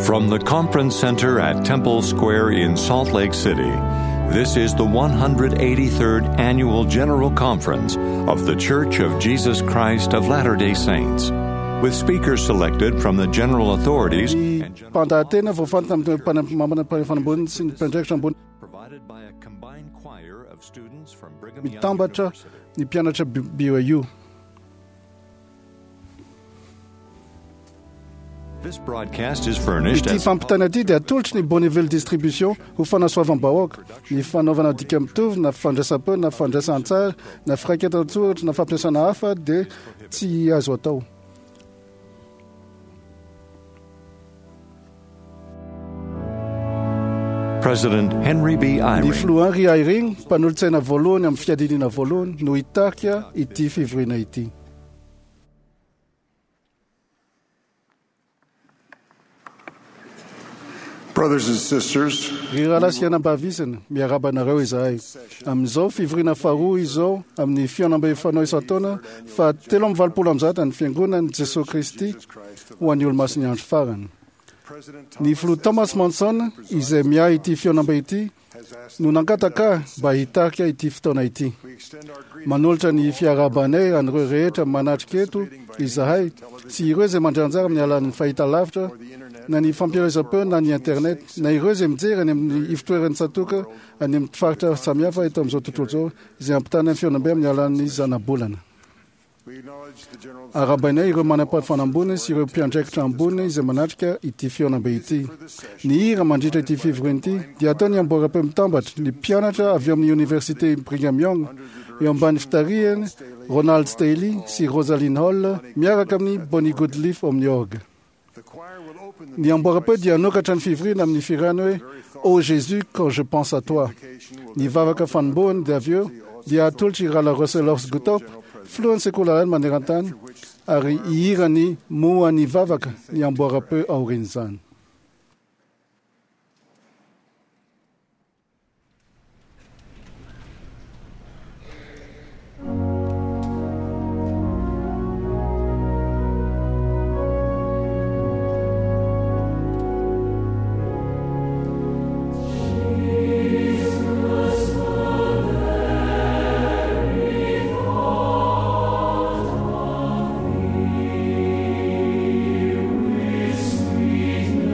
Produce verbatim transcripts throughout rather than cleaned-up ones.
From the Conference Center at Temple Square in Salt Lake City, this is the one hundred eighty-third Annual General Conference of The Church of Jesus Christ of Latter-day Saints, with speakers selected from the general authorities and Mpandahateny voafantina amin'ny mpana- ambony sy ny mpiandraikitra ambony provided by a combined choir of students from Brigham Young mitambatra University. Ny mpianatra B Y U. This broadcast is furnished Ity as fampitana ity dia atolotry ny Bonneville Distribution ho fanasoavam-bahoaka. Ny fanaovana dika mitovy na fandraisam-peo na fandraisan-tsary na firaketan-tsoratra na fampiasana hafa dia tsy azo atao. President Henry B. Ny Eyring filoha Henry Eyring, mpanolotsaina voalohany amin'ny fiadidiana voalohany, no hitarika ity fivoriana ity. Brothers and sisters, Ry rahalahy sy anabavy isany, miarahaba anareo izahay. Amin'izao fivoriana faharoa izao amin'ny fihaonambe fanao isan-taona fa telo amby valopolo amby zato ny fiangonan'i Jesosy Kristy ho an'ny olomasin'ny andro farany. President Ny filoha Thomas Monson, izay miahy ity fihaonambe ity, no nangataka ahy mba hitarika ity fotoana ity. We extend our greetings Manolotra ny fiarahabanay an'ireo rehetra manatrika eto izahay sy ireo izay mandray anjara amin'ny alalan'ny fahitalavitra na ny fampielezam-peo na ny internet na ireo izay mijery any amin'ny ivotoeran'ny tsatòka any amin'ny faritra samihafa eto amin'izao tontolo izao izay ampitana ny fihaonambe amin'ny alalan'ny zanabolana. We acknowledge the general Arahabainay ireo manam-pahefana ambony sy ireo mpiandraikitra ambony izay manatrika ity fihaonambe ity. Ny hira mandritra ity fivoriana ity dia ataony amboaram-peo mitambatra ny mpianatra avy amin'ny Université Brigham Young eo ambany fitarihany Ronald Staley sy Rosaline Hall miaraka amin'ny Bonnie Goodleaf amin'ny orgue. The choir will open the Ny amboaram-peo dia hanokatra ny fivoriana amin'ny fihirana hoe "Oh Jésus, quand je pense à toi". Ny vavaka fanombohany dia avy eo dia atolotry rahalahy Russell Gutop, filohan'ny sekoly alahady maneran-tany, ary hihira ny moa ny vavaka ny amboaram-peo aorian'izany. Sweet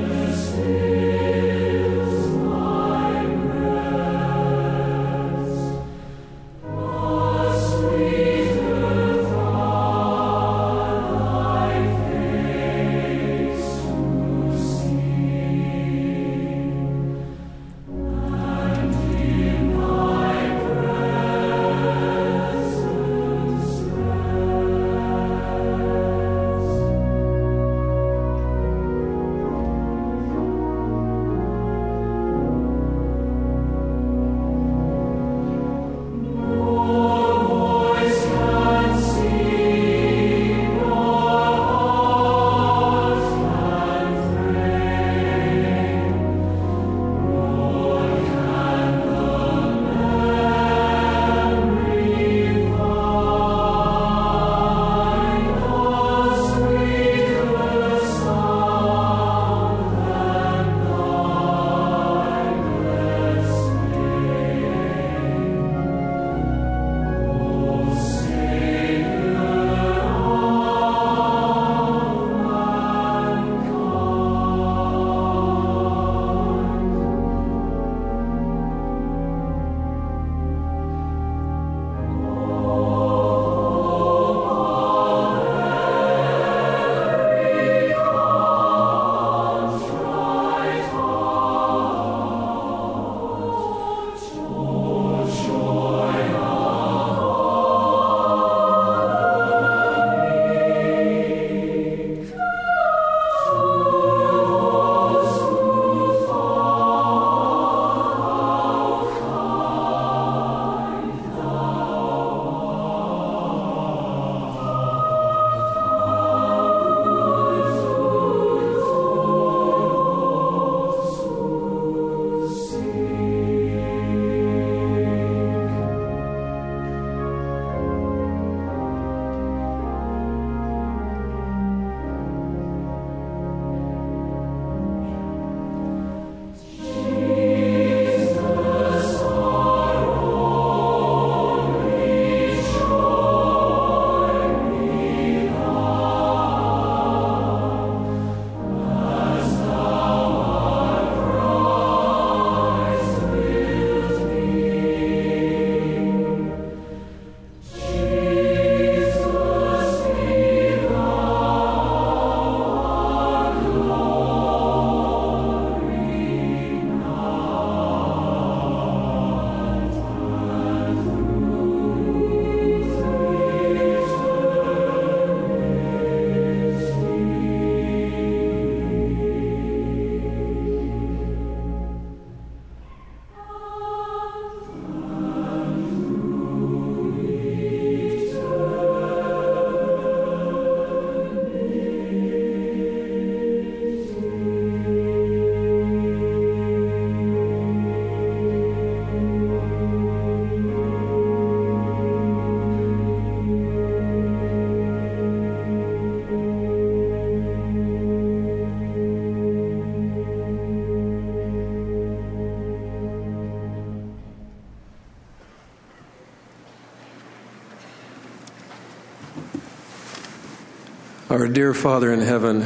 Our dear Father in heaven,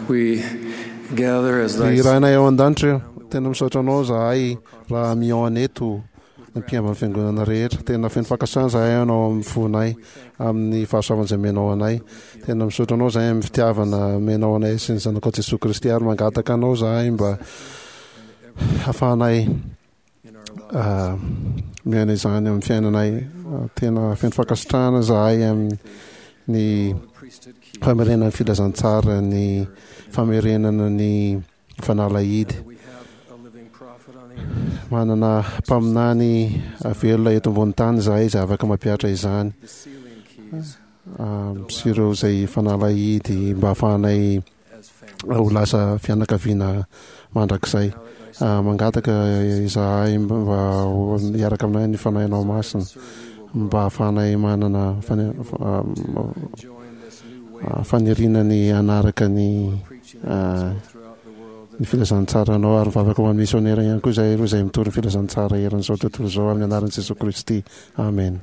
we gather as thy Ry Rainay ao an-danitra, tena misaotra anao zahay raha mihaona eto ny mpiambin'ny fiangonana rehetra. Tena feno fankasitrahana zahay anao amin'ny fonay, amin'ny fahasoavana izay omenao anay. Tena misaotra anao zahay amin'ny fitiavana omenao anay sy ny zanakao Jesoa Kristy, ary mangataka anao zahay mba hahafahanay miaina izany amin'ny fiainanay. Tena feno fankasitrahana zahay amin'ny famerenana ny filazantsara, ny famerenana ny fanalahidy. Manana mpaminany velona eto ambony tany izahay izay afaka mampihatra izany sy ireo izay fanalahidy mba hahafahanay ho lasa fianakaviana mandrakizay. Mangataka izahay mba hiaraka aminay ny Fanahinao Masina mba hahafahanay manana faniriana ny hanaraka ny ny filazantsaranao, ary mivavaka ho an'ny misionera ihany koa izahay ireo izay mitory ny filazantsara eran'izao tontolo izao amin'ny anaran'i Jesoa Kristy. Amen.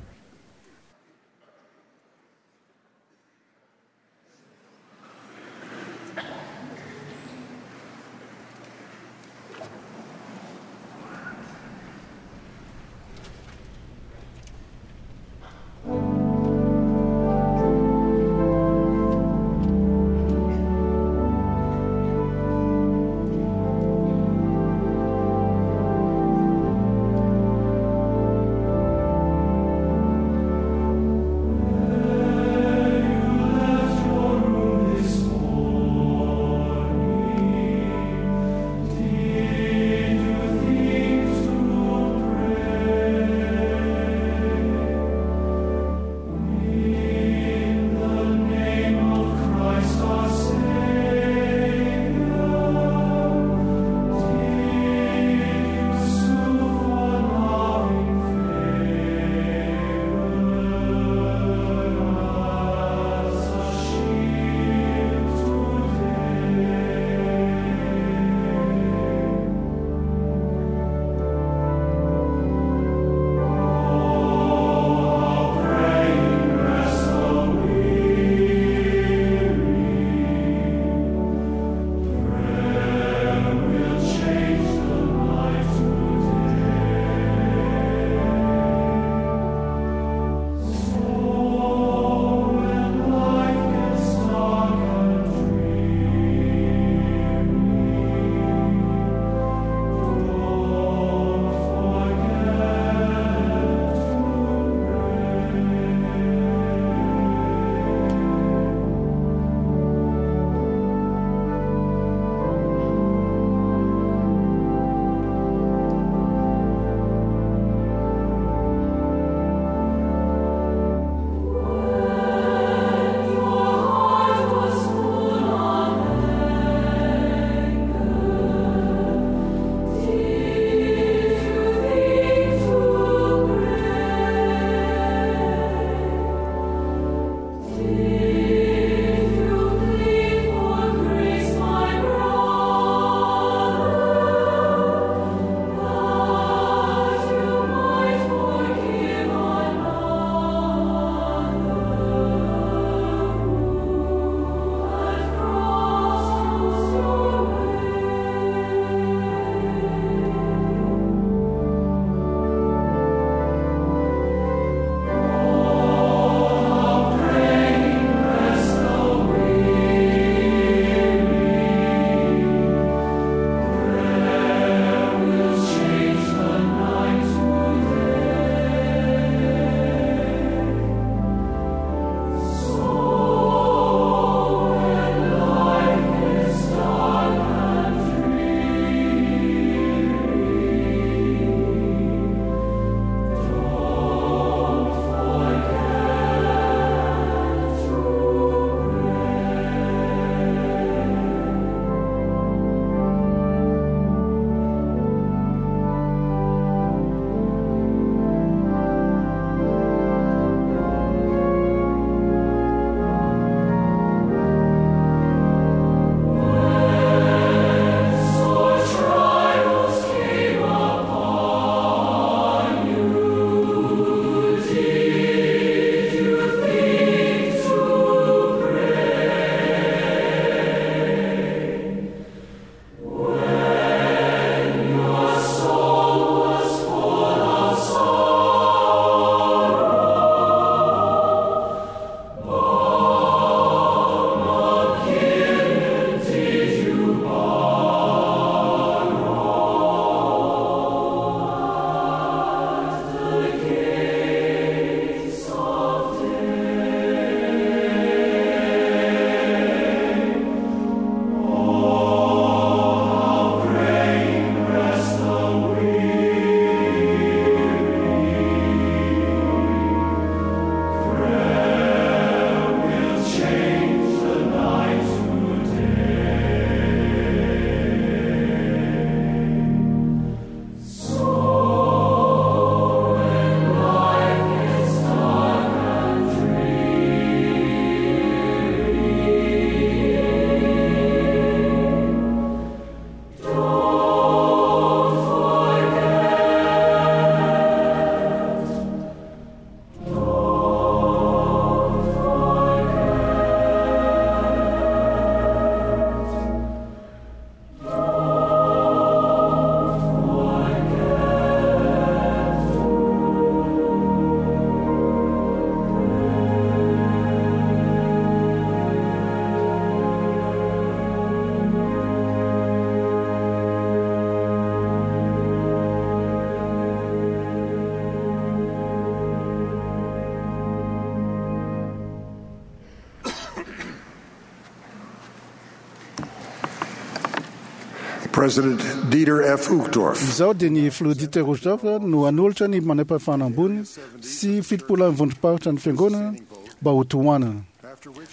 President Dieter F. Uchtdorf. Izao dia ny filoha Dieter Uchtdorf no hanolotra ny manampahefana ambony sy fitopolany vondrom-paritra ny fiangonana mba ho tohanana.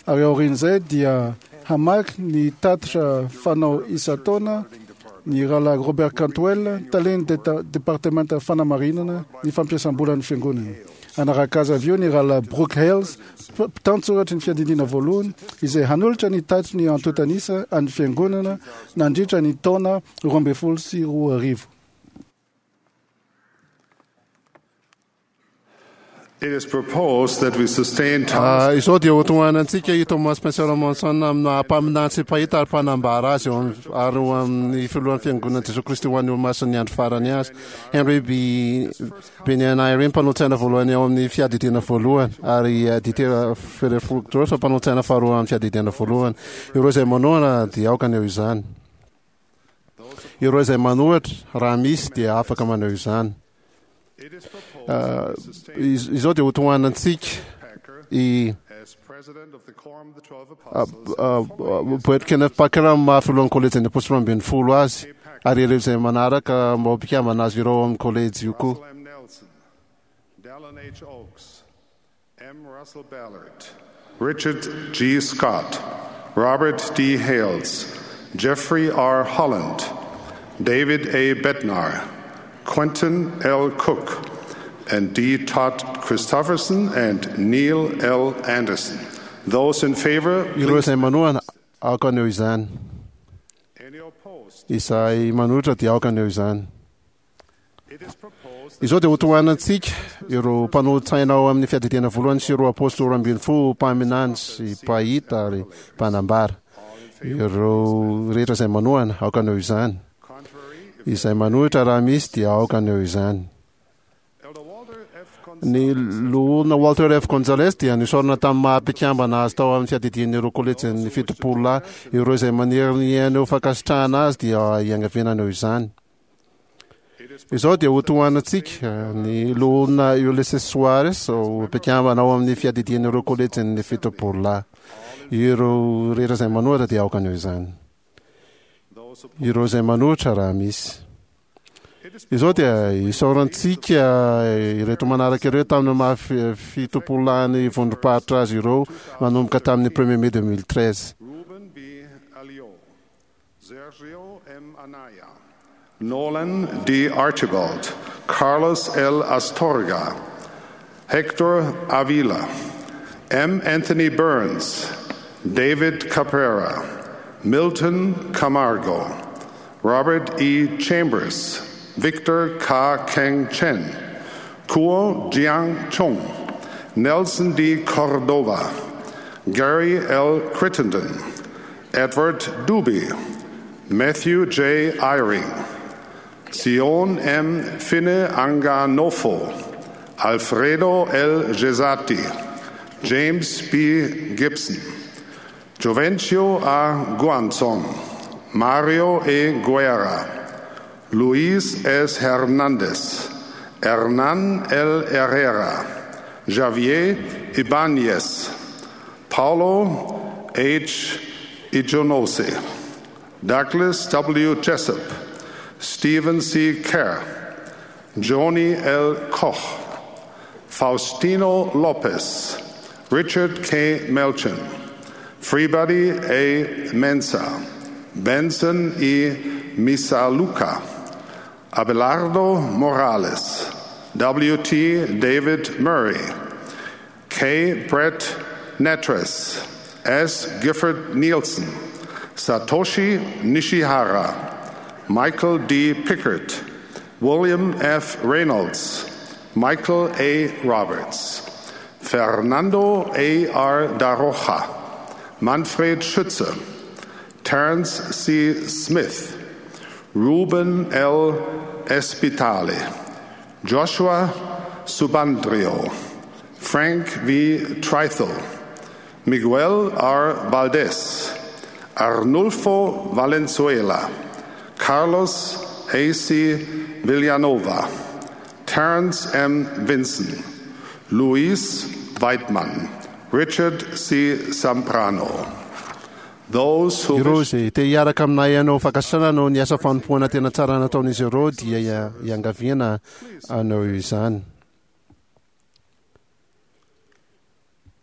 Ary aorian'izay dia hamaky ny tatitra fanao isan-taona ny rahalahy Robert Cantwell, talen'ny departementa fanamarinana ny fampiasam-bolan'ny fiangonana. Hanaraka azy avy eo ny rahalahy Brooke Hales, mpitantsoratry ny fiadidiana voalohany, izay hanolotra ny tatitry ny antontanisa an'ny fiangonana nandritra ny taona roa ambin'ny folo sy roa arivo. It is proposed that we sustain Thomas Izao dia hotohanantsika i Thomas Spencer Monson amina mpaminany sy mpahita ary mpanambara azy eo amin'ny- ary ho amin'ny filohan'ny fiangonana Jesosy Kristy ho an'ny olomasin'ny andro farany azy. Henry B. Benyan Eyring mpanolo-tsaina voalohany ao amin'ny fiadidiana voalohany ary eh, Dieter F. Uchtdorf mpanolo-tsaina faharoa amin'ny fiadidiana voalohany. Ireo izay manohana dia aoka haneho izany. Ireo izay manohitra raha misy dia afaka maneho izany. Ah, iz- izao dia hotohanantsika i as president of the Quorum of the Twelve ah, Apostles ah, ah, Boyd Kenneth Packer amin'ny maha filohan'ny kolejin'ny apôstôly roa ambin'ny folo azy ary ireo izay manaraka mba ho mpikambana azy ireo amin'ny kolejy io koa. Russell M. Nelson, Dallin H. Oaks, M. Russell Ballard, Richard G. Scott, Robert D. Hales, Jeffrey R. Holland, David A. Bednar, Quentin L. Cook, and D. Todd Christofferson and Neil L. Anderson. Those in favor, Ireo please. izay manohana aoka haneho izany. Any opposed? Izay manohitra dia aoka haneho izany. It is proposed Izao dia hotohanantsika ireo mpanolo-tsaina ao amin'ny fiadidiana voalohany sy ireo apôstôly roa ambin'ny folo mpaminany sy mpahita ary mpanambara. Ireo rehetra izay manohana aoka haneho izany. contrary, Izay manohitra raha misy dia aoka haneho izany. Elder Walter F. Ny loholona Walter F. Gonzales dia nisaorana tamin'ny maha mpikambana azy tao amin'ny fiadidian'ireo kolejin'ny fitopolo lahy. Ireo izay maniry ny haneho fankasitrahana azy dia iangaviana haneho izany. Izao dia hotohanantsika ny loholona Ulysses Soares ho mpikambana ao amin'ny fiadidian'ireo kolejin'ny fitopolo lahy. Ireo rehetra izay manohitra dia aoka haneho izany. Ireo izay manohitra raha misy. Izao dia isaorantsika ireto manaraka ireo tamin'ny maha fi- fitopolo lahy vondrom-paritra azy ireo manomboka tamin'ny premier mai deux mille treize. Ruben B. Alliot, Sergio M. Anaya, Nolan D. Archibald, Carlos L. Astorga, Hector Avila, M. Anthony Burns, David Caprera, Milton Camargo, Robert E. Chambers, Victor K. Keng Chen, Kuo Jiang Chung, Nelson D. Cordova, Gary L. Crittenden, Edward Duby, Matthew J. Eyring, Sion M. Finne Anganofo, Alfredo L. Gesati, James B. Gibson, Jovencio A. Guanzon, Mario E. Guerra, Luis S. Hernandez, Hernan L. Herrera, Javier Ibanez, Paulo H. Ijonose, Douglas W. Jessup, Stephen C. Kerr, Joni L. Koch, Faustino Lopez, Richard K. Melchin, Freebody A. Mensa, Benson E. Misaluka, Abelardo Morales, W T. David Murray, K. Brett Netres, S. Gifford Nielsen, Satoshi Nishihara, Michael D. Pickert, William F. Reynolds, Michael A. Roberts, Fernando A. R. Daroja, Manfred Schütze, Terence C. Smith, Ruben L. Espitale, Joshua Subandrio, Frank V. Trithel, Miguel R. Valdez, Arnulfo Valenzuela, Carlos A C. Villanova, Terence M. Vinson, Luis Weidmann, Richard C. Zambrano, Those who Ireo wish izay te hiaraka aminay hanao fankasitrahana noho ny asa fanompoana tena tsara nataon'izy ireo dia ia- iangaviana hanao izany.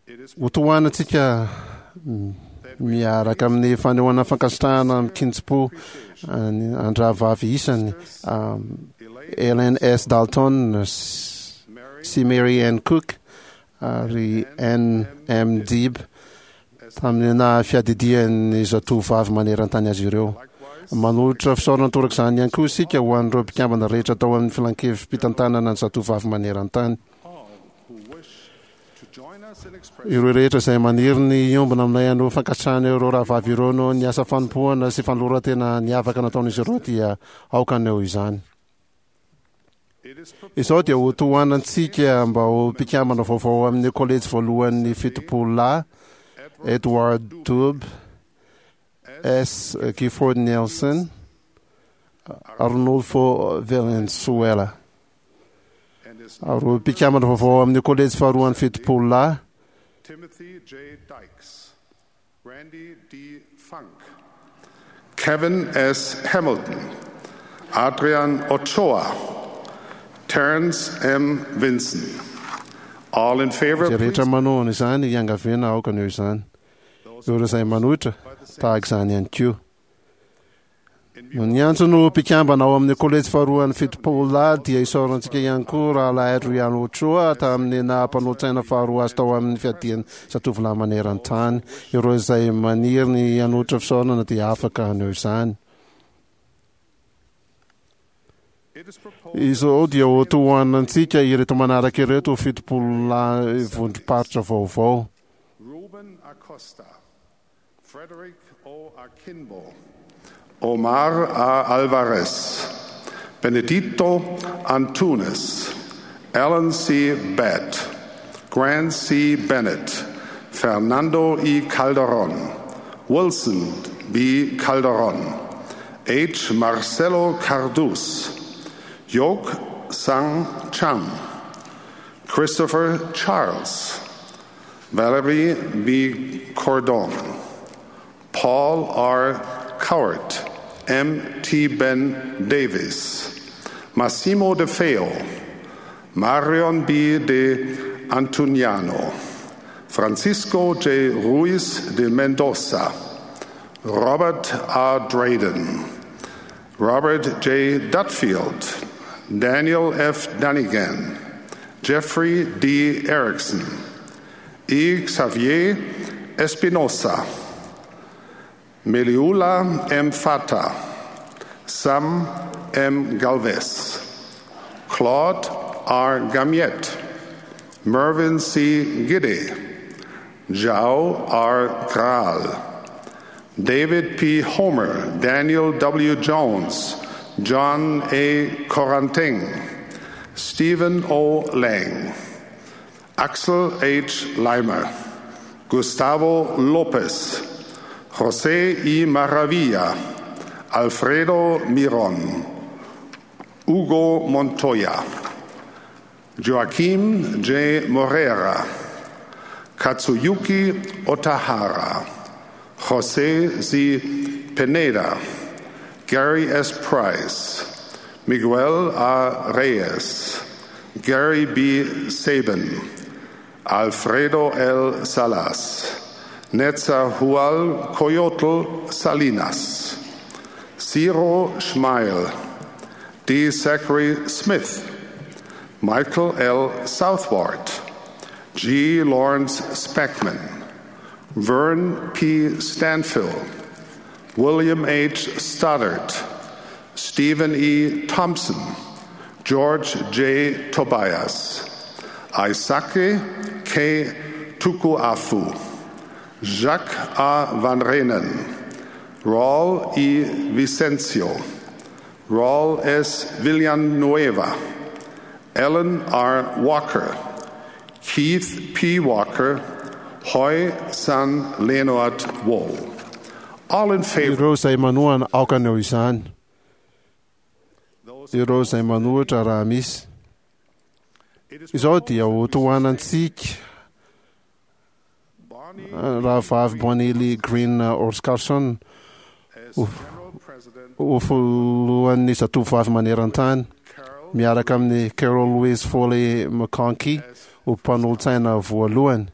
It is Hotohanantsika mm, miaraka amin'ny fanehoana fankasitrahana mikinjim-po an- an-drahavavy isany um, Elaine Ellen S. Dalton s- Mary sy Mary Ann Cook ary N. M. Dib tamin'ny na fiadidian'ny zatovavy maneran-tany azy ireo. likewise Manolotra fisaorana toraka izany ihany koa isika ho an'ireo mpikambana rehetra tao amin'ny filankevi-pitantanana ny zatovavy maneran-tany. all who wish to join us in expressing Ireo rehetra izay maniry ny hiombona aminay hanao fankasitrahana ireo rahavavy ireo noho ny asa fanompoana sy fanoloran-tena niavaka nataon'izy ireo dia aoka haneho izany. it is proposed Izao dia ho tohanantsika mba ho mpikambana vaovao amin'ny kolejy voalohan'ny fitopolo lahy Edward Dub, S. Gifford Nelson, Arnolfo Valenzuela. and is Ary ho mpikambana vaovao amin'ny kolejy faharoan'ny fitopolo lahy Timothy J. Dykes, Randy D. Funk, Kevin S. Hamilton, Adrian Ochoa, Terrence M. Vinson. All in favor, izay rehetra please. manohana izany iangaviana aoka haneho izany. Ireo izay manohitra tahaka izany ihany koa. In Ny antso no mpikambana ao amin'ny kolejy faharoan'ny fitopolo lahy dia isaorantsika ihany koa rahalahy Adrian Ochoa tamin'ny naha-mpanolotsaina faharoa azy tao amin'ny fiadian'ny zatovolahy maneran-tany. Ireo izay maniry ny hanolotra fisaorana dia afaka haneho izany. It is proposed Izao dia ho tohanantsika ireto manaraka ireto ho fitopolo lahy vondrom-paritra vaovao. Ruben Acosta, Frederick O. Akinbo, Omar A. Alvarez, Benedito Antunes, Alan C. Batt, Grant C. Bennett, Fernando E. Calderon, Wilson B. Calderon, H. Marcelo Cardus, Yok Sang Chang, Christopher Charles, Valerie B. Cordon, Paul R. Cowart, M. T. Ben Davis, Massimo De Feo, Marion B. De Antuniano, Francisco J. Ruiz de Mendoza, Robert R. Drayden, Robert J. Dutfield, Daniel F. Dunnigan, Jeffrey D. Erickson, E. Xavier Espinosa, Meliula M. Fata, Sam M. Galvez, Claude R. Gamiet, Mervyn C. Giddy, Zhao R. Graal, David P. Homer, Daniel W. Jones, John A. Coranting, Stephen O. Lang, Axel H. Leimer, Gustavo Lopez, Jose E. Maravilla, Alfredo Miron, Hugo Montoya, Joaquim J. Morera, Katsuyuki Otahara, Jose Z. Pineda, Gary S. Price, Miguel A. Reyes, Gary B. Sabin, Alfredo L. Salas, Netzahual Coyotl Salinas, Ciro Schmeil, D. Zachary Smith, Michael L. Southward, G. Lawrence Speckman, Vern P. Stanfill, William H. Stoddard, Stephen E. Thompson, George J. Tobias, Isake K. Tukuafu, Jacques A. Van Renen, Raul E. Vicencio, Raul S. Villanueva, Ellen R. Walker, Keith P. Walker, Hoy San Leonard Wohl. All in favor. Ireo izay manohana aoka haneho izany. Ireo izay manohitra raha misy. It is Izao dia ho tohanantsika Rahavavy Bonnie Lee Green Orscarson ho filohan'ny zatovovavy maneran-tany, miaraka amin'ny Carol Louise Foley McConkie ho mpanolotsaina voalohany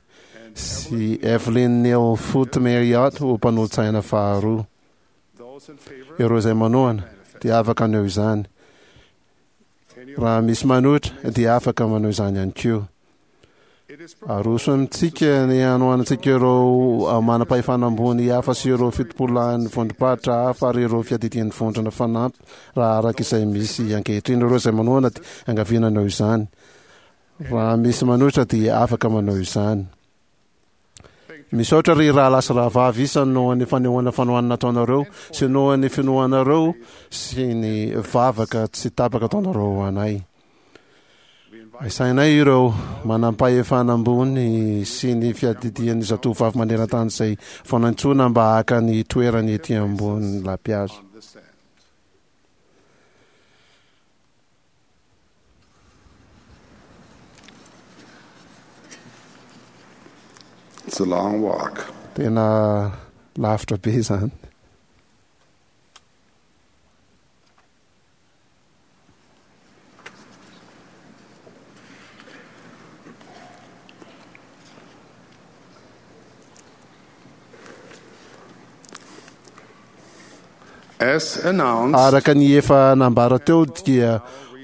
sy Evelyn Neal Foote Marriott ho mpanolotsaina faharoa. Ireo izay manohana dia afaka haneho izany. Raha misy manohitra dia afaka manao izany ihany koa. Aroso amintsika ny hanohanantsika ireo manam-pahefana ambony hafa sy ireo fitopololahin'ny vondrom-paritra hafa ary ireo fiadidian'ny vondrona fanampy raha araka izay misy ankehitriny. Ireo izay manohana dia angaviana hanao izany. Raha misy manohitra dia afaka manao izany. Misaotra ry rahalahy sy rahavavy isany noho ny fanehoana fanohanana ataonareo sy noho ny finoanareo sy ny vavaka tsy tapaka ataonareo ho anay. Asainay ireo manam-pahefana ambony sy ny fiadidian'ny zatovovavy maneran-tany izay vao nantsoina mba haka ny toerany ety ambony lapihazo. It's a long walk. Tena lavitra be izany. As announced, Araka ny efa nambara teo dia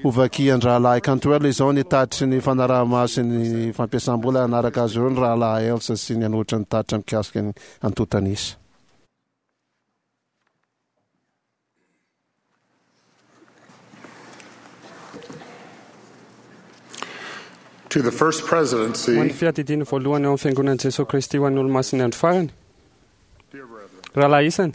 hovakian-drahalahy Cantwell izao ny tatitry ny fanaraha-maso sy ny fampiasam-bola hanaraka azy ireo ny rahalahy Elsa sy ny hanolotra ny tatitra mikasika ny antontan'isa. To the First Ho an'ny Presidency, fiadidiany voalohany ao amin'ny fiangonan'i Jesosy Kristy ho an'ny olomasin'ny andro farany, dear brethren, rahalahy isany,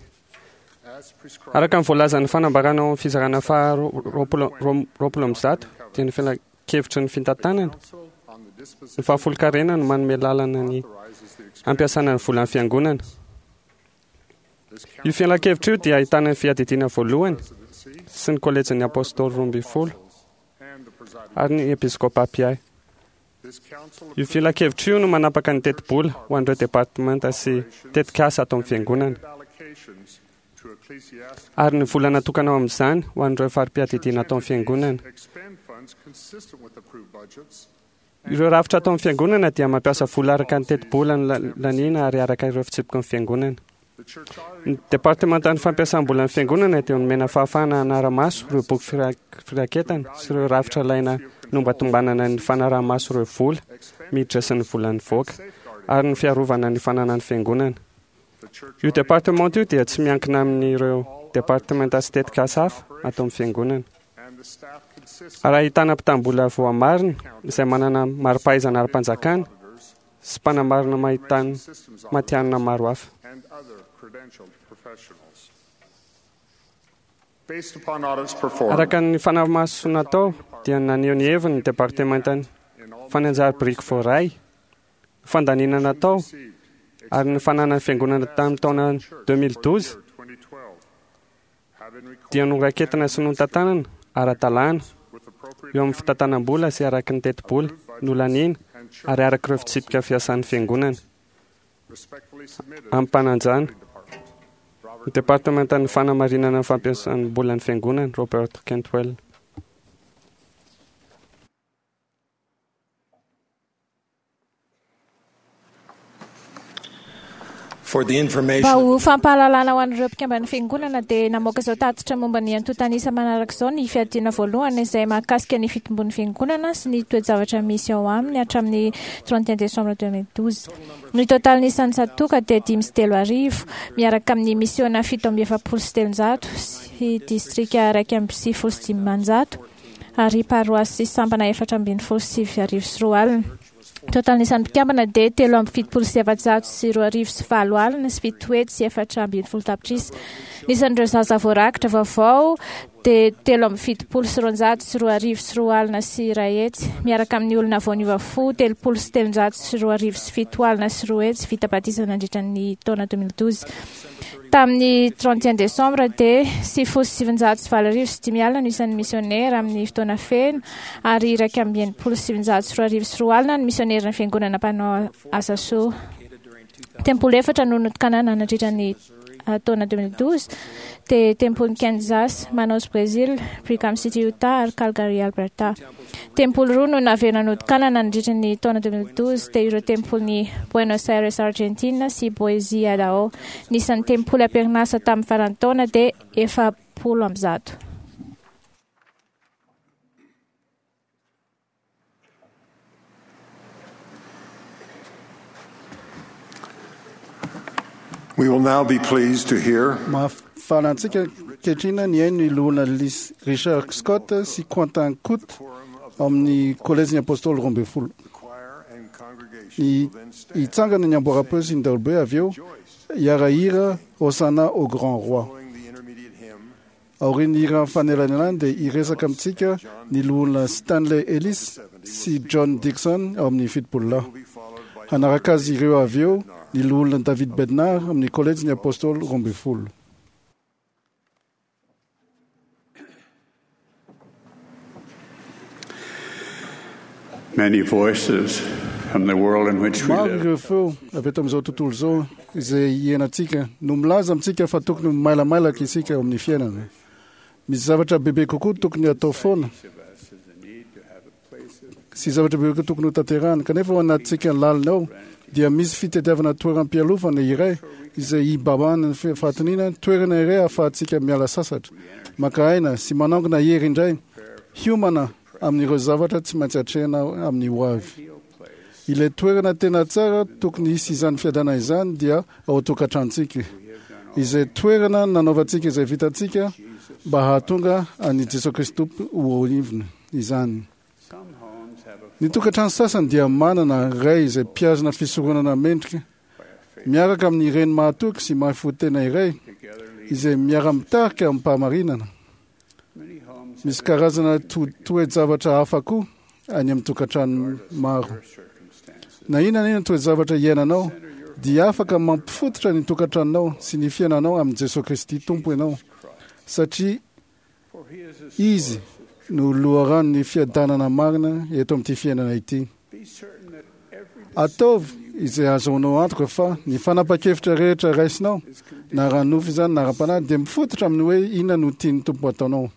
as prescribed araka ny voalazan'ny fanambarana ao amin'ny fizarana faha roapolo ro- roapolo amby zato dia ny filankevitry ny fitantanana council on the ny disposition fahafolonkarena no manome lalana ny authorizes the expenditure. ampiasana ny volan'ny fiangonana. This Io council filankevitra io dia ahitana ny fiadidiana voalohany presidency sy ny kolejin'ny apôstôly roa ambin'ny folo and the presiding. ary ny episkopa mpiahy. This council Io filankevitra io no manapaka ny tetibola ho an'ireo departementa sy tetikasa ato amin'ny fiangonana allocations to ecclesiastical ary ny vola natokana ao amin'izany ho an'ireo fari-piadidiana ato amin'ny fiangonana. expend funds consistent with approved budgets Ireo rafitra ato amin'ny fiangonana dia mampiasa vola araka ny tetibola ny la- laniana ary araka ireo fitsipiky ny fiangonana. The church Ny auditing departementan'ny fampiasam-bolan'ny fiangonana dia nomena fahafahana hanara-maso ireo boky fira- firaketana sy ireo rafitra ilaina nombatombanana ny fanaraha-maso ireo vola miditra sy ny vola nivoaka ary ny fiarovana ny fananan'ny fiangonana. the church Io departementa io dia tsy miankina amin'ireo departementa sy tetikasa hafa ato amin'ny fiangonana. and the staff consists Ary ahitana mpitam-bola voamarina izay manana mari-pahaizana ara-panjakana auditors, sy mpanamarina mahitany systems matihanina maro hafa. and other credentialed professionals. Based upon audits performed Araka ny fanamaso natao dia naneho ny heviny ny departementany in all fa ny anjara biriky voaray, ny fandaniana natao received ary ny fananan'ny fiangonana tamin'ny taona deux mille douze twenty twelve have been recorded dia noraketina sy notantanana ara-dalàna with appropriate eo amin'ny fitantanam-bola sy araka ny tetibola nolaniana ary araka ireo fitsipika fiasan'ny fiangonana respectfully submitted amim-panajana. department. Ny departementan'ny fanamarinana ny fampiasam-bolan'ny fiangonana, Robert Cantwell. For the information Mba ho fampahalalana ho an'ireo mpikamban'ny fiangonana dia namoaka izao tatitra momba ny antontan'isa manaraka izao ny fiadiana voalohany izay mahakasika ny fitombon'ny fiangonana sy ny toe-javatra misy ao aminy hatramin'ny trente et un décembre deux mille douze. Ny totalin'ny isan'ny tsatòka dia dimy sy telo arivo miaraka amin'ny misiona fito amby efapolo sy telonjato sy distrika iraika amby sivifolo sy dimanjato ary paroasy sy sampana efatra ambin'ny folo sy sivy arivo sy roa alina. Totalin'ny isan'ny mpikambana dia telo amby fitopolo sy efajato sy roa arivo sy valo alina sy fito hetsy sy efatra ambin'ny folo tapitrisa. Ny isan'ireo zaza voarakitra vaovao dia telo amby fitopolo sy roanjato sy roa arivo sy roa alina sy iray hetsy miaraka amin'ny olona vao niova fo telopolo sy telonjato sy roa arivo sy fito alina sy roa hetsy vita batisa nandritra ny taona deux mille douze. Tamin'ny trente et un décembre dia sivifolo sy sivinjato sy valo arivo sy dimy alina no isan'ny misionera amin'ny fotoana feno ary iraika amby enimpolo sy sivinjato sy roa arivo sy roa alina ny misionera ny fiangonana mpanao asa soa. Tempoly efatra no notokanana nandritra ny taona deux mille douze, dia tempolin'i Kansas, Manaus Brésil, Brigham City Utah ary Calgary Alberta. Tempoly roa no naverina notokanana nandritra ny taona deux mille douze, dia ireo tempolin'i Buenos Aires Argentina sy Boise Idaho. Ny isan'ny tempoly am-perinasa tamin'ny faran'ny taona dia efapolo amby zato. We will now be pleased to hear Mahafaly antsika ankehitriny ny haino ny loholona Richard Scott sy Quentin Coote amin'ny kolejin'ny apôstôly roa ambin'ny folo. Ny hitsangana ny amboara-peo sy ny daholobe avy eo hiara-hira Hosanna au Grand Roi. Aorian'ny hira fanelanelana dia hiresaka amintsika ny loholona Stanley Ellis sy John Dixon ao amin'ny fitopololahy. Hanaraka azy ireo avy eo ny loholona David Bednar amin'ny kolejin'ny apôstôly roa ambin'ny folo. Many voices from the world in which we Maro live ireo feo avy eto amin'izao tontolo izao izay iainantsika no milaza amintsika fa tokony mailamailaky isika eo amin'ny fiainana. Misy zavatra bebe kokoa tokony atao foana sy zavatra bebe kokoa tokony ho tanterahana, kanefa ao anatintsika lalina ao dia misy fitadiavana toeram-pialofana iray izay hibabahana ny fahatoniana, toerana iray ahafahantsika miala sasatra, maka aina sy manangona hery indray, hiomana amin'ireo zavatra tsy maintsy atrehina amin'ny ho avy. Ilay toerana tena tsara tokony hisy izany fiadana izany dia ao an-tokantranontsika, izay toerana nanaovantsika izay vitantsika mba hahatonga an'i Jesoa Kristy Tompo ho ivony izany. Ny tokantrano sasany dia manana ray izay mpihazona fisoronana mendrika miaraka amin'ny reny mahatoky sy mahafo tena iray izay miara-mitarika amim-pahamarinana. Misy karazana toe-javatra hafa koa any amin'ny tokantrano maro. Na inona na inona toe-javatra iainanao dia afaka mampifototra ny tokantranonao sy ny fiainanao amin'i Jesoa Kristy Tompo ianao, satria Izy no loharanon'ny fiadanana marina eto amin'ity fiainana ity. Ataovy izay ahazoanao antoka fa ny fanapa-kevitra rehetra raisinao, na ara-nofo izany na ara-panahy, dia mifototra amin'ny hoe inona no tian'ny Tompo ataonao.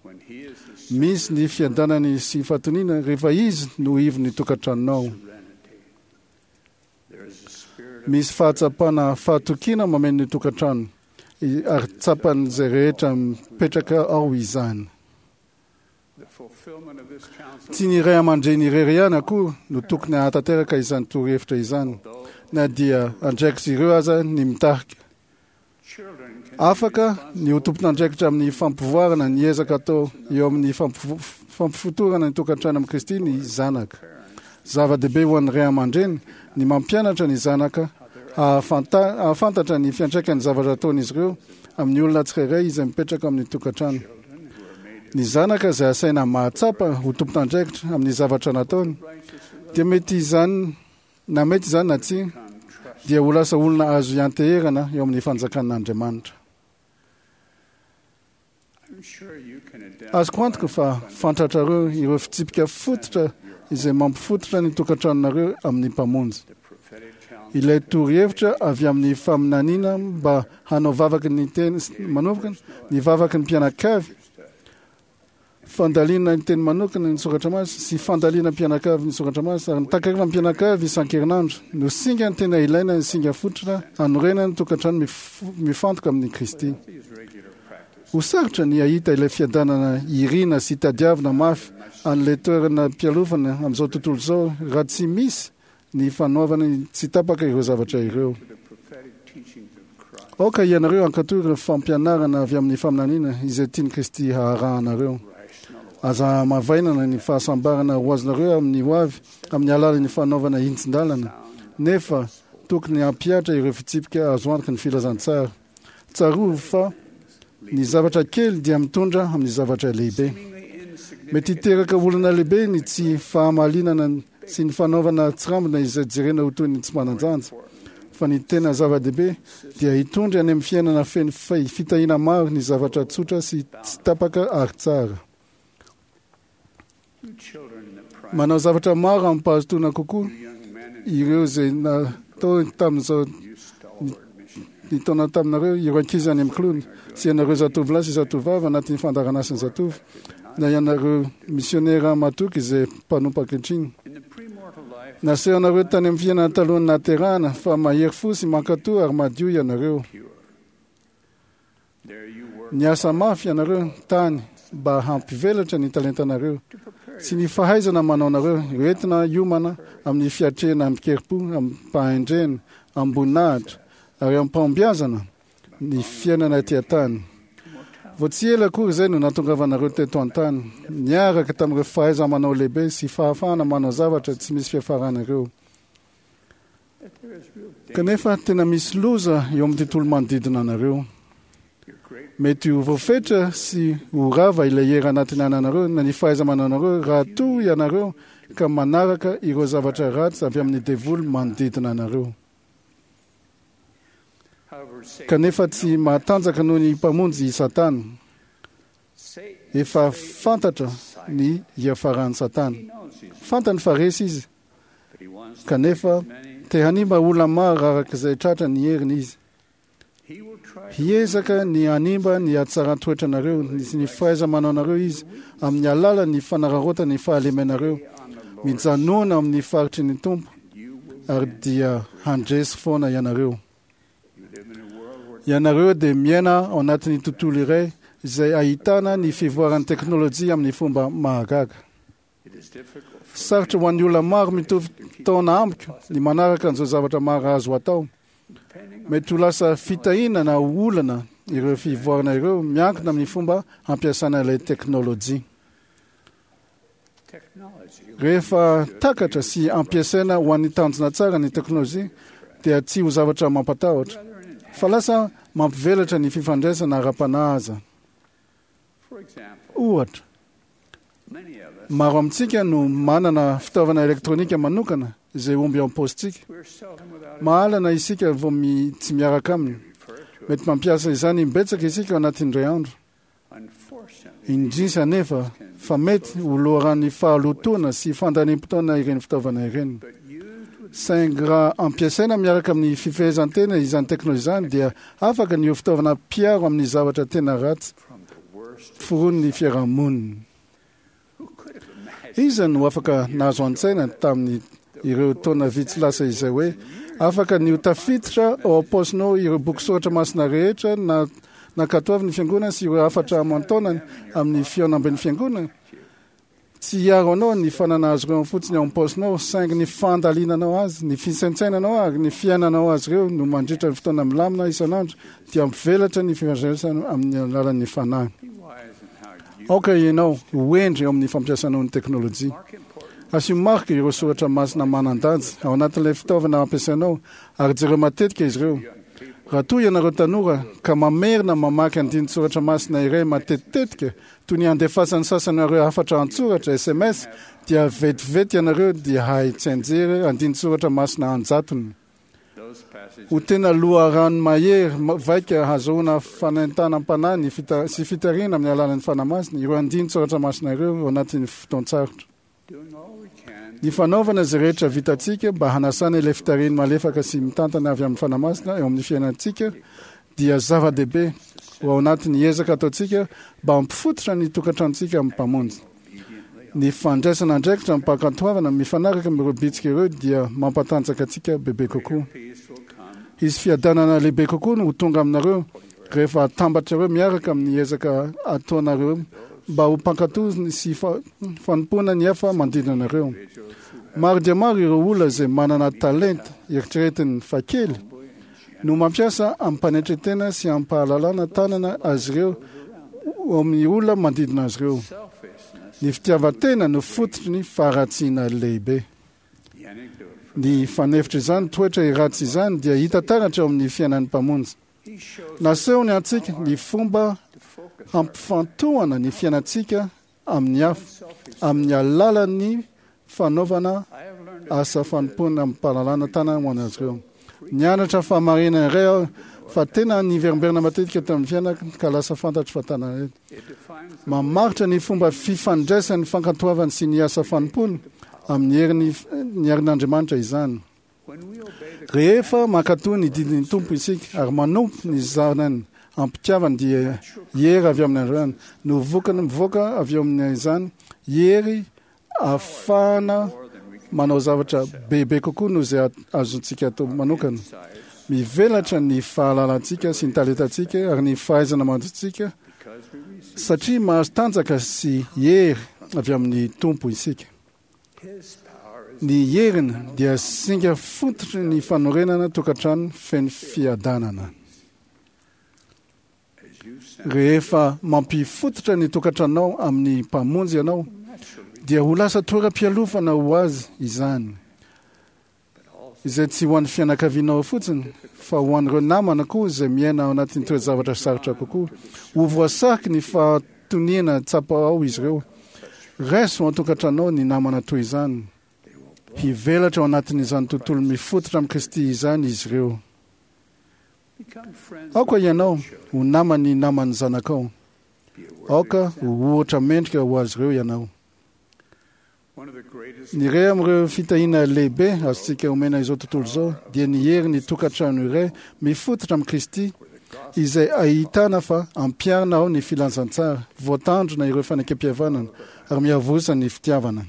Misy ny fiadanany sy fahatoniana rehefa Izy no ivon'ny tokantranonao. Misy fahatsapana fahatokiana mameno ny tokantrano ary tsapan'izay rehetra mipetraka ao izany. Tsy ny ray aman-dreny irery ihany akory no tokony hahatanteraka izany torohevitra izany, na dia andraikitra ireo aza ny mitarika. Afaka ny ho tompon'andraikitra amin'ny fampivoarana ny ezaka atao eo amin'ny fampifotorana ny tokantrano amin'i Kristy ny zanaka. Zava-dehibe ho an'ny ray aman-dreny ny mampianatra ny zanaka hahafantatra ny fiantraikan'ny zavatra ataon'izy ireo amin'ny olona tsirairay izay mipetraka amin'ny tokantrano. Ny zanaka izay asaina mahatsapa ho tompon'andraikitra amin'ny zavatra nataony dia mety izany na mety izany na tsia dia ho lasa olona azo ianteherana eo amin'ny fanjakan'Andriamanitra. Azoko antoka fa fantatrareo ireo fitsipika fototra izay mampifototra ny tokantranonareo amin'ny Mpamonjy. Ilay torohevitra avy amin'ny faminaniana mba hanao vavaky ny teny manokana, ny vavaky ny mpianakavy, fandalina ny teny manokana ny soratra masina sy fandalina mpianakavy ny soratra masina ary ny takariva mpianakavy isan-kerinandro no singa ny tena ilaina ny singa fototra hanorenana ny tokantrano mifantoka amin'ny Kristy. Ho sarotra ny hahita ilay fiadanana irina sy tadiavina mafy an'ilay toerana mpialofana amin'izao tontolo izao raha tsy misy ny fanaovana tsy tapaka ireo zavatra ireo. Aoka ianareo hankatò ireo fampianarana avy amin'ny faminaniana izay tian'i Kristy haharahanareo. Aza hamavainana ny fahasambarana ho azonareo amin'ny ho avy amin'ny alalan'ny fanaovana hintsin-dalana, nefa tokony hampihatra ireo fitsipika azo antoky ny filazantsara. Tsarovy fa ny zavatra kely dia mitondra amin'ny zavatra lehibe. Mety hiteraka olana lehibe ny tsy fahamalinana sy ny fanaovana tsirambina izay jerena ho toy ny tsy manan-danja, fa ny tena zava-dehibe dia hitondra any amin'ny fiainana feno fitahiana maro ny zavatra tsotra sy tsy tapaka ary tsara. Manao zavatra maro amim-pahazotoana kokoa ireo izay natao tamin'izao nitaona taminareo ireo ankizy any amin'ny kilony sy ianareo zatovolahy sy zatovavy anatin'ny fandaharanasan'ny zatovo, na ianareo misionera matoky izay mpanompo ankehitriny. Nasehonareo tany amin'ny fiainana talohan'ny nahaterahana fa mahery fo sy mankatò ary madio ianareo. Niasa mafy ianareo tany mba hampivelatra ny talentanareo sy ny fahaizana manao anareo hoentina hiomana amin'ny fiatrehana amin-kerim-po, amim-pahendrena, amim-boninahitra ary amim-pahombiazana ny fiainana ety an-tany. Vao tsy ela akory izay no nahatongavanareo teto an-tany, niaraka tamin'ireo fahaiza-manao lehibe sy fahafahana manao zavatra tsy misy fiafarana ireo. Kanefa tena misy loza eo amin'ny tontolo manodidina anareo. Mety ho voafetra sy ho rava ilay hery anatiny ananareo na ny fahaiza-mananareo raha toa ianareo ka manaraka ireo zavatra ratsy avy amin'ny devoly manodidina anareo. Kanefa tsy mahatanjaka noho ny Mpamonjy i Satana. Efa fantatra ny hiafaran'i Satana. Fantany fa resy izy, kanefa te hanimba olona maro araka izay tratra ny heriny izy. Hiezaka ny hanimba ny hatsaran-toetranareo sy ny fahaiza-manaonareo izy amin'ny alalan'ny fanararaotana ny fahalemenareo. Mijanona amin'ny faritry ny Tompo ary dia handresy foana ianareo. Ianareo dia miaina ao anatin'ny tontolo iray izay ahitana ny fivoaran'ny teknôlôjia amin'ny fomba mahagaga. Sarotra ho an'ny olona maro mitovy taona amiko ny manaraka an'izao zavatra maro azo atao. Mety ho lasa fitahiana na olana ireo fivoarana ireo miankina amin'ny fomba hampiasana ilay teknôlôjia. Rehefa takatra sy ampiasaina ho an'ny tanjona tsara ny teknôlôjia dia tsy ho zavatra mampatahotra, fa lasa mampivelatra ny fifandraisana ara-panahy aza. Ohatra, maro amintsika no manana fitaovana elektronika manokana izay omby ao am-paositsika. Mahalana isika vao mi, tsy miaraka aminy. Mety mampiasa izany imbetsaka isika ao anatin'ny iray andro. Indrisy anefa fa mety ho loharan'ny fahalotoana sy fandaniam-potoana ireny fitaovana ireny. Saingy raha ampiasaina miaraka amin'ny fifehezan-tena izany teknôlôjia izany dia afaka ny ho fitaovana mpiaro amin'ny zavatra tena ratsy foron'ny fiarahamonina. Iza no afaka nahazo an-tsaina tamin'ny ireo taona vitsy lasa izay hoe afaka ny ho tafiditra ao am-paosinao ireo boky soratra masina rehetra na nankatoavin'ny fiangonana sy ireo hafatra aman-taonany amin'ny fihaonamben'ny fiangonana? Tsy hiaro anao ny fanana azy ireo fotsiny ao am-paosinao, saingy ny fandalinanao azy, ny fisaintsainanao ary ny fiainanao azy ireo no mandritra ny fotoana milamina isan'andro dia mampivelatra ny fifandraisana amin'ny alalan'ny fanahy. Aoka ianao ho hendry eo amin'ny fampiasanao ny teknôlôjia. Asio marika ireo soratra masina manan-danja ao anatin'ilay fitaovana ampiasainao ary jereo matetika izy ireo. Raha toa ianareo tanora ka mamerina mamaky andinin-tsoratra masina iray matetitetika toy ny handefasan'ny sasany ireo hafatra an-tsoratra S M S, dia vetivety ianareo dia hahay tsianjery andinin-tsoratra masina an-jatony. Ho tena loharano mahery vaika hahazoana fanentanam-panahy ny fita, sy fitarihana amin'ny alalan'ny Fanahy Masina ireo andinin-tsoratra masina ireo ao anatin'ny fotoan-tsarotra. Ny fanaovana izay rehetra vitantsika mba hanasana ilay fitarihiny malefaka sy mitantana avy amin'ny Fanahy Masina eo amin'ny fiainantsika dia zava-dehibe ho ao anatin'ny ezaka ataontsika mba hampifototra ny tokantranontsika amin'ny Mpamonjy. Ny fandraisana andraikitra amim-pankatoavana mifanaraka amin'ireo bitsika ireo dia mampatanjaka antsika bebe kokoa. Hisy fiadanana lehibe kokoa no ho tonga aminareo rehefa atambatrareo miaraka amin'ny ezaka ataonareo mba ho mpankatò sy fanompoana ny hafa manodidina anareo. Maro dia maro ireo olona izay manana talenta eritreretiny fa kely no mampiasa amim-panetren-tena sy amim-pahalalana tanana azy ireo amin'ny olona manodidina azy ireo. Ny fitiavan-tena no fototry ny faharatsiana lehibe. Ny fanefitra izany toetra ratsy izany dia hita taratra eo amin'ny fiainan'ny Mpamonjy. Nasehony antsika ny fomba hampifantohana ny fiainantsika amin'ny hafa amin'ny alalan'ny fanaovana asa fanompoana amim-pahalalana tanana ho an'azy ireo. Nianatra fahamarinana iray aho fa tena niverimberina matetika tamin'ny fiainako ka lasa fantatro fa tana mamaritra ny fomba fifandraisan'ny fankatoavany sy ny asa fanompoana amin'ny herin'ny ny herin'Andriamanitra izany. Rehefa mankatò ny didin'ny Tompo isika ary manompo ny zanany am-pitiavana, dia hery avy amin'Andriamanitra no vokany mivoaka avy amin'izany, hery ahafahana manao zavatra bebe kokoa noho izay azontsika atao manokana. Mivelatra ny fahalalantsika sy ny talentantsika ary ny fahaizana manjontsika satria mahazo tanjaka sy hery avy amin'ny Tompo isika. Ny heriny dia singa fototry ny fanorenana tokantrano feno fiadanana. Rehefa mampifototra ny tokantranonao amin'ny Mpamonjy ianao, dia ho lasa toeram-pialofana ho azy izany, izay tsy ho an'ny fianakavianao fotsiny fa ho an'ireo namana koa izay miaina ao anatin'ny toe-javatra sarotra kokoa. Ho voasariky ny fahatoniana tsapa ao izy ireo. Raiso ao an-tokantranonao ny namana toy izany. Hivelatra ao anatin'izany tontolo mifototra amin'i Kristy izany izy ireo. Aoka ianao ho naman'ny naman'ny zanakao. Aoka ho ohatra mendrika ho azy ireo ianao. Ny iray amin'ireo fitahiana lehibe azontsika omena izao tontolo izao dia ny herin'ny tokantrano iray mifototra amin'i Kristy, izay ahitana fa ampiharina ao ny filazantsara, voatandrona ireo fanekempihavanana ary miavosa ny fitiavana.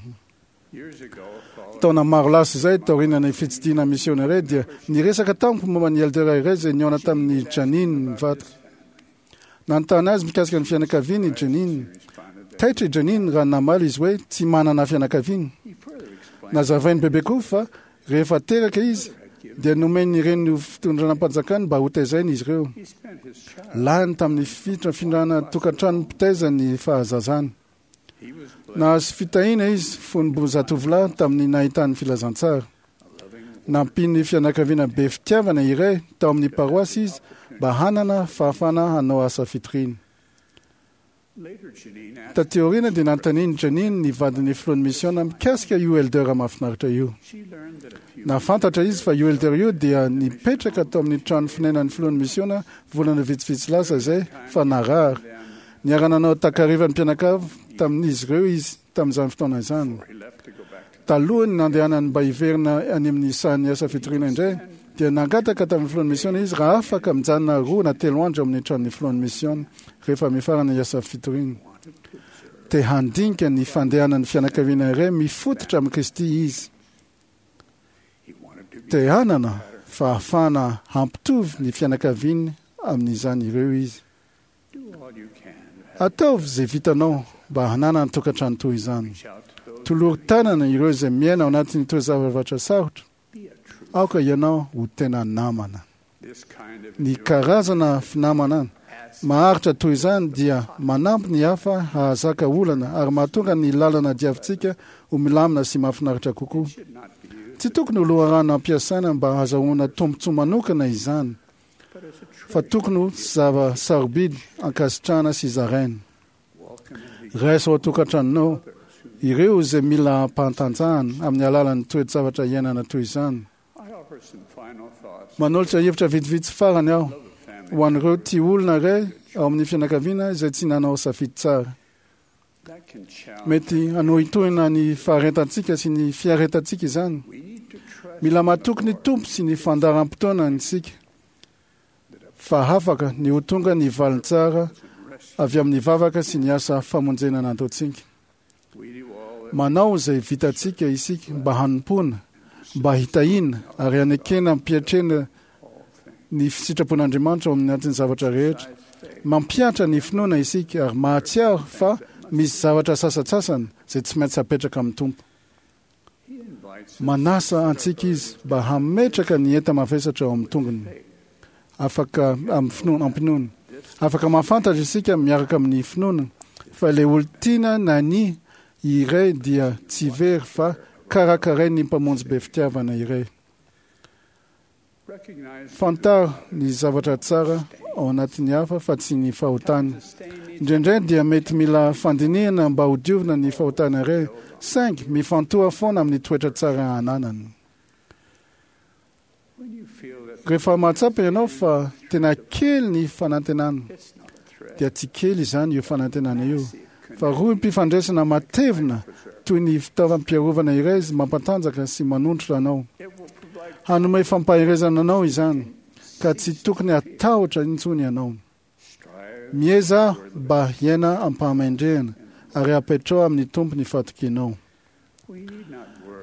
Taona maro lasa izay, taorian'ny fitsidihana misionera, dia niresaka tamiko momba ny elder iray izay nihaona tamin'i Janine mivadika. Nanontany azy mikasika ny fianakaviany i Janine. Taitra i Janine raha namaly izy hoe tsy manana fianakaviana. Nazavainy bebe koa fa rehefa teraka izy dia nomen'ny reniny ho fitondranam-panjakany mba hotezaina izy ireo. Lany tamin'ny fifindrana tokantrano mpitaiza ny fahazazany. Nahazo fitahiana izy fony mbola zatovolahy tamin'ny nahitany filazantsara. Nampian'ny fianakaviana be fitiavana iray tao amin'ny paroasy izy mba hanana fahafahana hanao asa fitoriana. Taty aoriana dia nanontanian'i Janine ny vadin'ny filohan'ny misiona mikasika io elder mahafinaritra io. Nahafantatra izy fa io elder io dia nipetraka tao amin'ny trano fonenan'ny filohan'ny misiona volana vitsivitsy lasa izay fa narary. Niara-nanao takarivan'ny mpianakavy tamin'izy ireo izy tamin'izany fotoana izany. Talohan'ny nandehanany mba hiverina any amin'ny sahan'ny asa fitoriana indray, dia nangataka tamin'ny filohan'ny misiona izy raha afaka mijanona roa na telo andro amin'ny tranon'ny filohan'ny misiona rehefa mifarana ny asa fitoriana. Te handinika ny fandehanan'ny fianakaviana iray mifototra amin'i Kristy izy. Te hanana fahafahana hampitovy ny fianakaviany amin'izany ireo izy. Ataovy izay vitanao mba hananana tokantrano toy izany. Tolory tanana ireo izay miaina ao anatin'ny toe-javatra sarotra. Aoka ianao ho tena namana. Ny karazana finamana maharitra toy izany dia manampy ny hafa hahazaka olana ary mahatonga ny lalana diavintsika ho milamina sy mahafinaritra kokoa. Tsy tokony ho loharano ampiasaina mba hahazahoana tombontsoa manokana izany, fa tokony ho zava-sarobidy ankasitrahana sy zaraina. Raiso ao an-tokantranonao ireo izay mila ampahatanjahana amin'ny alalan'ny toe-javatra iainana toy izany. Manolotra hevitra vitsivitsy farany aho ho an'ireo tia olona iray ao amin'ny fianakaviana izay tsy nanao safidy tsara. Mety hanohintohina ny faharetantsika sy ny fiaretantsika izany. Mila matoky ny Tompo sy ny fandaharam-potoanany isika fa afaka ny ho tonga ny valiny tsara avy amin'ny vavaka sy ny asa famonjena nataontsika. Manao izay vitantsika isika mba hanompoana, mba hitahiana ary hanekena ampiatrena ny sitrapon'Andriamanitra ao amin'ny anatin'ny zavatra rehetra. Mampihatra ny finoana isika ary mahatsiaro fa misy zavatra sasantsasany izay tsy maintsy apetraka amin'ny Tompo. Manasa antsika izy mba hametraka ny enta-mavesatra ao amin'ny tongony. Afaka amin'ny finoana, am-pinoana. Afaka mahafantatra isika miaraka amin'ny finoana fa ilay olon-tiana na ny iray dia tsy very fa karakarain'ny Mpamonjy be fitiavana iray. Fantaro ny zavatra tsara ao anatin'ny hafa fa tsy ny fahotany. Indraindray dia mety mila fandinihana mba hodiovina ny fahotana iray, saingy mifantoha foana amin'ny toetra tsara ananany. Rehefa mahatsapa ianao fa tena kely ny fanantenana, dia tsy kely izany io fanantenana io, fa rohim-pifandraisana matevina toy ny fitaovam-piarovana iray izy mampatanjaka sy manontrotra anao. Hanome fampaherezana anao izany, ka tsy tokony hatahotra intsony ianao. Miezaha mba hiaina am-pahamendrehana ary apetrao amin'ny Tompo ny fahatokianao.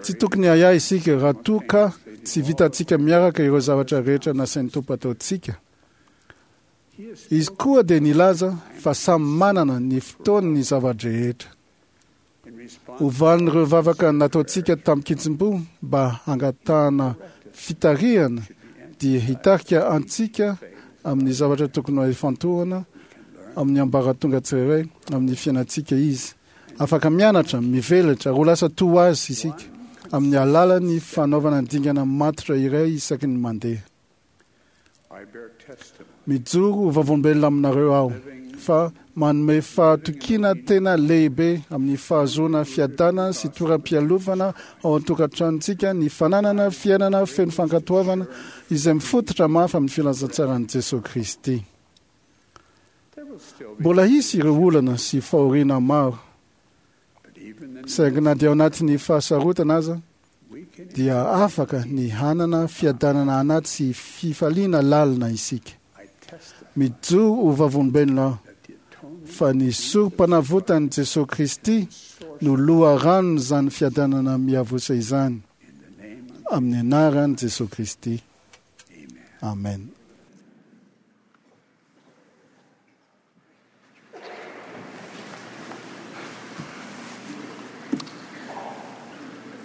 Tsy tokony ahiahy isika raha toa ka tsy vitantsika miaraka ireo zavatra rehetra nasain'ny Tompo ataontsika. Izy koa dia nilaza fa samy manana ny fotoany ny zava-drehetra. Ho valin'ireo vavaka nataontsika tamin-kitsim-po mba hangatahana fitarihana dia hitarika antsika amin'ny zavatra tokony ho ifantohana amin'ny ambaratonga tsirairay amin'ny fiainantsika izy. Afaka mianatra, mivelatra ary ho lasa toa azy isika amin'ny alalan'ny fanaovana dingana matotra iray isaky ny mandeha. Mijoro ho vavolombelona aminareo aho fa manome fahatokiana tena lehibe amin'ny fahazoana fiadanana sy toeram-pialofana ao an-tokantranontsika ny fananana fiainana feno fankatoavana izay mifototra mafy amin'ny filazantsaran'i Jesoa Kristy. Mbola hisy ireo olana sy fahoriana maro, saingy na dia ao anatin'ny fahasarotana aza dia afaka ny hanana fiadanana anaty sy fifaliana lalina isika. Mijoro ho vavolombelona aho fa ny sorom-panavotan'i Jesoa Kristy no loharanon'izany fiadanana miavosa izany. Amin'ny anaran'i Jesoa Kristy. Amen.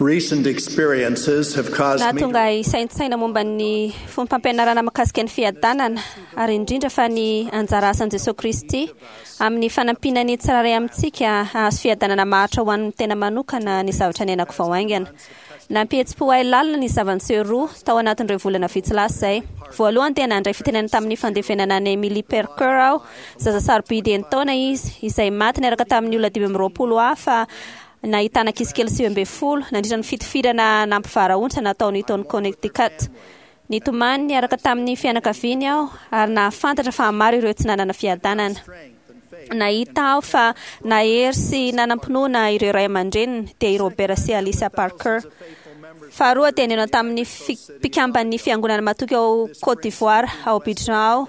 Recent experiences have caused me Nahatonga ahy hisaintsaina momba ny fombam-pampianarana mahakasika ny fiadanana, ary indrindra fa ny anjara asan'i Jesoa Kristy amin'ny fanampiana ny tsirairay amintsika hahazo fiadanana maharitra ho an'ny tena manokana ny zavatra niainako vao haingana. Nampihetsi-po ahy lalina ny zava-niseho roa tao anatin'ireo volana vitsy lasa izay. Voalohany dia nandray fitenenana tamin'ny fandevenana an'i Emily Parker aho, zaza sarobidy enin-taona izy, izay maty niaraka tamin'ny olona dimy amby roapolo hafa nahitana ankizy kely sivy ambin'ny folo nandritra ny fitifirana nampivarahontsana natao Newton, Connecticut. Nitomany niaraka tamin'ny fianakaviany aho ary nahafantatra fa maro ireo tsy nanana fiadanana. Nahita aho fa nahery sy nanam-pinoana ireo ray aman-dreniny, dia i Robert sy Alicia Parker. Faharoa dia nihaona tamin'ny mpikamban'ny fiangonana matoky ao Côte d'Ivoire, ao Abidjan aho.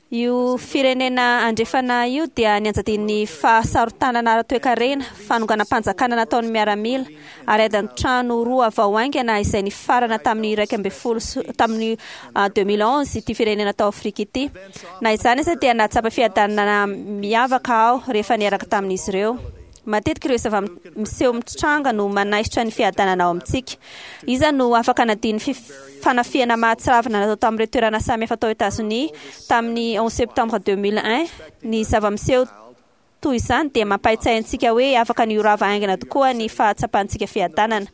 Io firenena andrefana io dia nianjadian'ny fahasarotanana ara-toekarena, fanonganam-panjakana nataon'ny miaramila, ary ady an-trano roa vao haingana izay nifarana tamin'ny iraika ambin'ny folo sy tamin'ny deux mille onze ity firenena tao Afrika ity. Na izany aza dia nahatsapa fiadanana miavaka aho rehefa niaraka tamin'izy ireo. Matetika ireo zava-miseho mitranga no manaisotra ny fiadanana ao amintsika. Iza no afaka hanadino ny fanafihana mahatsiravina natao tamin'ireo toerana samihafa tao Etazonia tamin'ny onze septembre deux mille un? Ny zava-miseho toy izany dia mampahatsiahy antsika hoe afaka ny ho rava haingana tokoa ny fahatsapantsika fiadanana.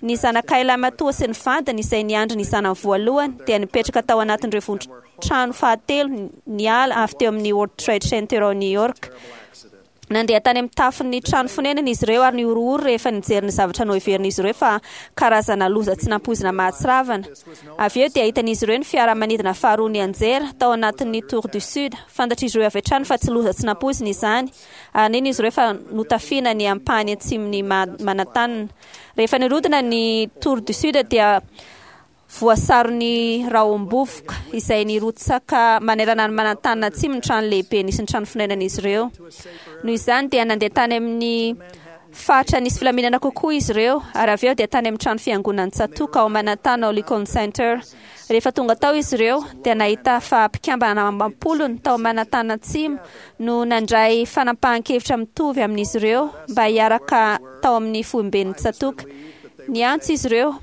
Ny zanakay lahimatoa sy ny vadiny, izay niandry ny zanany voalohany, dia nipetraka tao anatin'ireo vondron-trano fahatelo niala avy teo amin'ny World Trade Center ao New York. Nandeha tany amin'ny tafon'ny trano fonenana izy ireo ary nihorohoro rehefa nijery ny zavatra noheverin'izy ireo fa karazana loza tsy nampoizina mahatsiravina. Avy eo dia hitan'izy ireo ny fiaramanidina faharoa nianjera tao anatin'ny Tour du Sud. Fantatr'izy ireo avy hatrany fa tsy loza tsy nampoizina izany, ary nino izy ireo fa notafiana ny ampahany atsimon'i Manhattan. Rehefa nirodana ny Tour du Sud dia Voasaron'ny rahom-bovoka izay nirotsaka manerana an'i Manantanina Atsimo ny trano lehibe nisy ny trano fonenan'izy ireo. Noho izany dia nandeha tany amin'ny faritra nisy filaminana kokoa izy ireo, ary avy eo dia tany amin'ny trano fiangonan'ny tsatòka ao Manhattan ao Lincoln Center. Rehefa tonga tao izy ireo dia nahita fa mpikambana amam-polony tao Manhattan Atsimo no nandray fanapahan-kevitra mitovy amin'izy ireo mba hiaraka tao amin'ny foiben'ny tsatòka. Niantso izy ireo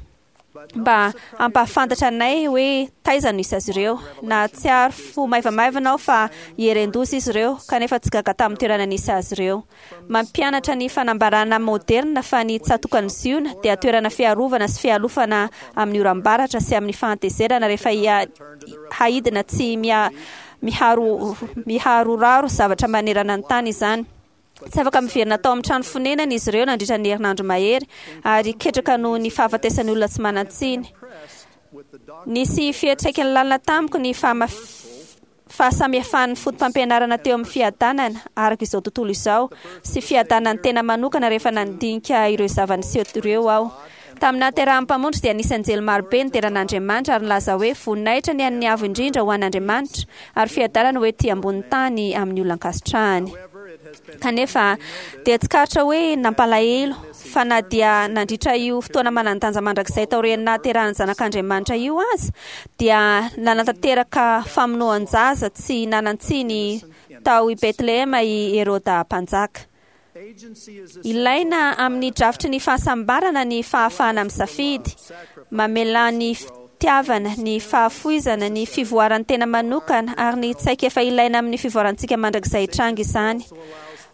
mba hampahafantatra anay hoe taiza no hisy azy ireo. Nahatsiaro fo maivamaivana aho fa hieren-doza izy ireo, kanefa tsy gaga tamin'ny toerana nisy azy ireo. Mampianatra ny fanambarana moderina fa ny tsatokan'i Ziona dia toerana fiarovana sy fialofana amin'ny oram-baratra sy amin'ny fahatezerana rehefa haidina tsy miharoraro zavatra manerana ny tany izany. Tsy afaka miverina tao amin'ny trano fonenany izy ireo nandritra ny herinandro mahery, ary ketraka noho ny fahafatesan'ny olona tsy manan-tsiny. Nisy fiantraikany lalina tamiko ny fahasamihafan'ny fotopampianarana teo amin'ny fiadanana araka izao tontolo izao sy fiadanan'ny tena manokana rehefa nandinika ireo zava-niseho ireo aho. Tamin'ny nahaterahan'ny Mpamonjy dia nisy anjely marobe nidera an'Andriamanitra ary nilaza hoe voninahitra ny an'ny Avo Indrindra ho an'Andriamanitra ary fiadanana ho ety ambonin'ny tany amin'ny olona ankasitrahany. Kanefa dia tsikaritra hoe nampalahelo fa na dia nandritra io fotoana manan-danja mandrakizay taorian'ny nahaterahan'ny Zanak'Andriamanitra io aza dia nanatanteraka famonoan-jaza tsy nanan-tsiny tao i Betlehema i Heroda mpanjaka. Ilaina amin'ny drafitry ny fahasambarana ny fahafahana misafidy, mamela ny fitiavana, ny fahafoizana, ny fivoaran'ny tena manokana ary ny tsaika efa ilaina amin'ny fivoarantsika mandrakizay hitranga izany.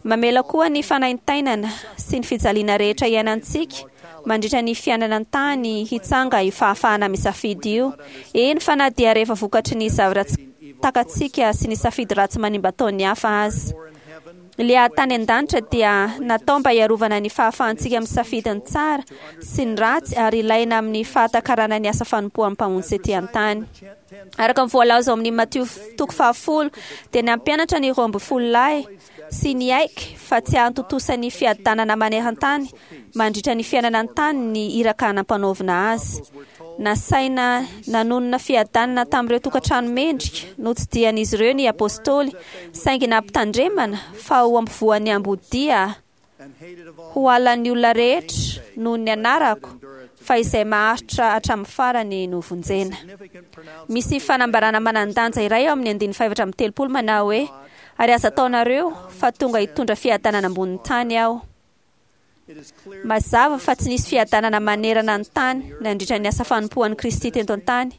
Mamela koa ny fanaintainana sy ny fijaliana rehetra iainantsika mandritra ny fiainana an-tany hitsanga io fahafahana misafidy io. Eny fa na dia rehefa vokatry ny zavatra tsy takatsika sy ny safidy ratsy manimba ataon'ny hafa aza. Ilay tany an-danitra dia natao mba hiarovana ny fahafahantsika misafidy ny tsara sy ny ratsy ary ilaina amin'ny fahatakarana ny asa fanompoan'ny Mpamonjy ety an-tany. Araka ny voalaza ao amin'ny Matio toko fahafolo dia nampianatra ny roa ambin'ny folo lahy sy niaiky fa tsy hahatontosa ny fiadanana maneran-tany mandritra ny fiainana an-tany ny iraka nampanaovina azy. Nasaina nanonona fiadanana tamin'ireo tokantrano mendrika notsidihan'izy ireo ny apôstôly, saingy nampitandremana fa ho ampovoan'ny ambodia ho halan'ny olona rehetra noho ny anarako, fa izay maharitra hatramin'ny farany no vonjena. Misy fanambarana manan-danja iray ao amin'ny andininy fahefatra amby telopolo manao hoe ary aza ataonareo fa tonga hitondra fiadanana ambonin'ny tany aho. Mazava fa tsy nisy fiadanana manerana ny tany nandritra ny asa fanompoan'i Kristy teto an-tany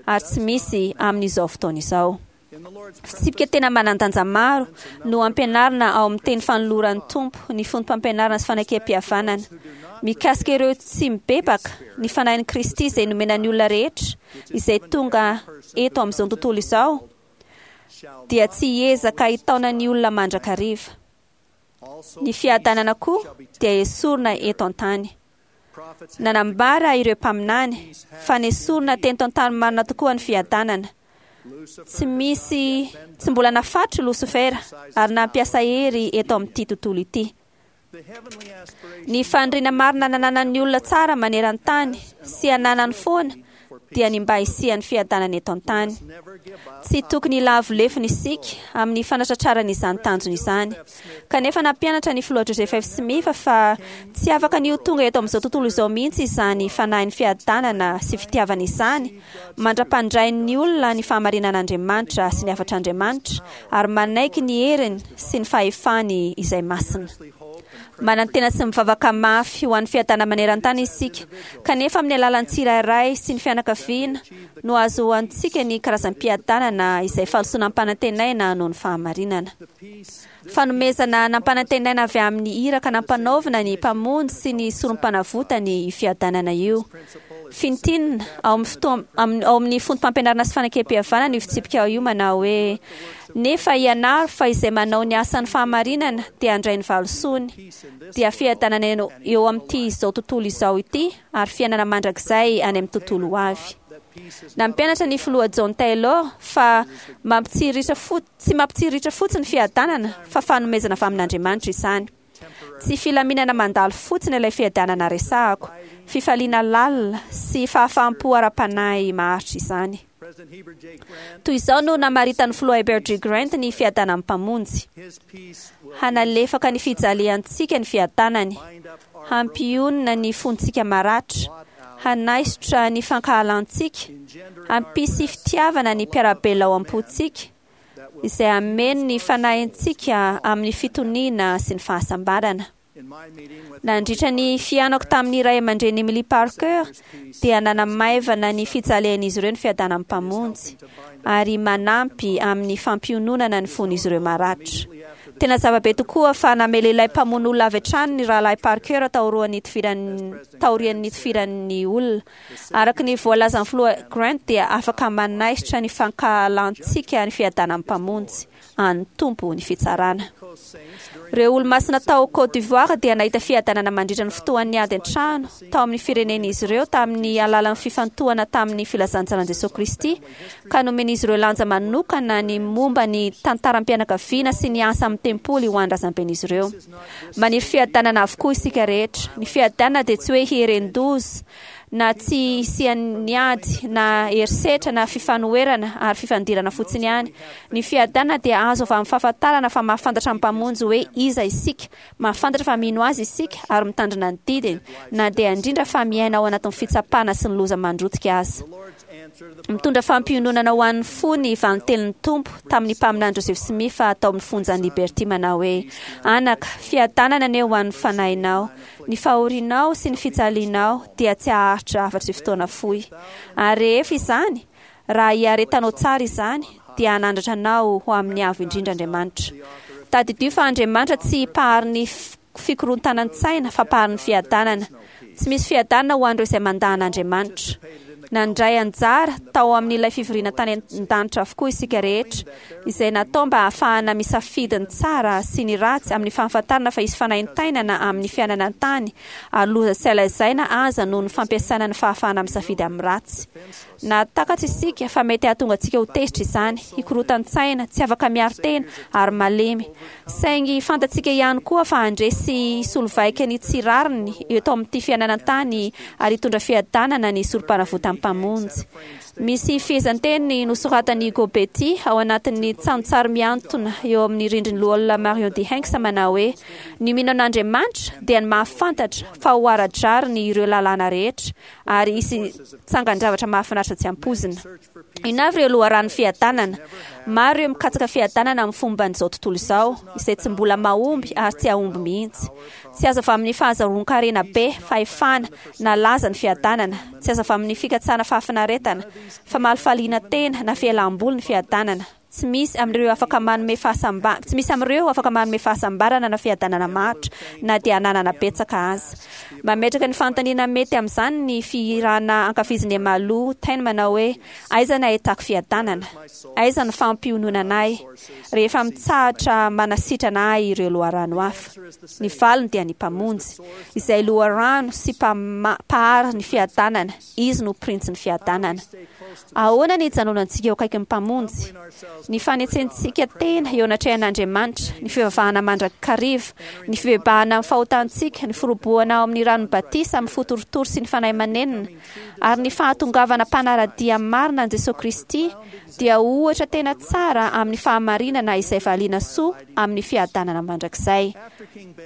ary tsy misy amin'izao fotoana izao. Fitsipika tena manan-danja maro no ampianarina ao amin'ny teny fanoloran'ny Tompo ny foto-pampianarana sy fanekem-pihavanana. Mikasika ireo tsy mibebaka, ny fanahin'i Kristy izay nomena ny olona rehetra izay tonga eto amin'izao tontolo izao dia tsy hiezaka hitaona ny olona mandrakariva. Ny fiadanana koa dia esorina eto an-tany. Nanambara ireo mpaminany fa nesorina teto an-tany marina tokoa ny fiadanana. Tsy misy tsy mbola nafatro Losifera ary nampiasa hery eto amin'ity tontolo ity. Ny faniriana marina nananan'ny olona tsara maneran-tany sy ananany foana dia ny mba hisian'ny fiadanana eto an-tany. Tsy tokony hilavo lefona isika amin'ny fanatratrarana izany tanjona izany. Kanefa nampianatra ny filoha Joseph F. Smith fa tsy afaka ny ho tonga eto amin'izao tontolo izao mihitsy izany fanahin'ny fiadanana sy fitiavana izany mandra-pandrain'ny olona ny fahamarinan'Andriamanitra sy ny hafatr'Andriamanitra ary manaiky ny heriny sy ny fahefany izay masina. Manantena sy mivavaka mafy ho an'ny fiadanana maneran-tany isika, kanefa amin'ny alalan'ny tsirairay sy ny fianakaviana no ahazoantsika ny karazam-piadanana izay fahalosoana ampanantenaina noho ny fahamarinana. Fanomezana nampanantenaina avy amin'ny iraka nampanaovina ny Mpamonjy sy ny sorom-panavotany io fiadanana io. Fintinina ao amin'ny fotoa- amin'ny- ao amin'ny foto-pampianarana sy fanekem-pihavanana io fitsipika io manao hoe nefa ianaro fa izay manao ny asan'ny fahamarinana dia handray ny valisoany, dia fiadanana eo eo amin'ity izao tontolo izao ity ary fiainana mandrakizay any amin'ny tontolo ho avy. Nampianatra ny filoha John Taylor fa mampitsiriritra fo- tsy mampitsiriritra fotsiny fiadanana fa fanomezana avy amin'Andriamanitra izany. Tsy filaminana mandalo fotsiny ilay fiadanana resahako, fifaliana lalina sy fahafaham-po ara-panahy maharitra izany. Toy izao no namaritan'ny filoha Herbert G. Grant ny fiadanan'ny Mpamonjy. Hanalefaka ny fijaliantsika ny fiadanany, hampionona ny fontsika maratra, hanaisotra ny fankahalantsika, hampisy fitiavana ny mpiara-belona ao am-pontsika, izay hameno ny fanahintsika amin'ny fitoniana sy ny fahasambarana. Nandritra ny fihaonako tamin'ny ray aman-dreny Emily Parker dia nanamaivana ny fijalian'izy ireo ny fiadanan'ny Mpamonjy ary manampy amin'ny fampiononana ny fon'izy ireo maratra. Tena zava-be tokoa fa namela ilay mpamono olona avy hatrany ny rahalahy Parker taorian'ny nitifiran'ny taorian'ny nitifiran'ny olona. Araka ny voalazan'ny filoha Grant dia afaka manaisotra ny fankahalantsika ny fiadanan'ny Mpamonjy. an'ny Tompo ny fitsarana. Ireo olo-masina tao Côte d'Ivoire dia nahita fiadanana mandritra ny fotoan'ny ady an-trano tao amin'ny firenen'izy ireo tamin'ny alalan'ny fifantohana tamin'ny filazantsaran'i Jesosy Kristy, ka nomen'izy ireo lanja manokana ny momba ny tantaram-pianakaviana sy ny asa amin'ny tempoly ho an'ny razamben'izy ireo. Maniry fiadanana avokoa isika rehetra. Ny fiadanana dia tsy hoe hieren-doza na tsy hisian'ny ady na herisetra na fifanoherana ary fifandirana fotsiny ihany. Ny fiadanana dia azo avy amin'ny fahafantarana fa mahafantatra ny Mpamonjy hoe iza isika, mahafantatra fa mino Azy isika ary mitandrina ny didiny, na dia indrindra fa miaina ao anatin'ny fitsapana sy ny loza mandrotika aza. Mitondra fampiononana ho an'ny fo ny valintenin'ny Tompo tamin'ny mpaminany Joseph Smith tao amin'ny fonjan'i Liberty manao hoe: Anaka, fiadanana anie ho an'ny fanahinao. Ny fahorianao sy ny fijalianao dia tsy haharitra afa-tsy fotoana fohy. Ary rehefa izany, raha iaretanao tsara izany, dia hanandratra anao ho amin'ny Avo Indrindra Andriamanitra. Tadidio fa Andriamanitra tsy mpahary ny fikorontanan-tsaina fa mpahary ny fiadanana. Tsy misy fiadanana ho an'ireo izay mandà an'Andriamanitra. Nandray anjara tao amin'ilay fivoriana tany an-danitra avokoa isika rehetra, izay natao mba hahafahana misafidy ny tsara sy ny ratsy amin'ny fahafantarana fa hisy fanaintainana amin'ny fiainana an-tany ary loza tsy hay lazaina aza noho ny fampiasana ny fahafahana misafidy amin'ny ratsy. Nahatakatra isika fa mety hahatonga antsika ho tezitra izany, hikorotan-tsaina, tsy afaka miaro tena ary malemy. Saingy fantatsika ihany koa fa handresy sy hisolo vaika ny tsy rariny eto amin'ity fiainana an-tany ary hitondra fiadanana ny Sorompanavotan'ny Mpamonjy. Misy fehezanteny nosoratan'i Hugo Betti ao anatin'ny tsantsary mihantona eo amin'ny rindrin'ny Loholona Marion D. Hanks manao hoe, Ny mino an'Andriamanitra dia ny mahafantatra fa ho ara-drariny ireo lalàna rehetra ary hisy tsangan-javatra mahafinaritra tsy ampoizina. Inona avy ireo loharanon'ny fiadanana? Maro ireo mikatsaka fiadanana amin'ny fomban'izao tontolo izao, izay tsy mbola mahomby ary tsy hahomby mihitsy. Tsy azo avy amin'ny fahazahoan-karena be, fahefana, na laza ny fiadanana. Tsy azo avy amin'ny fikatsahana fahafinaretana, famalifaliana tena, na fialam-boly ny fiadanana. Tsy misy amin'ireo afaka manome fahasamba tsy misy amin'ireo afaka manome fahasambarana na fiadanana maharitra na dia ananana betsaka aza. Mametraka ny fanontaniana mety amin'izany ny fihirana ankafizin'i Emalu Tain manao hoe, Aiza ny ahitako fiadanana? Aiza ny fampiononana ahy rehefa mitsahatra manasitrana ahy ireo loharano hafa? Ny valiny dia ny Mpamonjy, izay loharano sy Mpahary ny fiadanana. Izy no Printsin'ny fiadanana. Ahoana ny hijanonantsika eo akaikin'ny Mpamonjy? Ny fanetsentsika tena eo anatrehan'Andriamanitra, ny fivavahana mandrakariva, ny fibebahana amin'ny fahotantsika, ny firobohana ao amin'ny ranon'ny batisa amin'ny fo torotoro sy ny fanahy manenina, ary ny fahatongavana mpanara-dia marina an'i Jesoa Kristy dia ohatra tena tsara amin'ny fahamarinana izay valiana soa amin'ny fiadanana mandrakizay.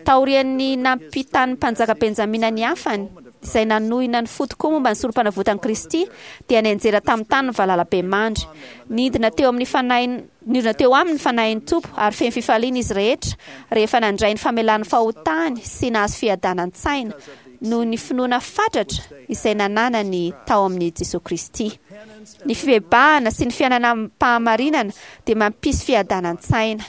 Taorian'ny nampitan'ny mpanjaka Benjamina ny hafany, izay nanohina ny fo tokoa momba ny Sorompanavotan'i Kristy, dia nianjera tamin'ny tany ny valalabemandry. Nidina teo amin'ny fanahy nidina teo aminy ny Fanahin'ny Tompo, ary feno fifaliana izy rehetra rehefa nandray ny famelan'ny fahotany sy nahazo fiadanan-tsaina noho ny finoana fatratra izay nananany tao amin'i Jesoa Kristy. Ny fibebahana sy ny fiainana amim-pahamarinana dia mampisy fiadanan-tsaina,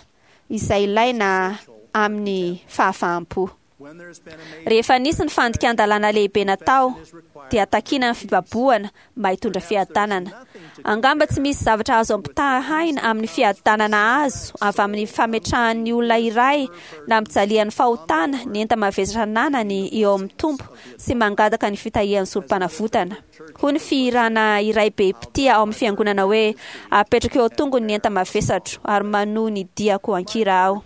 izay ilaina amin'ny fahafaham-po. Rehefa nisy ny fandikan-dalàna lehibe natao, dia takiana ny fibabohana mba hitondra fiadanana. Angamba tsy misy zavatra azo ampitahaina amin'ny fiadanana azo avy amin'ny fametrahan'ny olona iray nampijalian'ny fahotana ny enta-mavesatra ananany eo amin'ny Tompo sy mangataka ny fitahian'ny Sorompanavotana. Hoy ny fihirana iray be mpitia ao amin'ny fiangonana hoe, Apetrako eo an-tongony ny enta-mavesatro, ary manohy ny diako an-kira aho.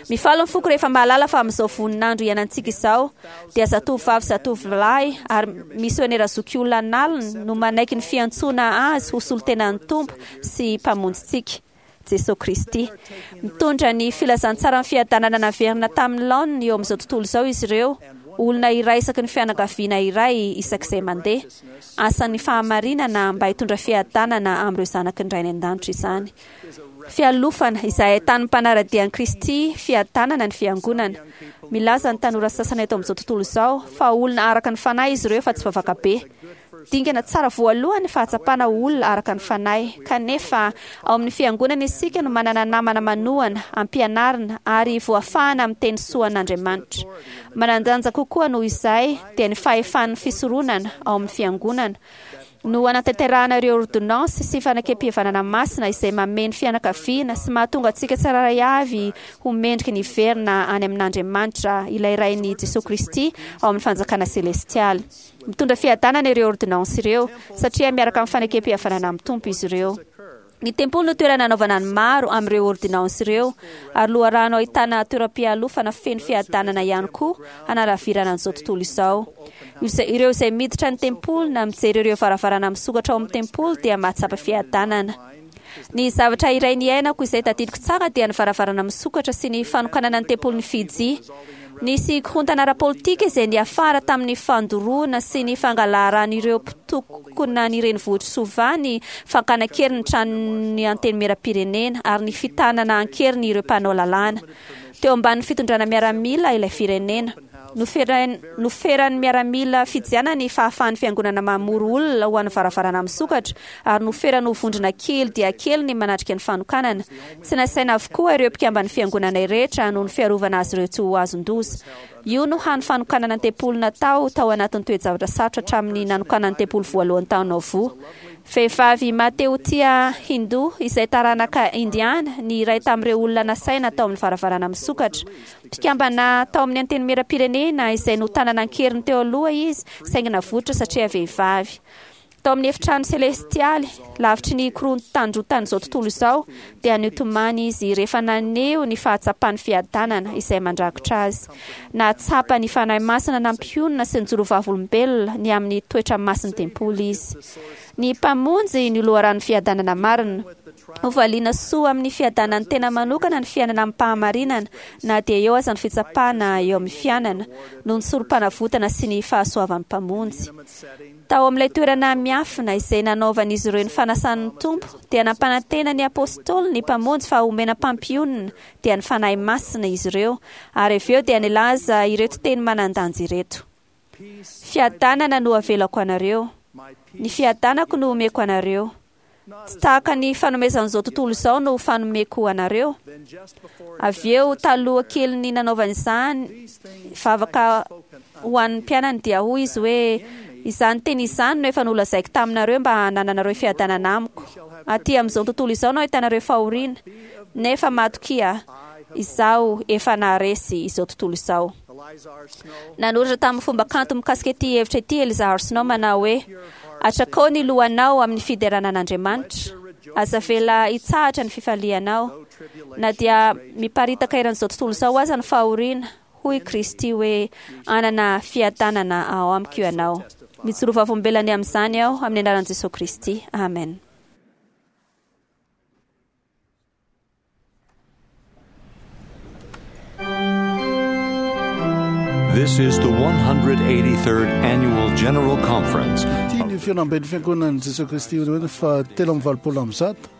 Mifaly ny foko rehefa mahalala fa amin'izao voninandro iainantsika izao dia zatovovavy zatovolahy ary misionera zokiolona an'aliny no manaiky ny fiantsoana azy ho solontenan'ny Tompo sy Mpamonjintsika, Jesoa Kristy. Mitondra ny filazantsaran'ny fiadanana naverina tamin'ny laoniny eo amin'izao tontolo izao izy ireo, olona iray isaky ny fianakaviana iray isak'izay mandeha. Asan'ny fahamarinana mba hitondra fiadanana amin'ireo zanaky ny Rainy an-danitra izany. Fialofana, izay ahitan'ny mpanara-dia an'i Kristy fiadanana ny Fiangonana. Milaza ny tanora sasany eto amin'izao tontolo izao fa olona araka ny fanahy izy ireo fa tsy vavaka be. Dingana tsara voalohany ny fahatsapana ho olona araka ny fanahy. Kanefa, ao amin'ny Fiangonana isika no manana namana manohana, ampianarina, ary voafahana amin'ny teny soan'Andriamanitra. Manan-danja kokoa noho izay dia ny fahefan'ny fisoronana ao amin'ny Fiangonana. No anatanterahana ireo ordonnance sy fanekempihavanana masina izay mameno fianakaviana sy mahatonga antsika tsirairay avy ho mendrika ny hiverina any amin'Andriamanitra ilay Rain'i Jesoa Kristy ao amin'ny fanjakana selestialy. Mitondra fiadanana ireo ordonnance ireo satria miaraka amin'ny fanekempihavanana amin'ny Tompo izy ireo. Ny tempoly no toerana anaovana ny maro amin'ireo ordonnance ireo ary loharano ahitana toeram-pialofana feno fiadanana ihany koa hanalavirana an'izao tontolo izao. Ireo izay miditra ny tempoly na mijery ireo varavarana misokatra ao amin'ny tempoly dia mahatsapa fiadanana. Ny zavatra iray niainako izay tadidiko tsara dia ny varavarana misokatra sy ny fanokanana ny tempolin'i Fiji. Nisy korontana ara-politika izay niafara tamin'ny fandoroana sy ny fangalaran'ireo mpitokona ny renivohitr'i Suva, ny fakana an-keriny ny tranon'ny antenimieram-pirenena ary ny fitanana an-keriny ireo mpanao lalàna. Teo ambanin'ny fitondrana miaramila ilay firenena. Noferan'ny miaramila fijiana ny fahafahan'ny fiangonana mamory olona ho an'ny varavarana misokatra ary noferany ho vondrona kely dia kely ny manatrika ny fanokanana. Tsy nasaina avokoa ireo mpikamban'ny fiangonana rehetra noho ny fiarovana azy ireo tsy ho azon-doza. Io no hany fanokanana ny tempoly natao tao anatin'ny toe-javatra sarotra hatramin'ny nanokanana ny tempoly voalohany tao Nauvoo. Vehivavy Mateotia Hindu izay taranaka Indiana ny iray tamin'ireo olona nasaina tao amin'ny varavarana misokatra. Mpikambana tao amin'ny antenimieram-pirenena izay notanana an-keriny teo aloha izy saingy navoitra satria vehivavy. Tao amin'ny efitrano selestialy, lavitry ny korontandrotan'izao tontolo izao, dia nitomany izy rehefa naneho ny fahatsapany fiadanana izay mandrakotra azy. Nahatsapa ny Fanahy Masina nampionona sy nijoro vavolombelona ny amin'ny toetra masin'ny tempoly izy. Ny Mpamonjy no loharanon'ny fiadanana marina. Hovaliana soa amin'ny fiadanan'ny tena manokana ny fiainana amim-pahamarinana na dia eo aza ny fitsapana eo amin'ny fiainana noho ny sorom-panavotana sy ny fahasoavan'ny Mpamonjy. Tao amin'ilay toerana miafina izay nanaovan'izy ireo ny fanasan'ny Tompo dia nampanantena ny apôstôly ny Mpamonjy fa homena mpampionona dia ny Fanahy Masina izy ireo ary avy eo dia nilaza ireto teny manan-danja ireto: Fiadanana no avelako anareo, ny fiadanako no omeko anareo. Tsy tahaka ny fanomezan'izao tontolo izao no fanomeko anareo. Avy eo taloha kelin'ny nanaovany izany vavaka ho an'ny mpianany dia hoy izy hoe: Izany teny izany no efa nolazaiko taminareo mba hanananareo fiadanana amiko. Aty amin'izao tontolo izao no ahitanareo fahoriana, nefa matokia, izaho efa naharesy izao tontolo izao. Nanoratra tamin'ny fomba kanto mikasika ity hevitra ity Eliza R. Snow manao hoe: Atrakao ny lohanao amin'ny fiderana an'Andriamanitra. Aza avela hitsahatra ny fifalianao. Na dia miparitaka eran'izao tontolo izao aza ny fahoriana, hoy Kristy hoe: Hanana fiadanana ao amiko ianao. Mijoro vavolombelona amin'izany aho amin'ny anaran'i Jesoa Kristy. Amen. This is the one hundred eighty-third Annual General Conference. Ity ny fihaonamben'ny fiangonan'i Jesoa Kristy faha telo amby valopolo amby zato.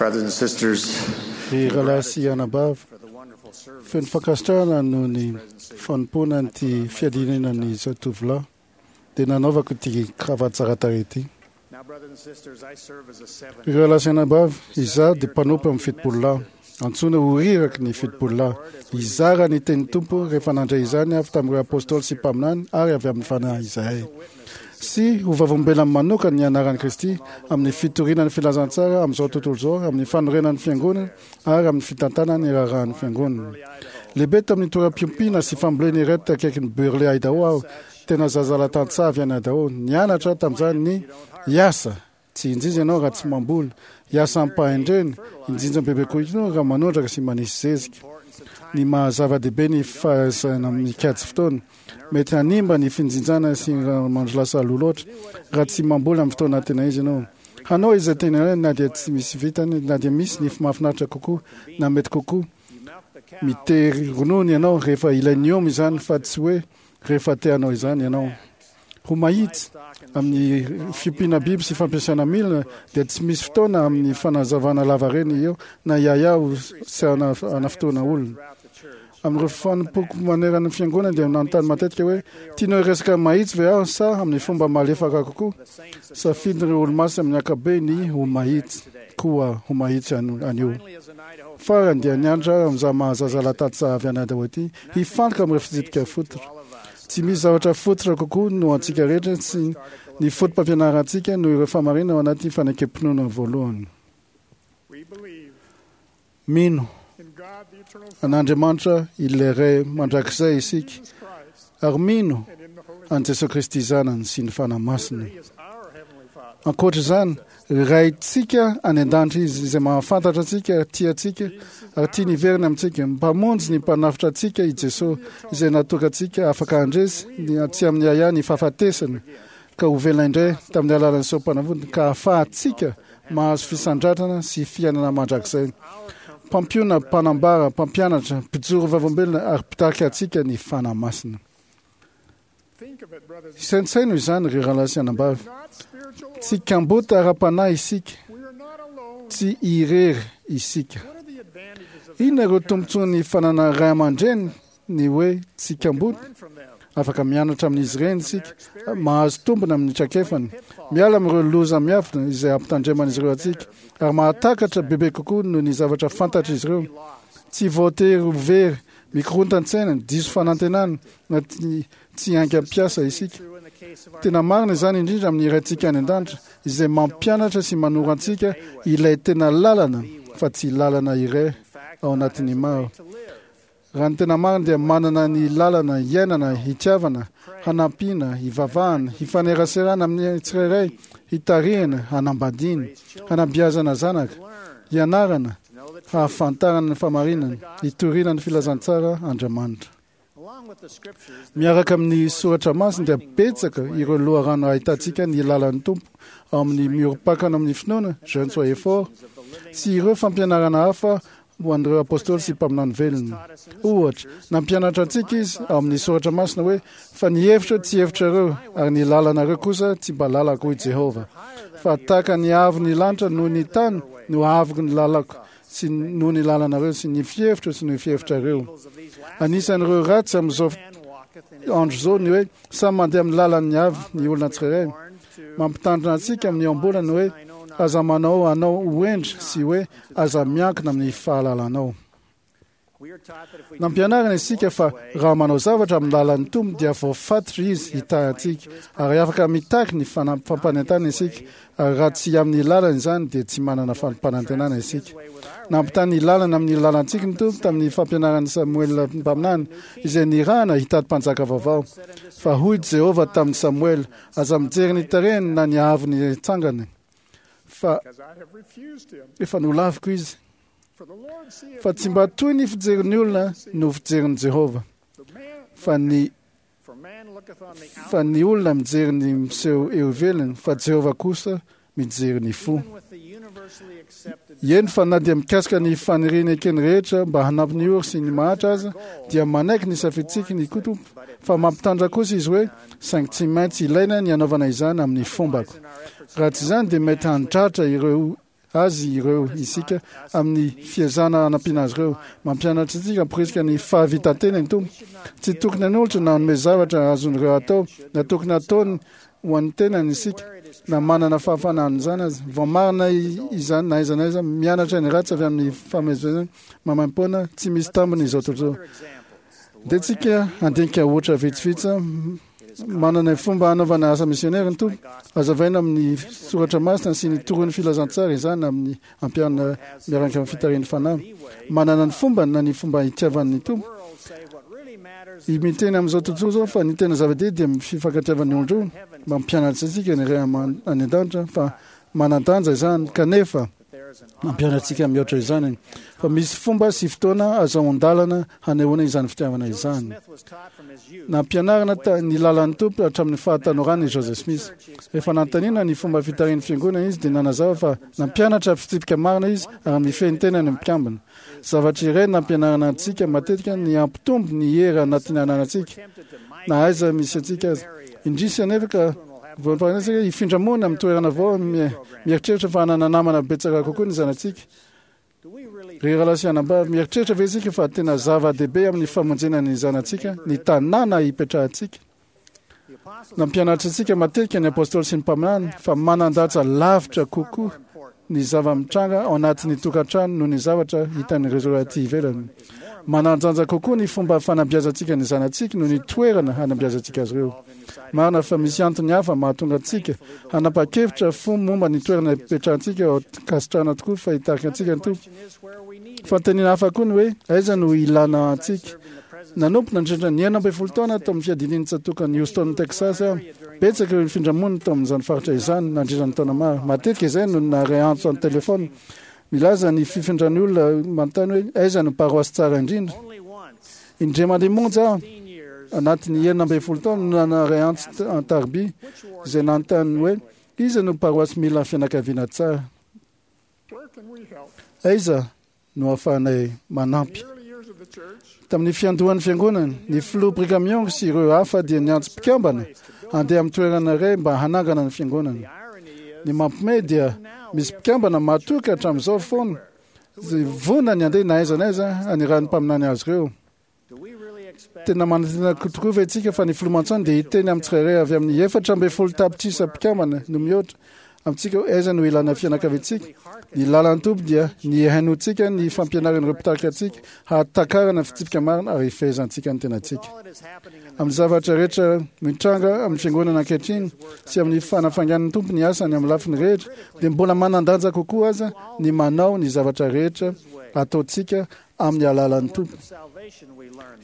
Brothers and sisters, Ry rahalahy sy anabavy, feno fankasitrahana noho ny fanompoana nyity fiadiana ny zatovolahy dia nanaovako ity kravaty tsara tarehy ity. Now, brothers and sisters, I serve as a seven. Ireo rahalahy sy anabavy, izaho dia mpanompo amin'ny fitopolo lahy. Antsoina ho riraky ny fitopolo lahy. Hizara ny tenin'ny Tompo rehefa nandray izany avy tamin'ireo apôstôly sy mpaminany ary avy amin'ny fanahy izahay. Sy ho vavolombelona manokana ny anaran'i Kristy amin'ny fitoriana ny filazantsara amin'izao tontolo izao, amin'ny fanorenana ny fiangonana ary amin'ny fitantanana ny raharahan'ny fiangonana. Lehibe tamin'ny toeram-piompiana sy fambolena iray akaikin'ny Burley, Idaho aho, tena zazalahy tantsaha avy any Idaho. Nianatra tamin'izany ny hiasa. Tsy injinja ianao raha tsy mamboly. Hiasa am-pahendrena, injinja bebe kokoa ianao raha manondraka sy manisy zezika. Ny mahazava-dehibe ny fahaizana mikajy fotoana. Mety hanimba ny finjinjana sy raha mandro lasa aloha loatra raha tsy mamboly amin'ny fotoana tena izy ianao. Hanao izay tena ilaina na dia tsy misy vitany, na dia misy ny mahafinaritra kokoa na mety kokoa. Mitery ronono ianao rehefa ilain'ny omby izany fa tsy hoe rehefa te hanao izany ianao. Ho mahitsy amin'ny fiompiana biby sy fampiasana milina dia tsy misy fotoana amin'ny fanazavana lavareny eo na iaia sy anafotoana olona. Amin'ireo fanompoako manerana ny fiangonana dia nanontany matetika hoe tianao hiresaka mahitsy ve aho sa amin'ny fomba malefaka kokoa? Safidin'ireo olomasina amin'ny ankapobeny ho mahitsy koa ho mahitsy anio. Farany dia nianatra amin'izaho mahazazalahy tantsaha avy any Idaho ity hifantoka amin'ireo fitsipika fototra. Tsy misy zavatra fototra kokoa no antsika rehetra sy ny foto-pampianarantsika noho ireo fahamarinana ao anaty fanekem-pinoana voalohany. Mino an'Andriamanitra ilay Ray mandrakizay isika ary mino an'i Jesosy Kristy Zanany sy ny Fanahy Masina. Ankoatra izany, Raintsika any an-danitra Izy izay mahafantatra antsika, tia antsika ary tiany hiverina amintsika. Mpamonjy ny mpanavotra antsika i Jesosy izay natoka antsika afaka handresy ny tsy amin'ny ahiahy ny fahafatesana ka ho velona indray tamin'ny alalan'ny sorom-panavotana ka ahafahantsika mahazo fisandratrana sy fiainana mandrakizay. Mpampiona, mpanambara, mpampianatra, mpijoro vavolombelona ary mpitarika antsika ny Fanahy Masina. Saintsaino izany ry rahalahy sy anabavy. Tsy kambota ara-panahy isika, tsy irery isika. Inona ireo tombontsoan'ny fananana ray aman-dreny ny hoe tsy kambota? Afaka mianatra amin'izy ireny isika, mahazo tombony amin'ny traikefany, miala amin'ireo loza miafina izay ampitandreman'izy ireo antsika, ary mahatakatra bebe kokoa noho ny zavatra fantatr'izy ireo. Tsy voatery ho very, mikorontan-tsaina, diso fanantenana na tsy haingam-piasa isika. Tena marina izany indrindra amin'ny Raintsika any an-danitra izay mampianatra sy manoro antsika ilay tena lalana fa tsy lalana iray ao anatin'ny maro. Raha ny tena marina dia manana ny lalana hiainana, hitiavana, hanampiana, hivavahana, hifaneraserana amin'ny tsirairay, hitarihana, hanambadiana, hanabeazana zanaka, hianarana, hahafantarana ny fahamarinana, hitoriana ny filazantsara Andriamanitra. Miaraka amin'ny soratra masina dia betsaka ireo loharano ahitantsika ny lalan'ny Tompo ao amin'ny miorim-pakana amin'ny finoana, Jeunes soyez forts, sy ireo fampianarana hafa ho an'ireo apôstôly sy mpaminany velona. Ohatra, nampianatra antsika izy ao amin'ny soratra masina hoe fa ny hevitra tsy hevitrareo ary ny lalanareo kosa tsy mba lalako hoy Jehovah. Fa tahaka ny avo ny lanitra noho ny tany no avoko ny lalako sy noho ny lalanareo sy ny fihevitro sy ny fihevitrareo. Anisan'ireo ratsy amin'izao andro izao ny hoe samy mandeha amin'ny lalan'ny avy ny olona tsirairay. Mampitandrina antsika amin'ny ohabolana hoe aza manao anao ho hendry sy hoe aza miankina amin'ny fahalalanao. Nampianarina isika fa raha manao zavatra amin'ny lalan'ny Tompo dia voafatitra izy hitahy antsika ary afaka mitaky ny fampanentanana isika ary raha tsy amin'ny lalana izany dia tsy manana fampanantenana isika. Nampitaha ny lalana amin'ny lalantsika ny Tompo tamin'ny fampianaran'i Samoela mpaminany izay nirahana hitady mpanjaka vaovao. Fa hoy Jehovah tamin'i Samoela, aza mijery ny tarehiny na ny haavon'ny tsangany fa efa nolaviko izy. Fa tsy mba toy ny fijerin'ny olona no fijerin'i Jehovah. Fa ny fa ny olona mijery ny miseho eo ivelany, fa Jehovah kosa mijery ny fo. Eny fa na dia mikasika ny faniriana ekeny rehetra mba hanampy ny ory sy ny mahantra aza, dia manaiky ny safidintsika ny Tompo, fa mampitandrina kosa izy hoe saingy tsy maintsy ilaina ny hanaovana izany amin'ny fombako. Raha tsy izany dia mety handratra ireo azy ireo isika amin'ny fiezahana hanampiana azy ireo. Mampianatra antsika hamporisika ny fahavitan-tena ny Tompo. Tsy tokony hanolotra na hanome zavatra azon'ireo atao na tokony hataony ho an'ny tenany isika na manana fahafahana an'izany aza. Voamarina izany na aiza na aiza. Mianatra ny ratsy avy amin'ny famezivezena maimaimpoana tsy misy tambiny izao tontolo izao. Dia tsika handinika ohatra vitsivitsy. Manana ny fomba hanaovana asa misionera ny Tompo. Hazavaina amin'ny soratra masina sy ny toron'ny filazantsara izany amin'ny ampiharina miaraka amin'ny fitarihan'ny Fanahy. Manana ny fombany na ny fomba itiavan'ny Tompo. Miteny amin'izao tontolo izao fa ny tena zava-dehibe dia ny fifankatiavan'ny olon-droa. Mampianatra antsika ny Ray any an-danitra fa manan-danja izany, kanefa mampianatra antsika mihoatra izany fa misy fomba sy fotoana azahoan-dalana hanehoana izany fitiavana izany. Nampianarina ny lalan'ny Tompo hatramin'ny fahatanorany i Joseph Smith. Rehefa nanontaniana ny fomba fitarihan'ny fiangonana izy dia nanazava fa nampianatra fitsipika marina izy ary mifehy ny tenany ny mpikambana. Zavatra iray nampianarana antsika matetika ny hampitombo ny hery anatin'ny ananantsika na aiza misy antsika aza. Indrisy anefa ka voampahantsika hifindra monina amin'ny toerana vao mieritreritra fa hanana namana betsaka kokoa ny zanatsika. Ry rahalahy sy anabavy, mieritreritra ve isika fa tena zava-dehibe amin'ny famonjena ny zanatsika ny tanàna hipetrahantsika? Nampianatra antsika matetika ny apôstôly sy ny mpaminany fa manan-danja lavitra kokoa ny zava-mitranga ao anatin'ny tokantrano noho ny zavatra hitan'ireo aty ivelany. Manan-danja kokoa ny fomba fanabeazantsika ny zanatsika noho ny toerana hanabeazantsika azy ireo. Marina fa misy antony hafa mahatonga antsika hanapa-kevitra fo momba ny toerana hipetrahantsika ao ankasitrahana tokoa fa hitarika antsika ny Tompo. Fanontaniana hafa koa ny hoe aiza no ilana antsika. Nanompo nandritra ny enina ambin'ny folo taona tao amin'ny fiadidian'ny tsatòkan'i Houston, Texas aho. Betsaka ireo nifindra-monina tao amin'izany faritra izany nandritra ny taona maro. Matetika izay no naharay antso an-telefaonina milaza ny fifindran'ny olona manontany hoe aiza no paroasy tsara indrindra. Indray mandeha monja aho anatin'ny enina ambin'ny folo taona no naharay antso an-tariby izay nanontany hoe iza no paroasy mila fianakaviana tsara. Aiza no ahafahanay manampy? Tamin'ny fiandohan'ny fiangonana, ny filoha Brigham Young sy ireo hafa dia niantso mpikambana handeha amin'ny toerana iray mba hanangana ny fiangonana. Ny mampiomehy dia misy mpikambana matoky hatramin'izao foana izay vonona ny handeha na aiza na aiza hanirahan'ny mpaminany azy ireo. Tena manantena tokoa ve isika fa ny filoha Monson dia hiteny amin'ny tsirairay avy amin'ny efatra ambin'ny folo tapitrisa mpikambana no mihoatra amintsika hoe aiza no ilana fianakaviantsika? Ny lalan'ny Tompo dia ny hihainoantsika ny fampianaran'ireo mpitarika antsika, hahatakarana ny fitsipika marina ary hifehezantsika ny tenantsika. Amin'ny zavatra rehetra mitranga amin'ny fiangonana ankehitriny sy amin'ny fanafaingan'ny Tompo ny asany amin'ny lafiny rehetra, dia mbola manan-danja kokoa aza ny manao ny zavatra rehetra ataontsika amin'ny alalan'ny Tompo.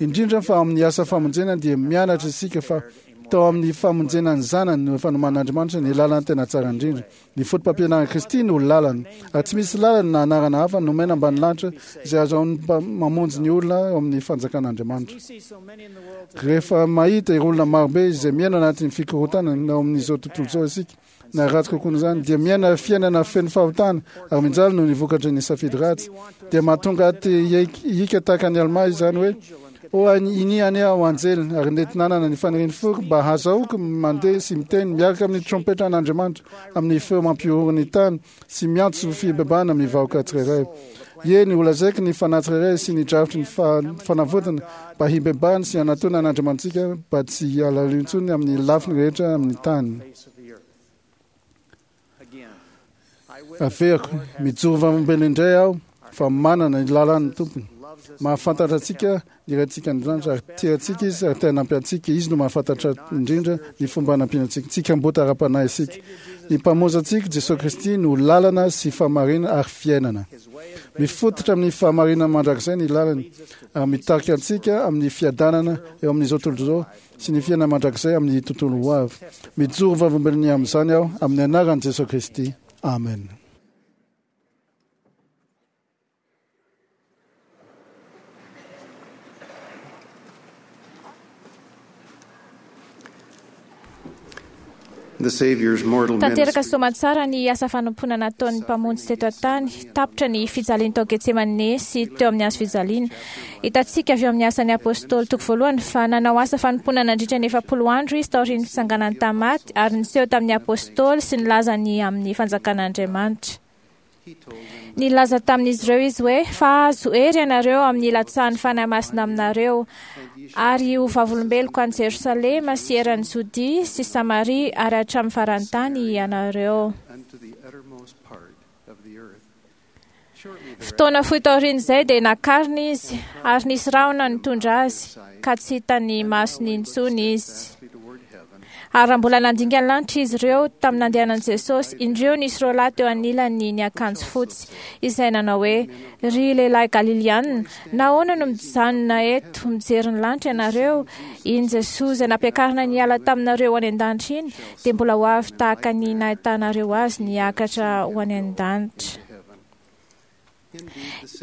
Indrindra fa amin'ny asa famonjena dia mianatra isika fa tao amin'ny famonjena ny zanany no efa nomanin'Andriamanitra ny lalana tena tsara indrindra. Ny foto-pampianaran'i Kristy no lalana, ary tsy misy lalana na anarana hafa nomena ambany lanitra izay ahazoany mamonjy ny olona ao amin'ny fanjakan'Andriamanitra. Rehefa mahita ireo olona marobe izay miaina anatin'ny fikorontanana ao amin'izao tontolo izao isika, na ratsy kokoa noho izany, dia miaina fiainana feno fahotana ary mijaly noho ny vokatry ny safidy ratsy, dia mahatonga ahy te hihiaka tahaka an'i Almà izany hoe, O iny anie aho anjely, ary nety nanana ny fanirian'ny foko mba hahazahoako mandeha sy miteny miaraka amin'ny trompetra an'Andriamanitra amin'ny feo mampihorohoro ny tany sy miantso fibebahana amin'ny vahoaka tsirairay. Eny, holazaiko ny fanahy tsirairay sy ny drafitry ny fanavotana mba hibebahany sy hanatona an'Andriamanitsika mba tsy hialalo intsony amin'ny lafiny rehetra amin'ny tany. Averiko, mijoro vavolombelona indray aho fa manana ny lalan'ny Tompony. Mahafantatra antsika ny Raintsika any an-danitra ary tia antsika Izy ary te hanampy antsika. Izy no mahafantatra indrindra ny fomba hanampiana antsika. Tsy kamboty ara-panahy isika. Ny Mpamonjy antsika, Jesosy Kristy, no lalana sy fahamarinana ary fiainana. Mifototra amin'ny fahamarinana mandrakizay ny lalany ary mitarika antsika amin'ny fiadanana eo amin'izao tontolo izao sy ny fiainana mandrakizay amin'ny tontolo ho avy. Mijoro vavolombelona ny amin'izany aho amin'ny anaran'i Jesosy Kristy. Amen. The Savior's mortal Tanteraka ministry soamantsara ny asa fanompoana nataon'ny Mpamonjy teto an-tany. Tapitra ny fijaliany tao Getsemane sy teo amin'ny hazo fijaliana. Hitantsika avy eo amin'ny asan'ny Apôstôly toko voalohany fa nanao asa fanompoana nandritra ny efapolo andro izy taorian'ny fitsanganany tamin'ny maty ary niseho tamin'ny Apôstôly sy nilaza ny amin'ny fanjakan'Andriamanitra. Nilaza tamin'izy ireo izy hoe fa azo hery ianareo amin'ny ilatsahan'ny Fanahy Masina aminareo, ary ho vavolombeloko any Jerosalema sy eran'i Jodia sy Samaria ary hatramin'ny faran'ny tany ianareo. Fotoana fohy taorian'izay dia nakarina izy ary nisy rahona nitondra azy ka tsy hitan'ny masony intsony izy. Ary raha mbola nandinga ny lanitra izy ireo tamin'ny nandehanan'i Jesosy, indreo nisy roa lahy teo anilany niakanjo fotsy, izay nanao hoe: "Ry lehilahy Galilianina, nahoana no mijanona eto mijery ny lanitra ianareo? Iny Jesosy izay nampiakarina niala taminareo ho any an-danitra iny, dia mbola ho avy tahaka ny nahitanareo azy niakatra ho any an-danitra."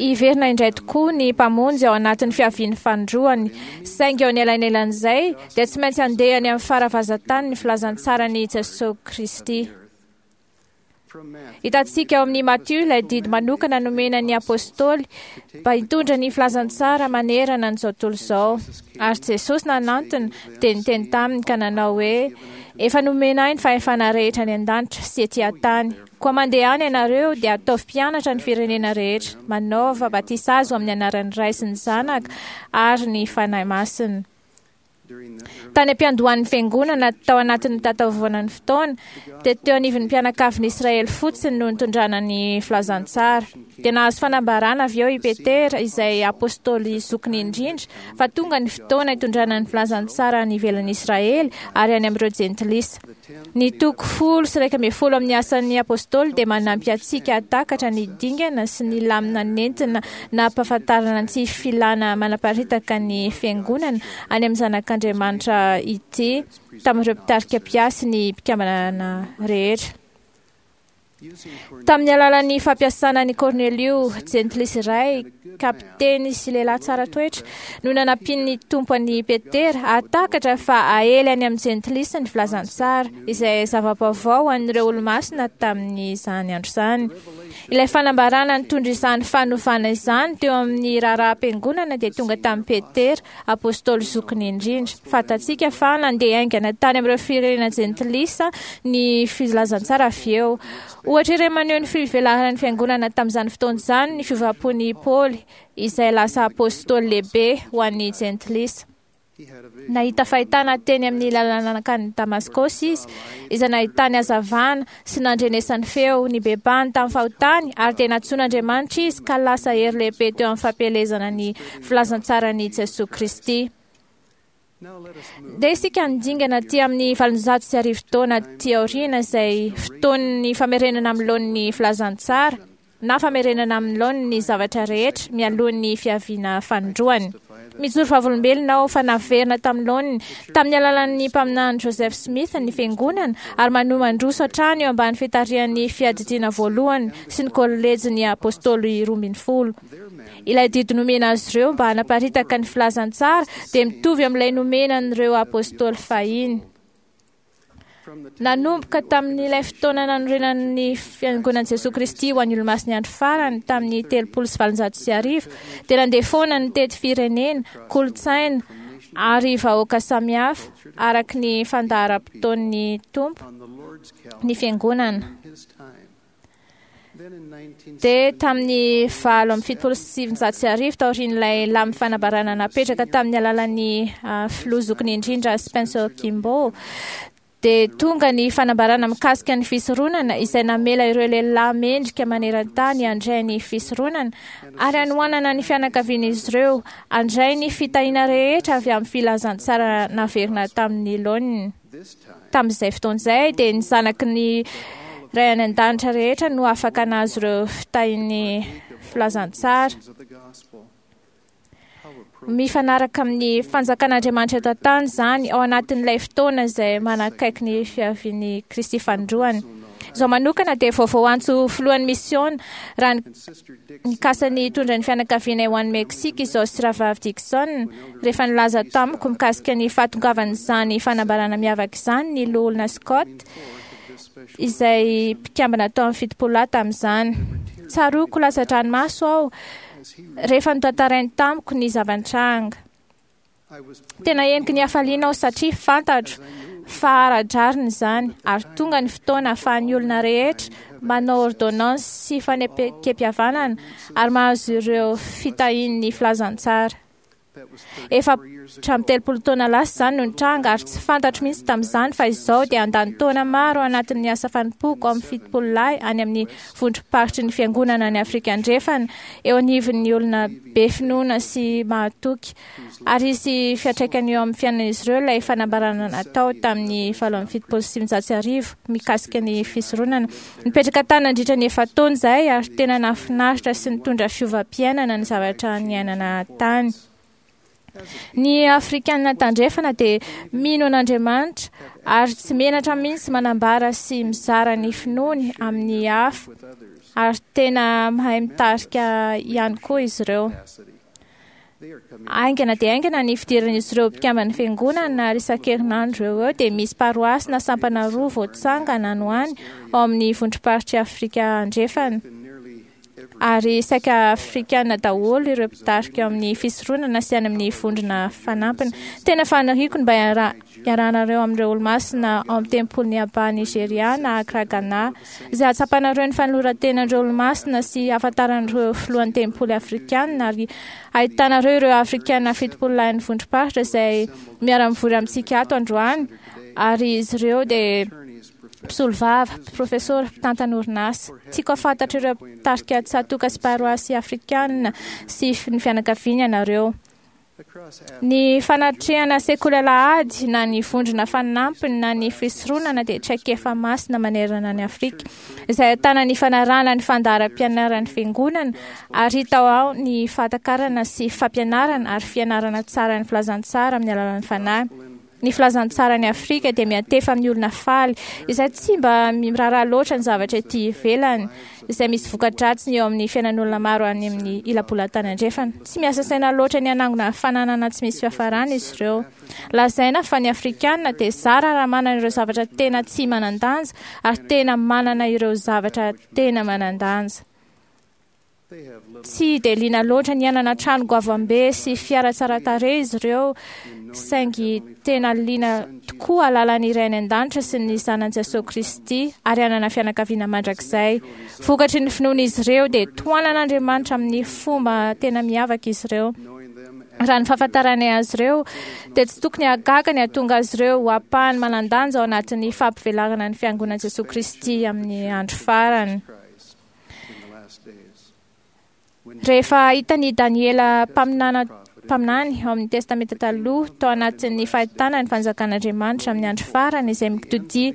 Hiverina indray tokoa ny Mpamonjy ao anatin'ny fiavian'ny fanindroany, saingy eo anelanelan'izay dia tsy maintsy handeha any amin'ny faravazantany ny filazantsaran'i Jesosy Kristy. Hitantsika ao amin'ny Matio ilay didy manokana nomena ny apôstôly mba hitondra ny filazantsara manerana an'izao tontolo izao. Ary Jesosy nanantona dia niteny taminy ka nanao hoe: "Efa nomena ahy ny fahefana rehetra any an-danitra sy ety an-tany. Koa mandeha any ianareo dia ataovy mpianatra ny firenena rehetra, manaova batisa azy ho amin'ny anaran'ny Ray sy ny Zanaka ary ny Fanahy Masina." Tany am-piandohan'ny fiangonana tao anatin'ny tataovana ny fotoana, dia teo anivon'ny mpianakavin'i Israely fotsiny no nitondrana ny filazantsara. Dia nahazo fanambarana avy eo i Petera, izay apôstôly zokiny indrindra, fa tonga ny fotoana hitondrana ny filazantsara any ivelan'i Israely ary any amin'ireo jentilisa. Ny toko folo sy iraika ambin'ny folo amin'ny asan'ny apôstôly dia manampy antsika hahatakatra ny dingana sy ny lamina nentina nampahafantarana ny tsy filana manaparitaka ny fiangonana any amin'ny zanak'Andriamanitra ity tamin'ireo mpitarika mpiasy ny mpikambana rehetra. Tamin'ny alalan'ny fampiasana an'i Kornelio, jentilisa iray, kapiteny sy lehilahy tsara toetra, no nanampian'ny Tompo an'i Petera hahatakatra fa aely any amin'ny jentilisa ny filazantsara, izay zava-baovao ho an'ireo olomasina tamin'izany andro izany. Ilay fanambarana nitondra izany fanovana izany teo amin'ny raharaham-piangonana dia tonga tamin'i Petera, apôstôly zokiny indrindra. Fantatsika fa nandeha haingana tany amin'ireo firenena jentilisa ny filazantsara avy eo. Ohatra iray maneho ny fivelaran'ny fiangonana tamin'izany fotoana izany ny fiovam-pon'i Paoly, izay lasa apôstôly lehibe ho an'ny jentilisa. Nahita fahitana teny amin'ny lalana nankany Damaskosy izy, izay nahitany hazavana sy nandrenesany feo, nibebahany tamin'ny fahotany, ary dia nantsoin'Andriamanitra izy ka lasa hery lehibe teo amin'ny fampielezana ny filazantsaran'i Jesosy Kristy. Dia isika nidingana aty amin'ny valonjato sy arivo taona aty aoriana, izay fotoan'ny famerenana amin'ny laoniny filazantsara na famerenana amin'ny laoniny ny zavatra rehetra mialohan'ny fiaviana fanindroany. Mijoro vavolombelona aho fa naverina tamin'ny laoniny tamin'ny alalan'ny mpaminany Joseph Smith ny fiangonana ary manohy mandroso hatrany eo ambany fitarihan'ny fiadidiana voalohany sy ny kolejin'ny apôstôly roa ambin'ny folo. Ilay didy nomena azy ireo mba hanaparitaka ny filazantsara dia mitovy amin'ilay nomena an'ireo apôstôly fahiny. Nanomboka tamin'ilay fotoana nanorenan'ny fiangonan'i Jesosy Kristy ho an'ny olomasin'ny andro farany tamin'ny telopolo sy valonjato sy arivo, dia nandeha foana nitety firenena, kolontsaina ary vahoaka samihafa araka ny fandaharam-potoan'ny Tompo ny fiangonana. Dia tamin'ny valo amby fitopolo sy sivinjato sy arivo, taorian'ilay lamy fanambarana napetraka tamin'ny alalan'ny filoha zokiny indrindra Spencer Kimball, dia tonga ny fanambarana mikasika ny fisoronana izay namela ireo lehilahy mendrika maneran-tany handray ny fisoronana ary hanohanana ny fianakavian'izy ireo handray ny fitahiana rehetra avy amin'ny filazantsara naverina tamin'ny laoniny. Tamin'izay fotoana izay dia ny zanaky ny Ray any an-danitra rehetra no afaka nahazo ireo fitahian'ny filazantsara. Mifanaraka amin'ny fanjakan'Andriamanitra eto an-tany izany ao anatin'ilay fotoana izay manakaiky ny fiavian'i Kristy fanindroany. Izao manokana dia vaovao antso filohan'ny misiona raha nikasa ny hitondra ny fianakavianay ho any Meksika izao sy Rahavavy Dixon rehefa nilaza tamiko mikasika ny fahatongavan'izany fanambarana miavaka izany ny loholona Scott, izay mpikambana tao amin'ny fitopolo lahy tamin'izany. Tsaroako latsa-dranomaso aho rehefa notantarainy tamiko ny zava-nitranga. Tena heniky ny hafaliana aho satria fantatro fa ara-drariny izany, ary tonga ny fotoana ahafahan'ny olona rehetra manao ordonnance sy fanekem-pihavanana ary mahazo ireo fitahian'ny filazantsara. Efa hatramin'ny telopolo taona lasa izany no nitranga, ary tsy fantatro mihitsy tamin'izany fa izao dia handany taona maro anatin'ny asa fanompoako amin'ny fitopolo lahy any amin'ny vondrom-paritry ny fiangonana any Afrika Andrefana, eo anivon'ny olona be finoana sy mahatoky. Ary hisy fiantraikany eo amin'ny fiainan'izy ireo ilay fanambarana natao tamin'ny valo amby fitopolo sy sivinjato sy arivo mikasika ny fisoronana. Nipetraka tany nandritra ny efa-taona izahay, ary tena nahafinaritra sy nitondra fiovam-piainana ny zavatra niainana tany. Ny Afrikana tandrefana dia mino an'Andriamanitra ary tsy menatra mihitsy manambara sy mizara ny finoany amin'ny hafa, ary tena mahay mitarika ihany koa izy ireo. Haingana dia haingana ny fidiran'izy ireo mpikamban'ny fiangonana, ary isan-kerinandro eo eo dia misy paroasy na sampana roa voatsangana any ho any ao amin'ny vondrom-paritry Afrika Andrefana. Ary saika Afrikana daholo ireo mpitarika amin'ny fisoronana sy any amin'ny vondrona fanampiny. Tena faniriako ny mba hiara- hiarahanareo amin'ireo olomasina ao amin'ny tempolin'i Aba Nigeria na Accra Ghana, izay hahatsapanareo ny fanoloran-tenan'ireo olomasina sy hahafantaran'ireo filohan'ny tempoly afrikana, ary ahitanareo ireo Afrikana fitopolo lahin'ny vondrom-paritra izay miara-mivory amintsika ato androany, ary izy ireo dia mpisolovava, profesora, mpitantana orinasa. Tiako hahafantatra ireo mpitarika tsatoka sy paroasy afrikana sy ny fianakaviany ianareo. Ny fanatrehana sekoly alahady na ny vondrona fanampiny na ny fisoronana dia traikefa masina manerana ny Afrika, izay ahitana ny fanarahana ny fandaharam-pianaran'ny fiangonana, ary hita ao ny fahatakarana sy fampianarana ary fianarana tsara ny filazantsara amin'ny alalan'ny fanahy. Ny filazantsaran'i Afrika dia miantefa amin'ny olona faly, izay tsy mba miraharaha loatra ny zavatra ety ivelany, izay misy voka-dratsiny eo amin'ny fiainan'olona maro any amin'ny ila-bolantany andrefana. Tsy miasa saina loatra ny hanangona fananana tsy misy fiafarana izy ireo. Lazaina fa ny Afrikana dia zara raha manana ireo zavatra tena tsy manan-danja, ary tena manana ireo zavatra tena manan-danja. Tsy dia liana loatra ny hanana trano goavambe sy fiara tsara tarehy izy ireo, saingy tena liana tokoa hahalala ny Ray any an-danitra sy ny Zanany Jesosy Kristy ary hanana fianakaviana mandrakizay. Vokatry ny finoan'izy ireo dia tohanan'Andriamanitra amin'ny fomba tena miavaka izy ireo. Raha ny fahafantaranay azy ireo dia tsy tokony hahagaga ny hahatonga azy ireo ho ampahany manan-danja ao anatin'ny fampivelarana ny fiangonan'i Jesosy Kristy amin'ny andro farany. Rehefa hitan'i Daniela mpaminana mpaminany ao amin'ny Testamenta Taloha tao anatin'ny fahitana ny fanjakan'Andriamanitra amin'ny andro farany, izay mitodia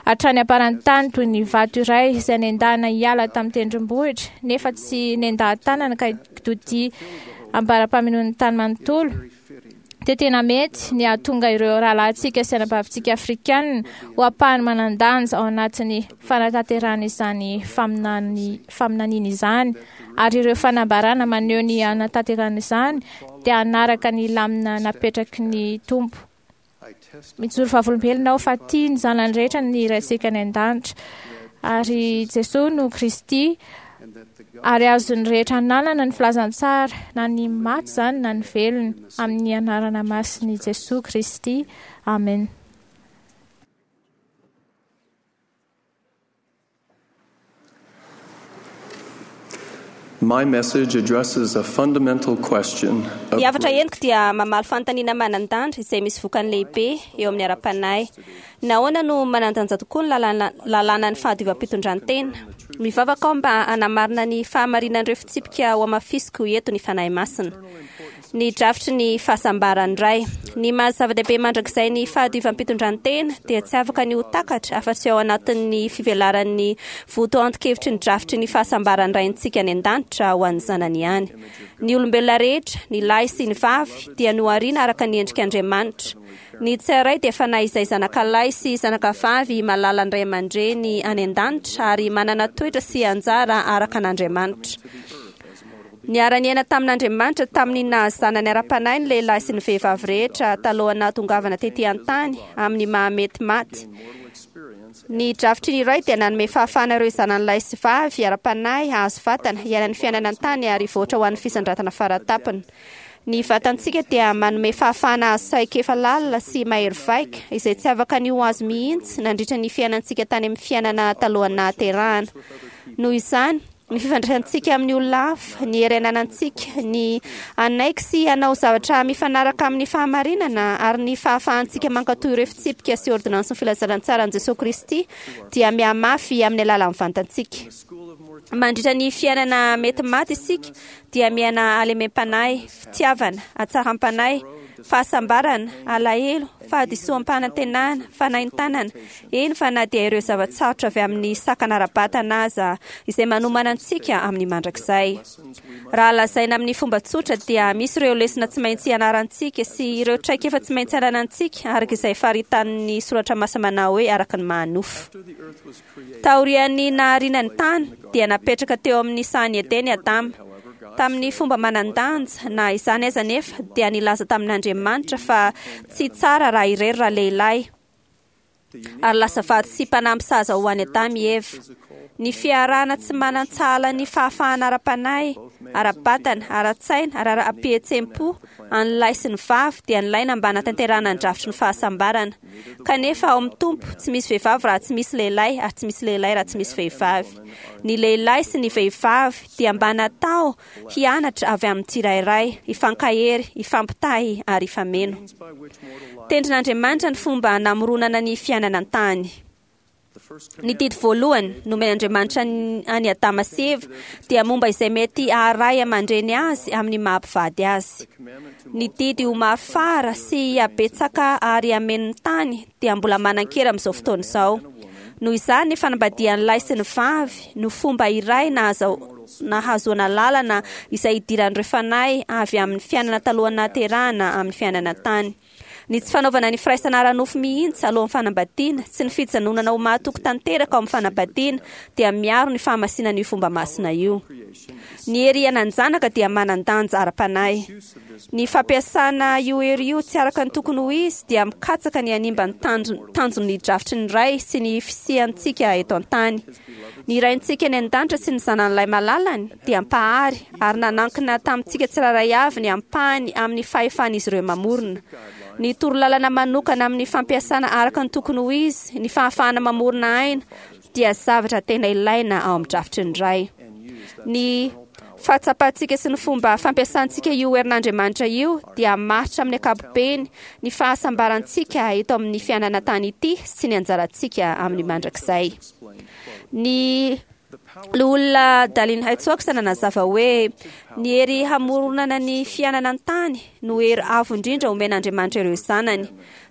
hatrany am-paran'ny tany toy ny vato iray izay nendahana hiala tamin'ny tendrombohitra, nefa tsy nendahan-tanana ka kitodia ambara-pamenoan'ny tany manontolo, dia tena mety ny hahatonga ireo rahalahintsika sy anabavintsika afrikanina ho ampahany manan-danja ao anatin'ny fanatanterahana izany faminany faminaniana izany, ary ireo fanambarana maneho ny hanatanterahana izany dia hanaraka ny lamina napetraky ny Tompo. Mijoro vavolombelona aho fa tia ny zanany rehetra ny Raintsika any an-danitra, ary Jesosy no Kristy, ary azon'ny rehetra ananana ny filazantsara, na ny maty izany na ny velona, amin'ny anarana masin'i Jesosy Kristy. Amen. My message addresses a fundamental question of Ny hafatra entiko dia mamaly fanontaniana manan-danja izay misy vokany lehibe eo amin'ny ara-panahy. Nahoana no manan-danja tokoa ny lalàna lalànan'ny fahadiovam-pitondran-tena? Mivavaka aho mba hanamarina ny fahamarinan'ireo fitsipika ho hamafisiko eto ny Fanahy Masina. Ny drafitry ny fahasambaran'ny Ray. Ny maha zava-dehibe mandrakizay ny fahadiovam-pitondran-tena dia tsy afaka ny ho takatra afa-tsy ao anatin'ny fivelaran'ny votoanton-kevitry ny drafitry ny fahasambaran'ny Raintsika any an-danitra ho an'ny zanany ihany. Ny olombelona rehetra, ny lahy sy ny vavy, dia nohariana araka ny endrik'Andriamanitra. Ny tsirairay dia fanahy izay zanakalahy sy zanakavavy malalan'ny ray aman-dreny any an-danitra ary manana toetra sy anjara araka an'Andriamanitra. Niara-niaina tamin'Andriamanitra tamin'ny nahazanany ara-panahy ny lehilahy sy ny vehivavy rehetra talohan'ny nahatongavana tetỳ an-tany amin'ny maha-mety maty. Ny drafitry ny Ray dia nanome fahafahana ireo zanany lahy sy vavy ara-panahy hahazo vatana, hiaina ny fiainana an-tany ary hivoatra ho an'ny fisandratana faratapony. Ny vatantsika dia manome fahafahana azo traikefa lalina sy mahery vaika izay tsy afaka ny ho azo mihitsy nandritra ny fiainantsika tany amin'ny fiainana talohan'ny nahaterahana. Noho izany, ny fifandraisantsika amin'ny olona hafa, ny hery ananantsika, ny hanaiky sy hanao zavatra mifanaraka amin'ny fahamarinana ary ny fahafahantsika mankatò ireo fitsipika sy ôrdônansin'ny filazalantsaran'i Jesoa Kristy dia mihamafy amin'ny alalan'ny vantantsika. Mandritra ny fiainana mety maty isika dia miaina halemem-panahy, fitiavana, hatsaram-panahy, fahasambarana, alahelo, fahadisoam-panantenana, fanaintainana, eny fa na dia ireo zava-tsarotra avy amin'ny sakana ara-batana aza izay manomana antsika amin'ny mandrakizay. Raha lazaina amin'ny fomba tsotra dia misy ireo lesona tsy maintsy ianarantsika sy ireo traikefa tsy maintsy ananantsika araka izay faritanin'ny soratra masina manao hoe araka ny maha-nofo. Taorian'ny nahariana ny tany dia napetraka teo amin'ny sahan'i Edena i Adama. Tamin'ny fomba manan-danja, na izany aza anefa, dia nilaza tamin'Andriamanitra fa tsy tsara raha irery ralehilahy, ary lasa vady sy mpanampy sahaza ho an'i Adama i Eva. Ny fiarahana tsy manan-tsahala ny fahafahana ara-panahy, ara-batana, ara-tsaina ary ara-pihetseham-po an'ny lahy sy ny vavy dia nilaina mba hanatanterahana ny drafitry ny fahasambarana. Kanefa ao amin'ny Tompo, tsy misy vehivavy raha tsy misy lehilahy ary tsy misy lehilahy raha tsy misy vehivavy. Ny lehilahy sy ny vehivavy dia mba natao hianatra avy amin'ny tsirairay, hifankahery, hifampitahy ary hifameno. Tendrin'Andriamanitra ny fomba namoronana ny fiainana an-tany. Ny didy voalohany nomen'Andriamanitra an'i Adama sy Eva dia momba izay mety haharay aman-dreny azy amin'ny maha-mpivady azy. Ny didy ho maro fara sy hihabetsaka ary hameno ny tany dia mbola manan-kery amin'izao fotoana izao. Noho izany, ny fanambadian'ny lahy sy ny vavy no fomba iray nahazoana lalana izay hidiran'ireo fanahy avy amin'ny fiainana talohan'ny nahaterahana amin'ny fiainana an-tany. Ny tsy fanaovana ny firaisana ara-nofo mihitsy alohan'ny fanambadiana sy ny fijanonana ho mahatoky tanteraka ao amin'ny fanambadiana dia miaro ny fahamasinan'io fomba masina io. Ny hery hiainan-janaka dia manan-danja ara-panahy. Ny fampiasana io hery io tsy araka ny tokony ho izy dia mikatsaka ny hanimba ny tanjon'ny drafitry ny Ray sy ny fisiantsika eto an-tany. Ny Raintsika any an-danitra sy ny Zanany Lahy Malalany dia Mpahary ary nanankina tamintsika tsirairay avy ny ampahany amin'ny fahefan'izy ireo mamorona. Ny torolalana manokana amin'ny fampiasana araka ny tokony ho izy ny fahafahana mamorona aina dia zavatra tena ilaina ao amin'ny drafitry ny Ray. Ny fahatsapantsika sy ny fomba fampiasantsika io herin'Andriamanitra io dia hamaritra amin'ny ankapobeny ny fahasambarantsika eto amin'ny fiainana tany ity sy ny anjarantsika amin'ny mandrakizay. Ny Loholona Dallin H. Oaks nanazava hoe ny hery hamoronana ny fiainana an-tany no hery avo indrindra omen'Andriamanitra ireo zanany.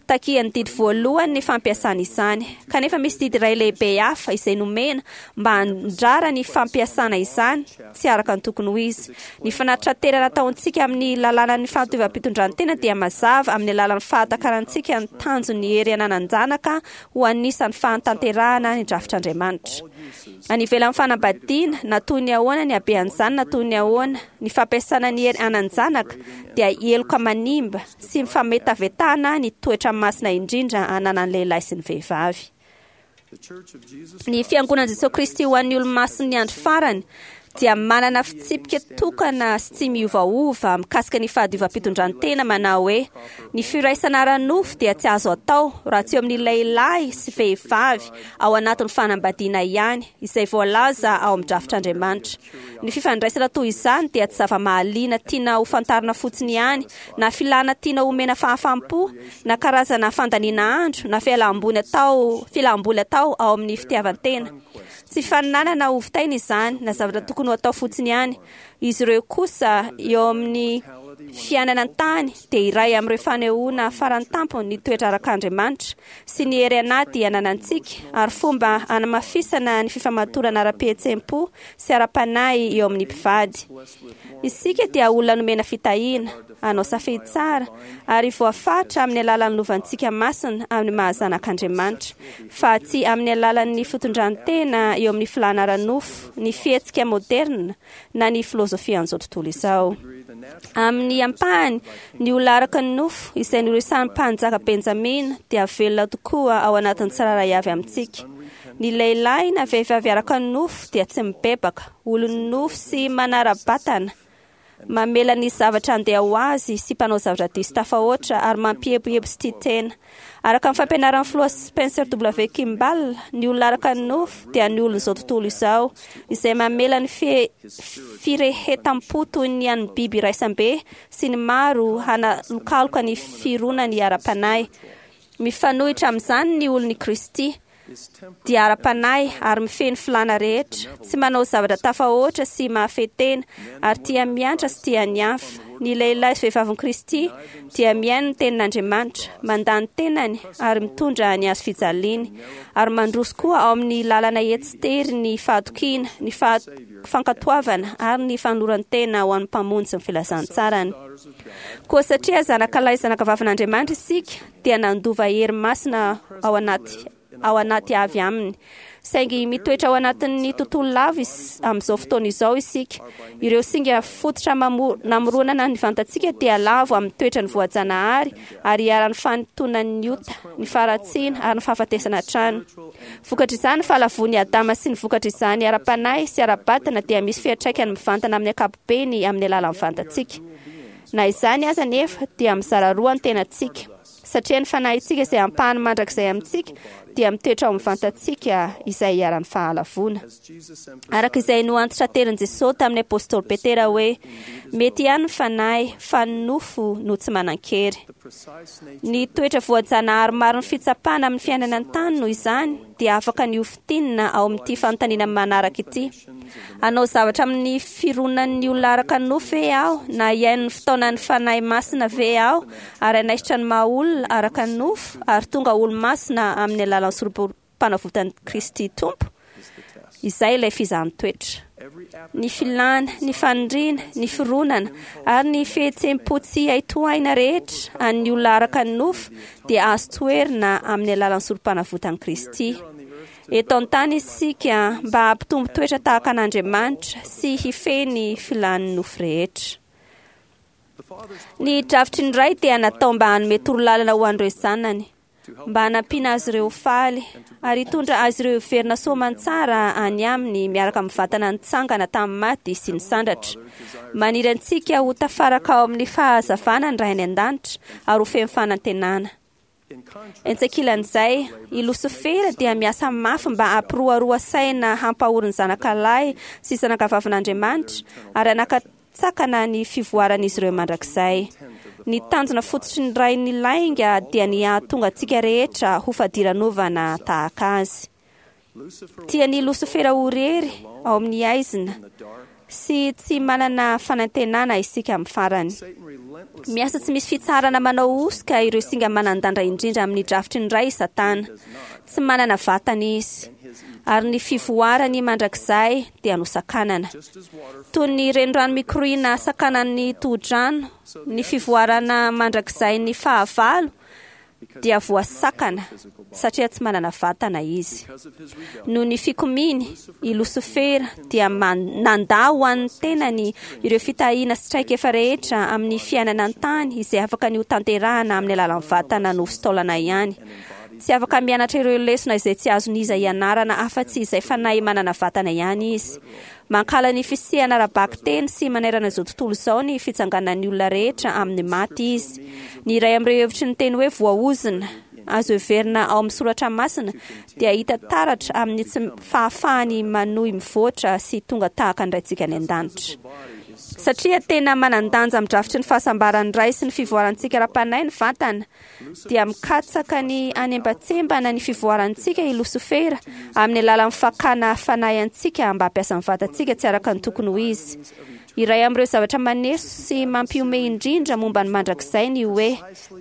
Takian'ny didy voalohany ny fampiasana izany. Kanefa misy didy iray lehibe hafa izay nomena mba handrara ny fampiasana izany tsy araka ny tokony ho izy. Ny fanatitraterana ataontsika amin'ny lalànan'ny fahantovam-pitondrantena dia mazava amin'ny alalan'ny fahatakarantsika ny tanjon'ny hery ananan-janaka ho anisan'ny fahatanterahana ny drafitr'Andriamanitra. Any ivelan'ny fanambadiana, na toy ny ahoana ny habean'izany na toy ny ahoana, ny fampiasana ny hery anan-janaka dia heloka manimba sy fametavetana ny toetra masina indrindra ananan'ny lehilahy sy ny vehivavy. Ny Fiangonan'i Jesoa Kristy ho an'ny Olomasin'ny Andro Farany dia manana fitsipika tokana sy tsy miovaova mikasika ny fahadiovam-pitondrantena manao hoe ny firaisana ara-nofo dia tsy azo atao raha tsy eo amin'ny lehilahy sy vehivavy ao anatin'ny fanambadiana ihany, izay voalaza ao amin'ny drafitr'Andriamanitra. Ny fifandraisana toy izany dia tsy zava-mahaliana tiana ho fantarina fotsiny ihany, na filàna tiana homena fahafaham-po, na karazana fandaniana andro, na fialam-boly atao fialam-boly atao ao amin'ny fitiavan-tena. Tsy faninanana hovitaina izany, na zavatra tokony ho atao fotsiny ihany. Izy ireo kosa, eo amin'ny fiainana an-tany, dia iray amin'ireo fanehoana farantampony ny toetra arak'Andriamanitra sy ny hery anaty ananantsika, ary fomba hanamafisana ny fifamatorana ara-pihetseham-po sy ara-panahy eo amin'ny mpivady. Isika dia olona nomena fitahiana, hanao safidy tsara, ary voafaritra amin'ny alalan'ny lovantsika masina amin'ny maha-zanak'Andriamanitra, fa tsy amin'ny alalan'ny fitondran-tena eo amin'ny filàna ara-nofo, ny fihetsika moderina, na ny filozofian'izao tontolo izao. Amin'ny ampahany, ny olona araka ny nofo, izay noresahin'ny mpanjaka Benjamina, dia velona tokoa ao anatin'ny tsirairay avy amintsika. Ny lehilahy na vehivavy araka ny nofo dia tsy mibebaka, olon'ny nofo sy manara-batana, Mamela ny zavatra handeha ho azy sy mpanao zavatra diso tafahoatra ary mampieboebo sy tia tena. Araka ny fampianaran'ny filoha Spencer W. Kimball, ny olona araka ny nofo dia ny olon'izao tontolo izao, izay mamela ny firehetam-po toy ny an'ny biby iraisambe sy ny maro hanalokaloka ny fironany ara-panahy. Mifanohitra amin'izany ny olon'i Kristy dia ara-panahy ary mifehy ny filàna rehetra, tsy manao zavatra tafahoatra sy mahafehy tena, ary tia miantra sy tia ny hafa. Ny lehilahy sy vehivavin'i Kristy dia mihaino ny tenin'Andriamanitra, mandà ny tenany ary mitondra ny hazo fijaliany, ary mandroso koa ao amin'ny lalana etsy-tery ny fahatokiana, ny fankatoavana ary ny fanoloran-tena ho an'ny Mpamonjy sy ny filazantsarany. Koa satria zanakalahy sy zanakavavin'Andriamanitra isika, dia nandova hery masina ao anaty ao anaty avy aminy. Saingy mitoetra ao anatin'ny tontolo lavo amin'izao fotoana izao isika. Ireo singa fototra namoronana ny vantantsika dia lavo amin'ny toetrany voajanahary ary iharan'ny fanintonan'ny ota, ny faharatsiana ary ny fahafatesana hatrany. Vokatr'izany, ny fahalavoan'i Adama sy ny vokatr'izany ara-panahy sy ara-batana dia misy fiantraikany mivantana amin'ny ankapobeny amin'ny alalan'ny vantantsika. Na izany aza anefa, dia mizara roa ny tenantsika. Satria ny fanahintsika izay ampahany mandrakizay amintsika dia mitoetra ao amin'ny vantantsika izay iharan'ny fahalavoana. Araka izay noantitraterin'i Jesosy tamin'ny apostoly Petera hoe, Mety ihany ny fanahy, fa ny nofo no tsy manan-kery. Ny toetra voajanahary marin'ny fitsapana amin'ny fiainana an-tany noho izany dia afaka ny hofintinina ao amin'ity fanontaniana manaraka ity, Hanao zavatra amin'ny fironan'ny olona araka ny nofo ve aho, na hihaino ny fitaonan'ny Fanahy Masina ve aho, ary hanaisotra ny maha-olona araka ny nofo, ary tonga olo-masina amin'ny alalan'ny Sorompanavotan'i Kristy Tompo? Izay ilay fizahan-toetra. Ny filàna, ny faniriana, ny fironana, ary ny fihetseham-po tsy hay tohaina rehetra an'ny olona araka ny nofo dia azo toherina amin'ny alalan'ny Sorompanavotan'i Kristy. Eto an-tany isika mba hampitombo toetra tahaka an'Andriamanitra sy hifehy ny filan'ny nofo rehetra. Ny drafitry ny Ray dia natao mba hanome torolalana ho an'ireo zanany, mba hanampiana azy ireo ho faly, ary hitondra azy ireo hiverina soamantsara any aminy miaraka amin'ny vatana nitsangana tamin'ny maty sy nisandratra. Maniry antsika ho tafaraka ao amin'ny fahazavana ny Ray any An-danitra ary ho feno fanantenana. Etsy ankilan'izay, i Losifera dia miasa mafy mba hampiroaroa saina hampahory ny zanakalahy sy zanakavavin'Andriamanitra ary hanakatsakana ny fivoaran'izy ireo mandrakizay. Ny tanjona fototry ny rain'ny lainga dia ny hahatonga antsika rehetra ho fadiranovana tahaka azy. Tian'i Losifera ho irery ao amin'ny haizina sy tsy manana fanantenana isika amin'ny farany. Miasa tsy misy fitsaharana manao hosoka ireo singa manan-dandra indrindra amin'ny drafitry ny Ray i Satana. Tsy manana vatana izy, ary ny fivoarany mandrakizay dia nosakanana. Toy ny renirano mikoriana sakanan'ny tohodrano, ny fivoarana mandrakizain'ny fahavalo dia voasakana satria tsy manana vatana izy. Noho ny fikomiany, i Losifera dia nandà ho an'ny tenany ireo fitahiana sy traikefa rehetra amin'ny fiainana an-tany izay afaka ny hotanterahana amin'ny alalan'ny vatana nofo sy taolana ihany. Tsy afaka mianatra ireo lesona izay tsy azon'iza ianarana afa-tsy izay fanahy manana vatana ihany izy. Mankahala ny fisiana ara-bakiteny sy manerana izao tontolo izao ny fitsanganan'ny olona rehetra amin'ny maty izy. Ny iray amin'ireo hevitry ny teny hoe voaozona, azo heverina ao amin'ny soratra masina, dia hita taratra amin'ny tsy fahafahany manohy mivoatra sy tonga tahaka ny Raintsika any An-danitra. Satria tena manan-danja amin'ny drafitry ny fahasambaran'ny Ray sy ny fivoarantsika ara-panahy ny vatana, dia mikatsaka ny hanembatsembana ny fivoarantsika i Losifera amin'ny alalan'ny fakana fanahy antsika mba hampiasa ny vatantsika tsy araka ny tokony ho izy. Iray amin'ireo zavatra maneso sy mampihomehy indrindra momba ny mandrakizay ny hoe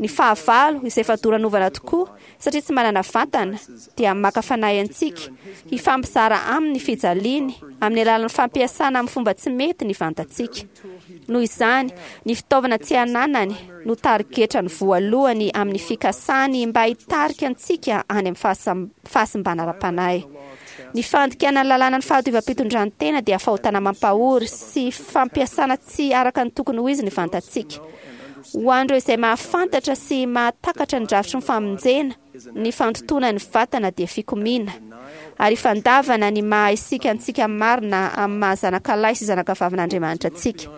ny fahavalo, izay fadoranovana tokoa satria tsy manana vatana, dia maka fanahy antsika hifampizara aminy ny fijaliany amin'ny alalan'ny fampiasana amin'ny fomba tsy mety ny vantantsika. Noho izany, ny fitaovana tsy ananany no tarigetrany voalohany amin'ny fikasany mba hitarika antsika any amin'ny fahasimbana ara-panahy. Ny fandikana ny lalànan'ny fahadiovam-pitondran-tena dia fahotana mampahory sy fampiasana tsy araka ny tokony ho izy ny vantantsika. Ho an'ireo izay mahafantatra sy mahatakatra ny drafitry ny famonjena, ny fandotoana ny vatana dia fikomiana, ary fandavana ny maha isika antsika marina amin'ny maha zanakalahy sy zanakavavin'Andriamanitra antsika.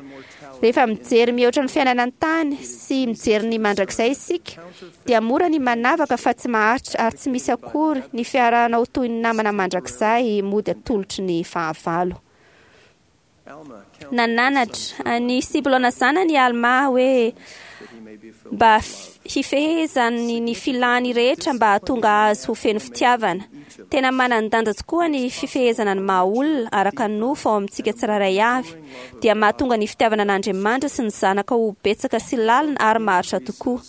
Rehefa mijery mihoatra ny fiainana an-tany sy mijery ny mandrakizay isika, dia mora ny manavaka fa tsy maharitra ary tsy misy akory ny fiarahana ho toy ny namana mandrakizay mody atolotry ny fahavalo. Nananatra ny Sibilona zanany i Almà hoe mba hifehezany ny filany rehetra mba hahatonga azy ho feno fitiavana. Tena manan-danja tokoa ny fifehezana ny maha olona araka ny nofo ao amintsika tsirairay avy, dia mahatonga ny fitiavana an'Andriamanitra sy ny zanaka ho betsaka sy lalina ary maharitra tokoa.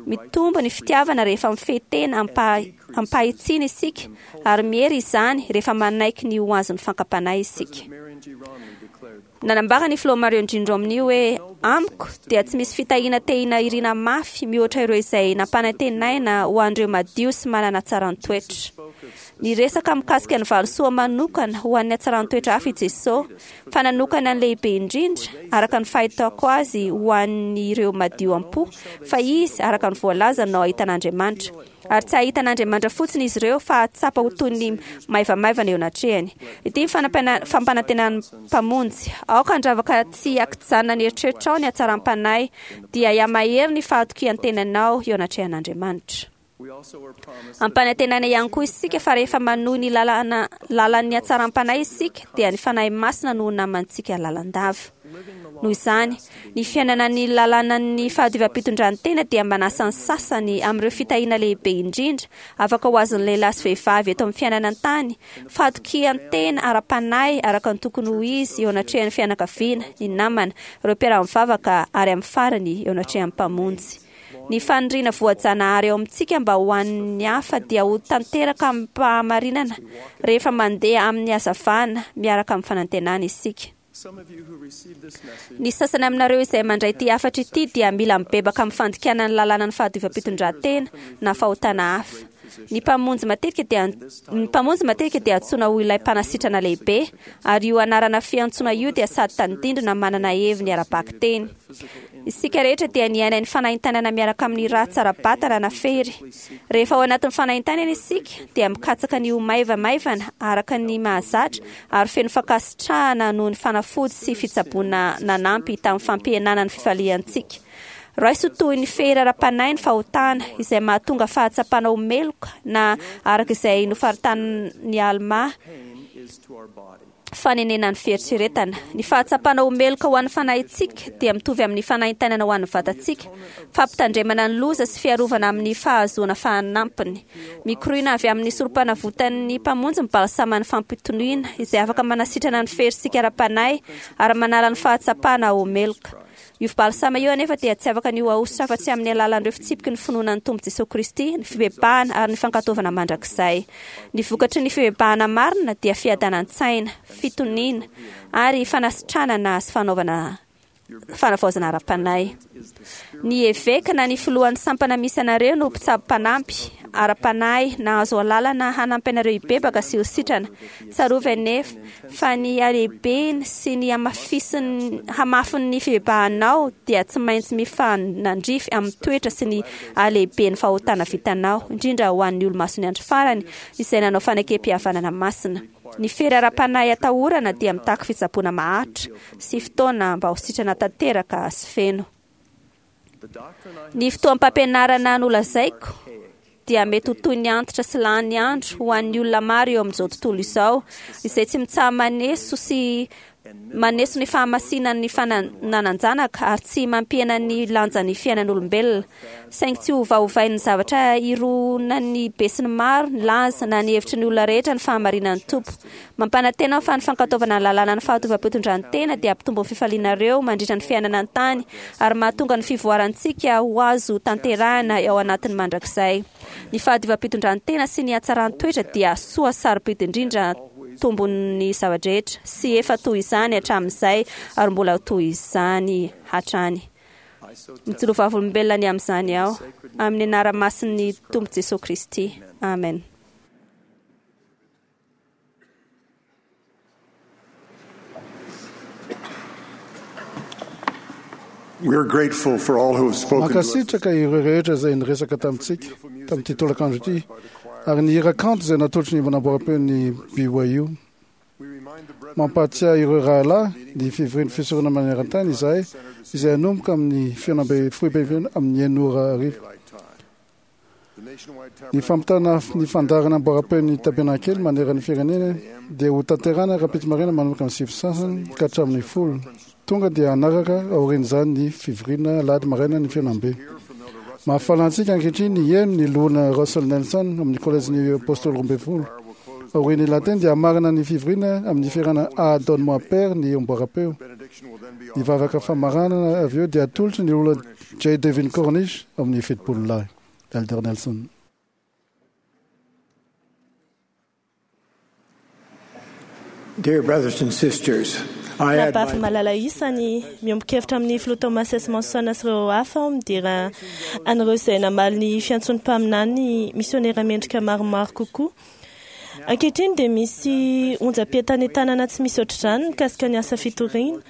Mitombo ny fitiavana rehefa mifehy tena am-pahitsiana isika, ary miery izany rehefa manaiky ny ho azon'ny fankam-panahy isika. Nanambara ny filoha Marion Jean Romney hoe, Amiko dia tsy misy fitahiana tehina irina mafy mihoatra ireo izay nampanantenaina ho an'ireo madio sy manana hatsaran-toetra. Niresaka mikasika ny valisoa manokana ho an'ny hatsaran-toetra hafa i Jesosy, fa nanokana ny lehibe indrindra, araka ny fahitako azy, ho an'ireo madio am-po, fa izy, araka ny voalazany, no hahita an'Andriamanitra. Ary tsy hahita an'Andriamanitra fotsiny izy ireo, fa hahatsapa ho toy ny maivamaivana eo anatrehany. Ity ny fampanantenan'ny Mpamonjy, Aoka handravaka tsy ankijanona ny eritreritrao ny hatsaram-panahy, dia hihamahery ny fahatokian-tenanao eo anatrehan'Andriamanitra. Ampanantenaina ihany koa isika fa rehefa manohy ny lalana lalan'ny hatsaram-panahy isika, dia ny Fanahy Masina no ho namantsika lalandava. Noho izany, ny fiainana ny lalànan'ny fahadiovam-pitondran-tena dia manasa ny sasany amin'ireo fitahiana lehibe indrindra afaka ho azon'ny lehilahy sy vehivavy eto amin'ny fiainana an-tany, fahatokian-tena ara-panahy araka ny tokony ho izy eo anatrehan'ny fianakaviana, ny namana, ireo mpiara-mivavaka ary amin'ny farany eo anatrehan'ny Mpamonjy. Ny faniriana voajanahary ao amintsika mba ho an'ny hafa dia ho tanteraka amim-pahamarinana rehefa mandeha amin'ny hazavana miaraka amin'ny fanantenana isika. Ny sasany aminareo izay mandray ity hafatra ity dia mila mibebaka amin'ny fandikana ny lalànan'ny fahadiovam-pitondrantena na fahotana hafa. Ny Mpamonjy matetika dia ny Mpamonjy matetika dia antsoina ho ilay Mpanasitrana lehibe, ary io anarana fiantsoana io dia sady tandindona manana heviny ara-bakiteny. Isika rehetra dia niaina ny fanaintainana miaraka amin'ny ratsy ara-batana na fery. Rehefa ao anatin'ny fanaintainana isika, dia mikatsaka ny ho maivamaivana araka ny mahazatra ary feno fankasitrahana noho ny fanafody sy fitsaboana nanampy tamin'ny fampihenana ny fifaliantsika. Raiso toy ny fery ara-panahy ny fahotana, izay mahatonga fahatsapana ho meloka na, araka izay nofaritanin'i Almà, fanenena ny fieritreretana. Ny fahatsapana ho meloka ho an'ny fanahintsika dia mitovy amin'ny fanaintainana ho an'ny vatantsika, fampitandremana ny loza sy fiarovana amin'ny fahazoana fanampiny. Mikoriana avy amin'ny sorompanavotan'ny Mpamonjy ny balsaman'ny fampitoniana, izay afaka manasitrana ny ferintsika ara-panahy ary manala ny fahatsapana ho meloka. Io balsama io anefa dia tsy afaka ny ho ahosotra afa-tsy amin'ny alalan'ireo fitsipiky ny finoana ny Tompo Jesoa Kristy, ny fibebahana ary ny fankatoavana mandrakizay. Ny vokatry ny fibebahana marina dia fiadanan-tsaina, fitoniana, ary fanasitranana sy fanaovana fanavaozana ara-panahy. Ny eveka na ny filohan'ny sampana misy anareo no mpitsabo mpanampy ara-panahy nahazo alalana hanampy anareo hibebaka sy ho sitrana. Tsarovy anefa fa ny halehibeny sy ny hamafisin'ny hamafin'ny fibebahanao dia tsy maintsy mifanandrify amin'ny toetra sy ny halehiben'ny fahotana vitanao, indrindra ho an'ny olomason'ny andro farany izay nanao fanekem-pihavanana masina. Ny fery ara-panahy atahorana dia mitaky fitsaboana maharitra sy fotoana mba ho sitrana tanteraka sy feno. Ny fotoam-pampianarana nolazaiko dia mety ho toy ny antitra sy lany andro ho an'ny olona maro eo amin'izao tontolo izao, izay tsy mitsaha-maneso sy maneso ny fahamasinan'ny fananan-janaka ary tsy mampihena ny lanjan'ny fiainan'olombelona. Saingy tsy hovaovain'ny zavatra ironan'ny besinimaro ny laza na ny hevitry ny olona rehetra ny fahamarinan'ny Tompo. Mampanantena aho fa ny fankatoavana ny lalànan'ny fahatovam-pitondran-tena dia hampitombo ny fifalianareo mandritra ny fiainana an-tany ary mahatonga ny fivoarantsika ho azo tanterahina ao anatin'ny mandrakizay. Ny fahadiovam-pitondran-tena sy ny hatsaran-toetra dia soa sarobidy indrindra tombon'ny zava-drehetra, sy efa toy izany hatramin'izay ary mbola ho toy izany hatrany. Mijoro vavolombelona ny amin'izany aho, amin'ny anara-masin'ny Tompo Jesoa Kristy. Amen. We are grateful for all who have spoken to us. Mankasitraka ireo rehetra izay niresaka tamintsika tamin'ity tolakandro ity ary ny hira kanto izay natolotry ny manamboram-peo ny B Y U. Mampahatsiahy ireo rahalahy ny fivorian'ny fisorona maneran-tany izahay izay hanomboka amin'ny fihaonambe foibe amin'ny enina ora hariva. Ny fampitana ny fandaharana amboaram-peon'ny tabernakely manerana ny firenena dia ho tanterahina rahampitso maraina manomboka amin'ny sivy sasany ka hatramin'ny folo. Tonga dia hanaraka aorian'izany ny fivoriana alahady maraina ny fihaonambe. Mahafaly antsika ankehitriny ny hihaino ny loholona Russell Nelson amin'ny kolejin'ny Apôstôly roa ambin'ny folo. Aorian'ny lahateny dia hamarana ny fivoriana amin'ny fihirana Ah Donne-moi Père ny amboaram-peo. Ny vavaka famaranana avy eo dia atolotry ny loholona J. Devin Cornish amin'ny fitopolo lahy. Elder Nelson. Dear brothers and sisters, I add Rahavavy my malala isany miombon-kevitra amin'ny filoha Thomas S. Monson sy ireo hafa aho midera an'ireo izay namaly ny fiantson'ny mpaminany misionera mendrika maromaro kokoa. Ankehitriny dia misy onjam-pientanentanana tsy misy ohatr'izany mikasika ny asa fitoriana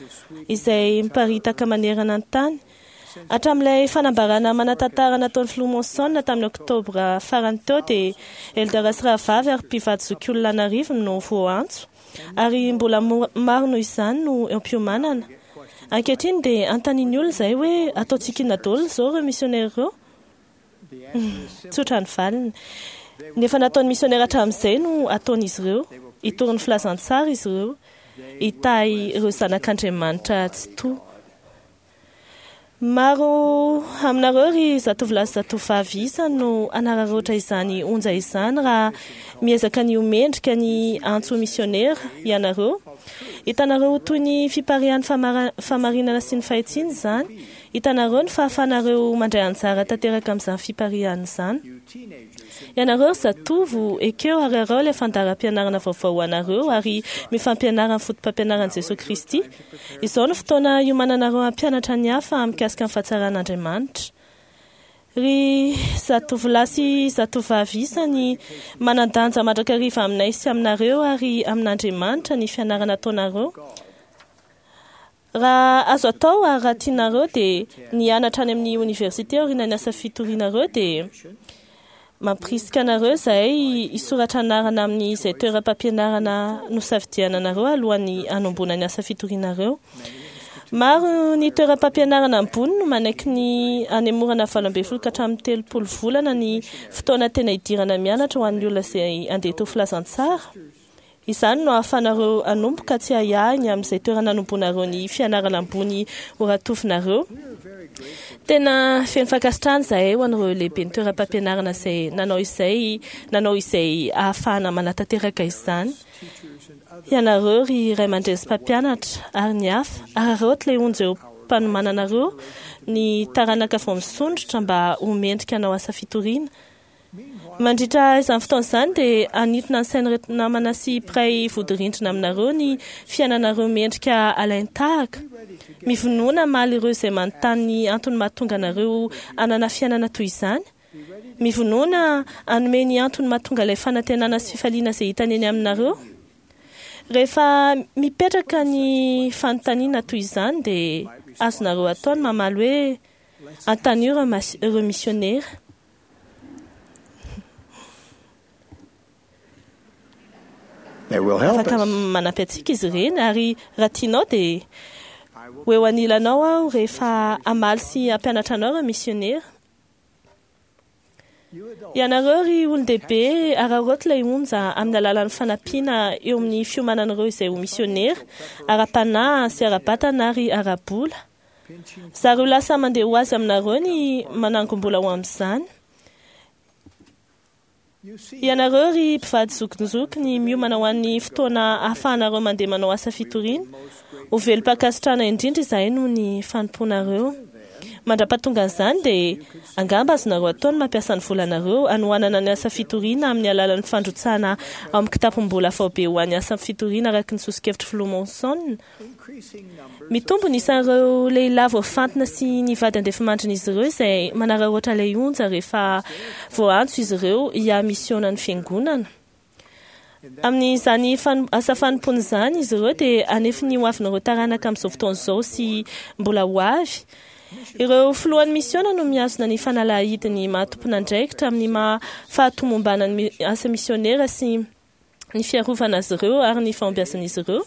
izay miparitaka manerana ny tany. Hatramin'ilay fanambarana manan-tantara nataon'ny filoha Monson tamin'ny oktobra farany teo dia Elder sy rahavavy ary mpivady zokiolona an'arivony no voaantso ary mbola mo- maro noho izany no eo am-piomanana. Ankehitriny dia anontanian'ny olona izay hoe ataontsika inona daholo izao ireo misionera ireo? Tsotra ny valiny. Ny efa nataon'ny misionera hatramin'izay no ataon'izy ireo. Hitory ny filazantsara izy ireo. Hitahy ireo zanak'Andriamanitra tsy toa. Maro aminareo ry zatovolahy sy zatovovavy isany no hanararaotra izany onja izany raha miezaka ny ho mendrika ny antso misionera ianareo. Hitanareo ho toy ny fipariahan'ny famara- fahamarinana sy ny fahitsiana izany. Hitanareo ny fahafahanareo mandray anjara tanteraka amin'izany fipariahana izany. Ianareo ry zatovo, ekeo ary arao ilay fandaharam-pianarana vaovao ho anareo ary mifampianara ny foto-pampianaran'i Jesosy Kristy. Izao no fotoana hiomananareo hampianatra ny hafa mikasika ny fahatsaran'Andriamanitra. Ry zatovolahy sy zatovovavy isany, manan-danja mandrakariva aminay sy aminareo ary amin'Andriamanitra ny fianarana ataonareo. Raha azo atao ary raha tianareo dia ny hianatra any amin'ny oniversite aorian'ny asa fitorianareo dia mampirisika anareo izahay hisoratra anarana amin'izay toeram-pampianarana nosafidiananareo alohan'ny hanomboana ny asa fitorianareo. Maro ny toeram-pampianarana ambony no manaiky ny hanemorana valo ambin'ny folo ka hatramin'ny telopolo volana ny fotoana tena hidirana mianatra ho an'ny olona izay handeha hitory filazantsara. Izany no ahafahanareo hanomboka tsy ahiahy ny amin'izay toerana hanomboanareo ny fianarana ambony ho ratovinareo. Tena feno fankasitrahana izahay ho an'ireo lehiben'ny toeram-pampianarana izay nanao izay nanao izay ahafahana manatanteraka izany. Ianareo ry ray aman-dreny sy mpampianatra ary ny hafa, araraoty ilay onja eo am-panomananareo ny taranaka vao misondrotra mba ho mendrika hanao asa fitoriana. Mandritra izany fotoana izany dia hanintona ny sain'ireto namana sy mpiray vodirindrina aminareo ny fiainanareo mendrika alain-tahaka. Mivonona hamaly ireo izay manontany ny antony mahatonga anareo hanana fiainana toy izany. Mivonona hanome ny antony mahatonga ilay fanantenana sy fifaliana izay hitany eny aminareo. Rehefa mipetraka ny fanontaniana toy izany dia azonareo atao ny mamaly hoe anontanio ireo mas- ireo misionera. They will help Afaka us. manampy antsika izy ireny ary raha tianao dia ho eo anilanao aho rehefa hamaly sy hampianatra anao ireo misionera. Ianareo ry olon-dehibe, araraoty ilay onja amin'ny alalan'ny fanampiana eo amin'ny fiomanan'ireo izay ho misionera, ara-panahy sy ara-batana ary ara-bola. Zareo lasa mandeha ho azy aminareo ny manangom-bola ho amin'izany. Ianareo ry mpivady zokinjokiny miomana ho an'ny fotoana ahafahanareo mandeha manao asa fitoriana. Ho velom-pankasitrahana indrindra izahay noho ny fanompoanareo. Mandra-pahatongan'izany dia angamba azonareo atao ny mampiasa ny volanareo hanohanana ny asa fitoriana amin'ny alalan'ny fandrotsahana ao amin'ny kitapom-bola faobe ho an'ny asa fitoriana araka ny soso-kevitry filoha Monson. Mitombo ny isan'ireo lehilahy voafantina sy ny vady andefimandrin'izy ireo izay manararaotra ilay onja rehefa voaantso izy ireo hiha-misiona ny fiangonana. Amin'izany fan- asa fanompoana izany izy ireo dia hanefy ny hoavin'ireo taranaka amin'izao fotoana izao sy mbola ho avy. Ireo filohan'ny misiona no mihazona ny fanalahidiny maha tompon'andraikitra amin'ny maha fahatomombanan'ny asa misionera sy ny fiarovana azy ireo ary ny fahombiazan'izy ireo.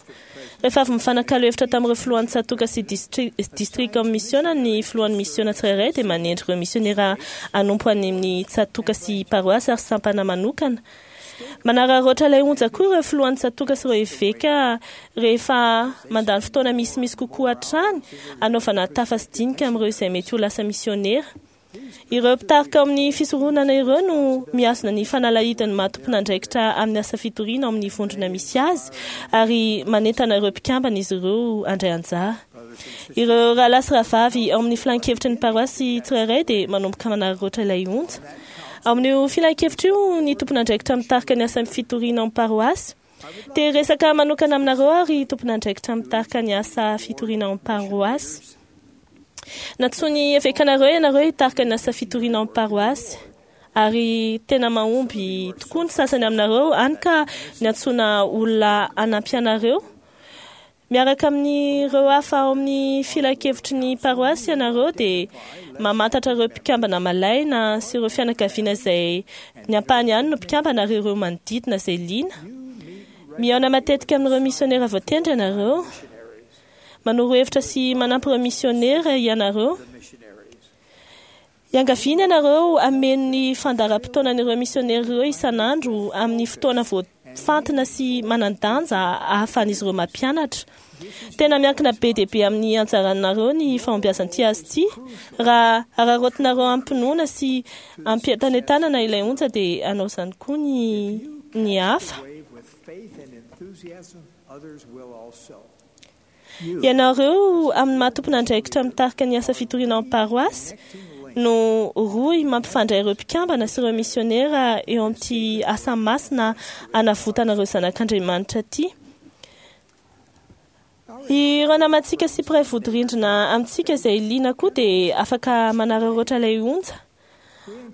Rehefa avy mifanakalo hevitra tamin'ireo filohan'ny tsatòka sy distrika amin'ny misiona, ny filohan'ny misiona tsirairay dia manendry ireo misionera hanompo any amin'ny tsatòka sy paroasy ary sampana manokana. Manararaotra ilay onja koa ireo filohan'ny tsatòka sy ireo eveka rehefa mandany fotoana misimisy kokoa hatrany hanaovana tafa sy dinika amin'ireo izay mety ho lasa misionera. Ireo mpitarika ao amin'ny fisoronana ireo no mihazona ny fanalahidin'ny maha tompon'andraikitra amin'ny asa fitoriana ao amin'ny vondrona misy azy ary manentana ireo mpikambana izy ireo handray anjara. Ireo rahalahy sy rahavavy ao amin'ny filan-kevitry ny paroasy tsirairay dia manomboka manararaotra ilay onja. Ao amin'io filan-kevitra io ny tompon'andraikitra mitarika ny asa fitoriana ao amin'ny paroasy. Te hiresaka manokana aminareo aho ry tompon'andraikitra mitarika ny asa fitoriana ao amin'ny paroasy. Nantsoin'ny evekanareo ianareo hitarika ny asa fitoriana ao amin'ny paroasy, ary tena mahomby tokoa ny sasany aminareo, hany ka niantsoana olona hanampy anareo. Miaraka amin'ireo hafa ao amin'ny filankevitry ny paroasy ianareo dia mamantatra ireo mpikambana malaina sy ireo fianakaviana izay ny ampahany ihany no mpikambana ary ireo manodidina izay liana. Mihaona matetika amin'ireo misionera voatendry ianareo. Manoro hevitra sy manampy ireo misionera ianareo. Iangaviana ianareo hameno ny fandaharam-potoanan'ireo misionera ireo isan'andro amin'ny fotoana voafantina sy manan-danja ahafahan'izy ireo mampianatra. Tena miankina be dia be amin'ny anjaranareo ny fahombiazan'ity azy ity. Raha araraotinareo am-pinoana sy am-pientanentanana ilay onja dia hanao izany koa ny ny hafa. Ianareo amin'ny maha tompon'andraikitra mitarika ny asa fitoriana ao amin'ny paroasy no rohy mampifandray ireo mpikambana sy ireo misionera eo amin'ity asa masina hanavotana ireo zanak'Andriamanitra ity. Ireo namantsika sy mpiray vodirindrina amintsika izay liana koa dia afaka manararaotra ilay onja.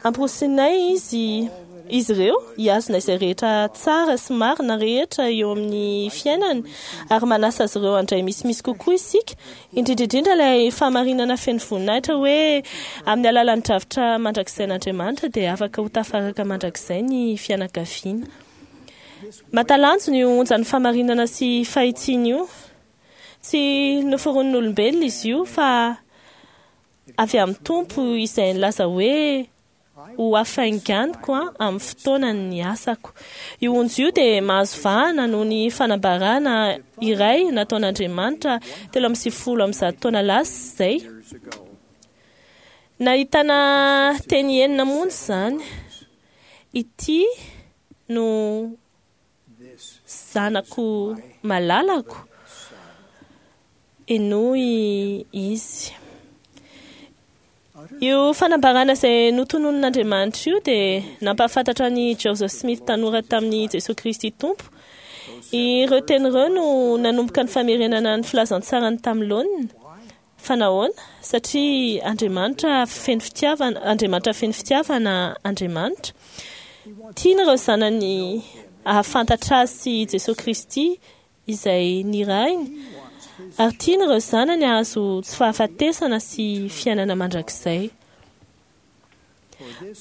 Ampirosinay izy izy ireo hihazona izay rehetra tsara sy marina rehetra eo amin'ny fiainany ary manasa azy ireo handray misimisy kokoa isika, indrindra indrindra ilay fahamarinana feno voninahitra hoe amin'ny alalan'ny drafitra mandrakizay-n'Andriamanitra dia afaka ho tafaraka mandrakizay ny fianakaviana. Mahatalanjona io onjan'ny fahamarinana sy fahitsiana io. Tsy noforonin'olombelona izy io fa avy amin'ny Tompo izay nilaza hoe ho hafainganiko amin'ny fotoanany ny asako. Io onja io dia mahazo vahana noho ny fanambarana iray nataon'Andriamanitra telo amby sivifolo amby zato taona lasa izay. Nahitana teny enina monja izany. Ity no zanako malalako, henoy izy. Io fanambarana izay notononin'Andriamanitra io dia nampahafantatra an'i Joseph Smith tanora tamin'i Jesoa Kristy Tompo. Ireo teny ireo no nanomboka ny famerenana ny filazantsarany tamin'ny laoniny. Fa nahoana? Satria Andriamanitra feno fitiavana, Andriamanitra feno fitiavana Andriamanitra. Tiany ireo zanany hahafantatra azy sy Jesoa Kristy izay nirahiny, ary tiany ireo zanany hahazo tsy fahafatesana sy fiainana mandrakizay.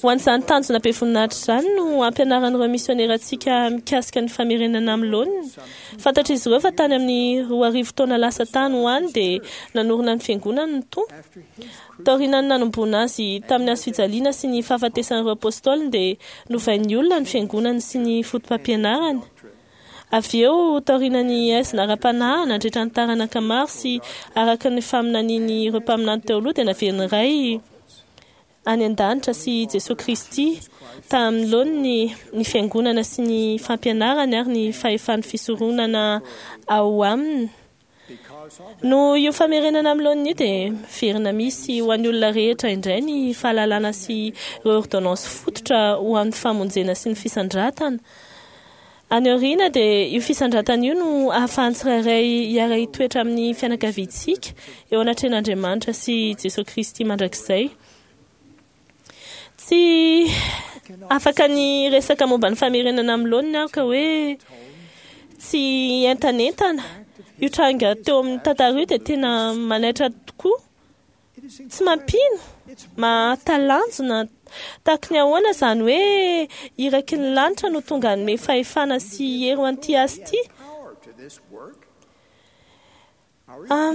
Ho an'izany tanjona be voninahitra izany no ampianaran'ireo misionerantsika mikasika ny famerenana amin'ny laoniny. Fantatr'izy ireo fa tany amin'ny roa arivo taona lasa tany ho any dia nanorina ny fiangonany ny Tompo. Taorian'ny nanomboana azy tamin'ny hazo fijaliana sy ny fahafatesan'ireo apôstôliny dia novain'ny olona ny fiangonany sy ny fotopampianarany. Avy eo, taorian'ny haizina ara-panahy nandritra ny taranaka maro sy araka ny faminanian'ireo mpaminany teo aloha dia naverin'ny Ray any an-danitra sy Jesoa Kristy tamin'ny laoniny ny fiangonana sy ny fampianarany ary ny fahefan'ny fisoronana ao aminy. Noho io famerenana amin'ny laoniny io dia miverina misy ho an'ny olona rehetra indray ny fahalalana sy ireo ordonnance fototra ho an'ny famonjena sy ny fisandratana. Any aoriana dia io fisandratana io no ahafahan'ny tsirairay hiara-hitoetra amin'ny fianakaviantsika eo anatrehan'Andriamanitra sy Jesoa Kristy mandrakizay. Tsy afaka ny resaka momba ny famerenana amin'ny laoniny aho ka hoe tsy entanentana. Io tranga teo amin'ny tantara io dia tena manaitra tokoa. Tsy mampino, mahatalanjona tahaka ny ahoana izany hoe iraky ny lanitra no tonga hanome fahefana sy hery ho an'ity asa ity.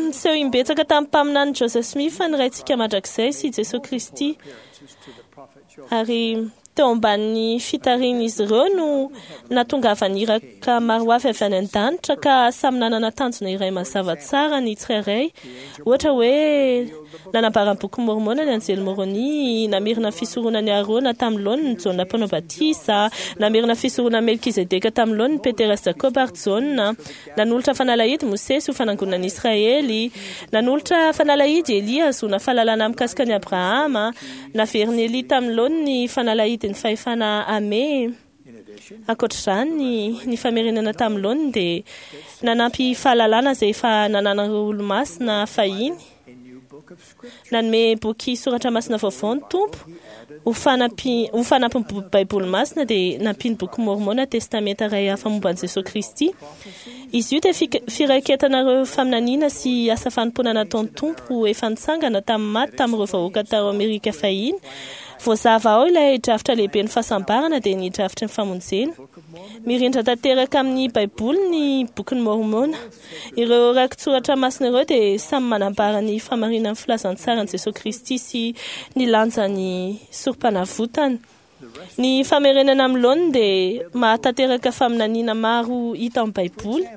Niseho imbetsaka tamin'ny mpaminany Joseph Smith ny Raintsika mandrakizay sy Jesosy Kristy, ary teo ambanin'ny fitarihin'izy ireo no nahatongavan'ny iraka maro avy avy any an-danitra, ka samy nanana tanjona iray mazava tsara ny tsirairay. Ohatra hoe nanambara ny boky Mormona ny anjely Moroni, namerina ny fisoronan'i Arona tamin'ny laoniny Jaona mpanao batisa, namerina ny fisoronan'i Melkizedeka tamin'ny laoniny Petera sy Jakoba ary Jaona, nanolotra fanalahidy Mosesy ho fanangonana Israely, nanolotra fanalahidy Elia hahazoana fahalalana mikasika an'i Abrahama, naverin'i Elia tamin'ny laoniny ny fanalahidin'ny fahefana Ame. Ankoatr'izany, ny famerenana tamin'ny laoniny dia nanampy fahalalana izay efa nananan'ireo olomasina fahiny. Nanome boky soratra masina vaovao ny Tompo ho fanampi ho fanampin'ny Baiboly masina, dia nampiany boky Mormona Testamenta iray hafa momba an'i Jesosy Kristy. Izy io dia firaiketana ireo faminaniana sy asa fanompoana nataon'ny Tompo efa nitsangana tamin'ny maty tamin'ireo vahoaka tao Amerika fahiny. Voazava ao ilay drafitra lehibe ny fahasambarana, dia ny drafitry ny famonjena. Mirindra tanteraka amin'ny Baiboly ny bokin'i Mormona. Ireo rakitsoratra masina ireo dia samy manambara ny fahamarinan'ny filazantsaran'i Jesosy Kristy sy ny lanjan'ny sorom-panavotana. Ny famerenana amin'ny laoniny dia mahatanteraka faminaniana maro hita ao amin'ny Baiboly.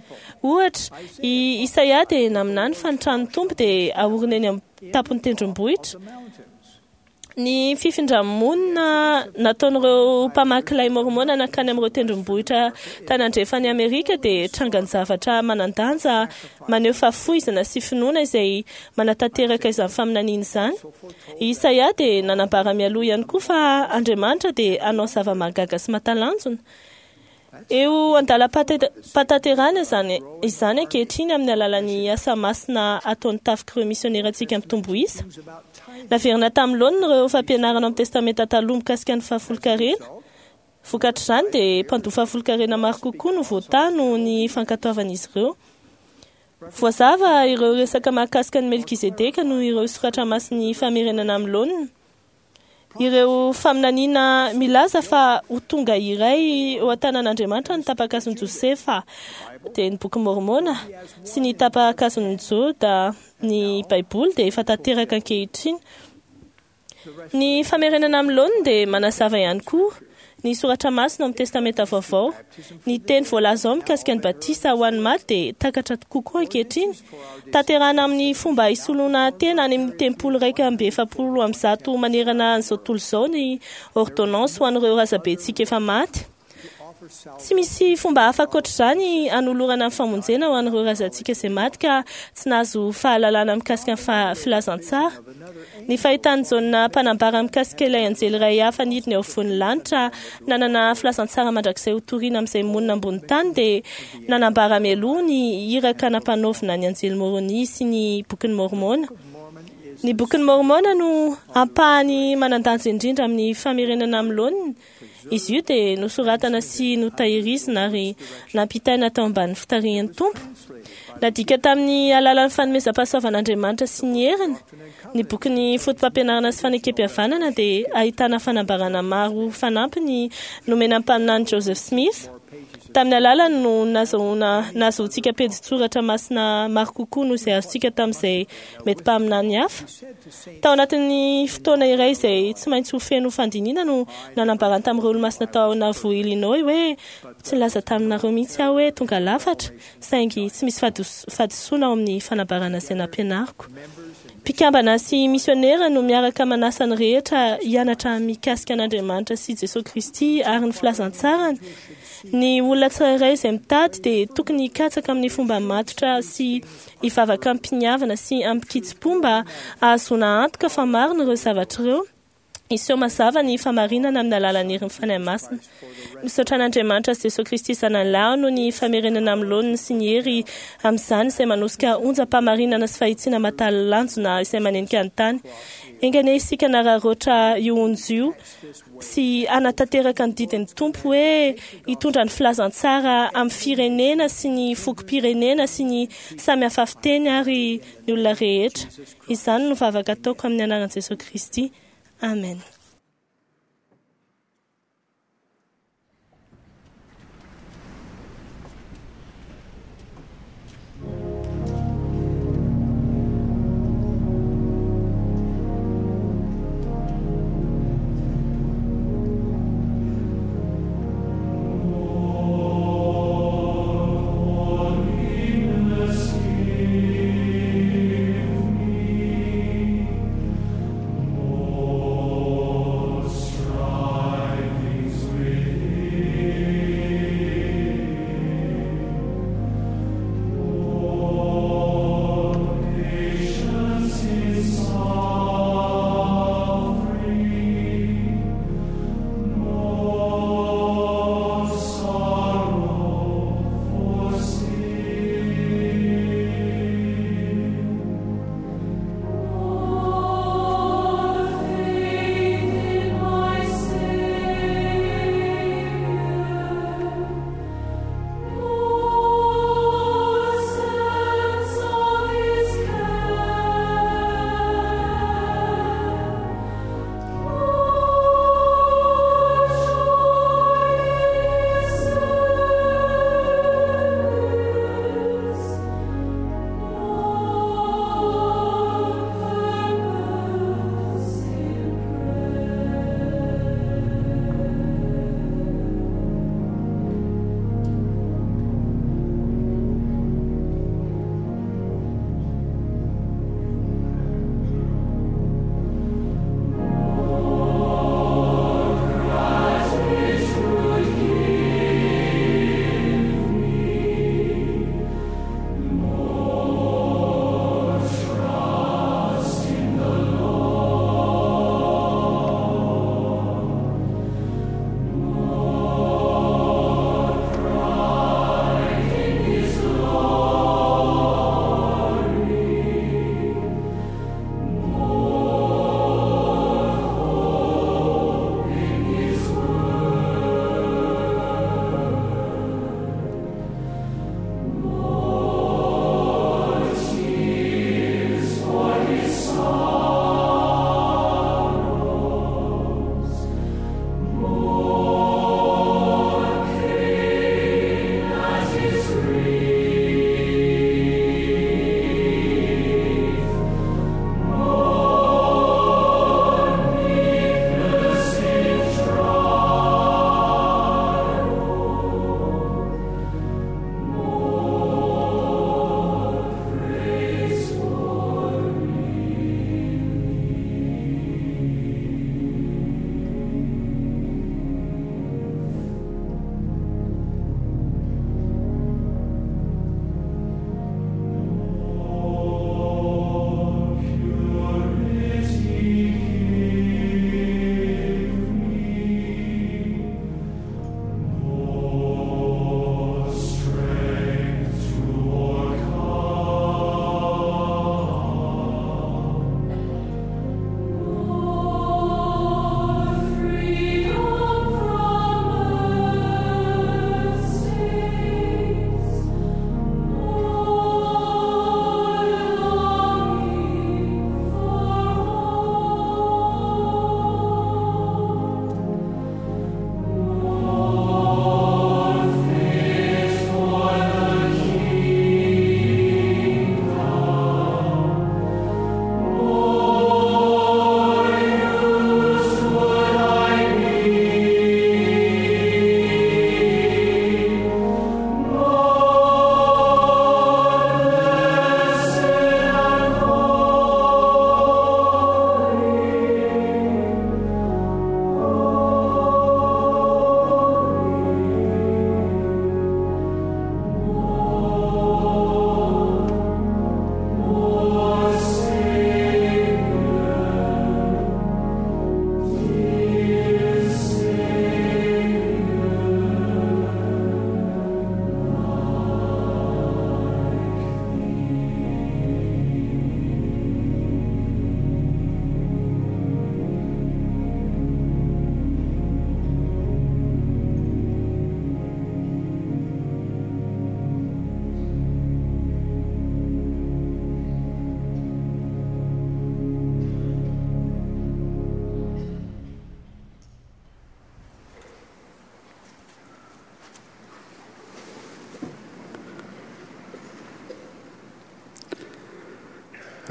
Ohatra, i Isaia dia naminany fa ny tranon'ny Tompo dia haorina eny amin'ny tampon'ny tendrombohitra. Ny fifindra-monina nataon'ireo mpamaky lay mormona nankany amin'ireo tendrombohitra tany andrefan'i Amerika dia trangan-javatra manan-danja maneho fahafoizana sy finoana izay manatanteraka izany faminaniana izany. I Isaia dia nanambara mialoha ihany koa fa Andriamanitra dia hanao zava-mahagaga sy mahatalanjona. Eo andalam-pahatanterahana izany izany ankehitriny amin'ny alalan'ny asa masina ataon'ny tafik'ireo misionerantsika mitombo isa. Naverina tamin'ny laoniny ireo fampianarana ao amin'ny Testamenta Taloha mikasika ny fahafolonkarena. Vokatr'izany dia mpandoa fahafolonkarena maro kokoa no voatahy noho ny fankatoavan'izy ireo. Voazava ireo resaka mahakasika ny Melkizedeka noho ireo soratra masin'ny famerenana amin'ny laoniny. Ireo faminaniana milaza fa ho tonga iray eo an-tanan'Andriamanitra ny tapa-kazon'i Josefa, dia ny boky Mormona, sy ny tapa-kazon'i Joda, ny Baiboly, dia efa tanteraka ankehitriny. Ny famerenana amin'ny laoniny dia manazava ihany koa ny soratra masina ao amin'ny Testamenta Vaovao. Ny teny voalaza ao mikasika ny batisa ho an'ny maty dia takatra kokoa ankehitriny. Tanterahana amin'ny fomba hisoloana tena any amin'ny tempoly iraika amby efapolo amby zato manerana an'izao tontolo izao ny ordonnance ho an'ireo razabentsika efa maty. Tsy misy fomba hafa ankoatr'izany hanolorana ny famonjena ho an'ireo razantsika izay maty ka tsy nahazo fahalalana mikasika ny filazantsara. Ny fahitan'i Jaona mpanambara mikasika ilay anjely iray hafa nidina eo afovoan'ny lanitra nanana filazantsara mandrakizay ho toriana amin'izay monina ambony tany dia nanambara mialoha ny iraka nampanaovina ny anjely Moroni sy ny bokin'i Mormona. Ny bokin'i Mormona no ampahany manan-danja indrindra amin'ny famerenana amin'ny laoniny. Izy io dia nosoratana sy notahirizina ary nampitaina tao ambanin'ny fitarihan'ny Tompo. Nadika tamin'ny alalan'ny fanomezam-pahasoavan'Andriamanitra sy ny heriny, ny bokin'ny Fotopampianarana sy Fanekempihavanana dia ahitana fanambarana maro fanampiny nomena ny mpaminany Joseph Smith. Tamin'ny alalany no nazahoana nahazoantsika pejin-tsoratra masina maro kokoa noho izay azontsika tamin'izay mety mpaminany hafa. Tao anatin'ny fotoana iray izay tsy maintsy ho feno fandinihana no nanambarany tamin'ireo olomasina tao Nauvoo, Illinois hoe tsy nilaza taminareo mihitsy aho hoe tonga lafatra, saingy tsy misy fahadisoana ao amin'ny fanambarana izay nampianariko. Mpikambana sy misionera no miaraka manasa ny rehetra hianatra mikasika an'Andriamanitra sy Jesosy Kristy ary ny filazantsarany. Ny olona tsirairay izay mitady dia tokony hikatsaka amin'ny fomba matotra sy hivavaka amim-piniavana sy amim-kitsim-po mba hahazoana antoka fa marina ireo zavatra ireo. Hiseho mazava ny famarinana amin'ny alalan'ny herin'ny Fanahy Masina. Misaotra an'Andriamanitra sy Jesosy Kristy Zanany Lahy noho ny famerenana amin'ny laoniny sy ny hery amin'izany izay manosika onjam-pahamarinana sy fahitsiana mahatalanjona izay manenika ny tany. Enga anie isika hanararaotra io onja io sy hanatanteraka ny didin'ny Tompo hoe hitondra ny filazantsara amin'ny firenena sy ny fokom-pirenena sy ny samy hafa fiteny ary ny olona rehetra. Izany no vavaka ataoko amin'ny anaran'i Jesosy Kristy. Amen. Lord,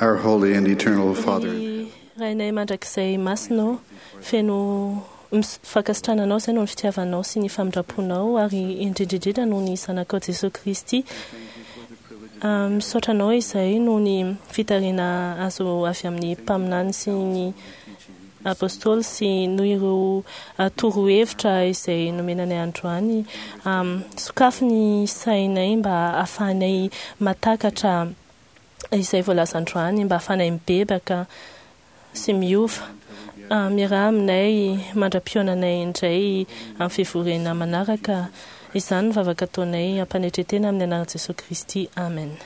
Our holy and eternal Father, Ny Rainay mandrakizay masina feno mis- fankasitrananao izay noho ny fitiavanao sy ny famindram-ponao ary indrindra indrindra noho ny zanakao Jesosy Kristy. Ah, Misaotra anao izay noho ny fitariana azo avy amin'ny mpaminany sy ny apôstôly sy noho ireo ah, torohevitra izay nomenanay androany. Ah, Sokafy ny sainay mba ahafahanay matakatra izay voalaza androany mba ahafahanay mibebaka sy miova. Ah, Miaraha aminay mandra-pionanay indray amin'ny fivoriana manaraka. Izany ny vavaka ataonay ampanetretena amin'ny anaran'i Jesosy Kristy. Amen.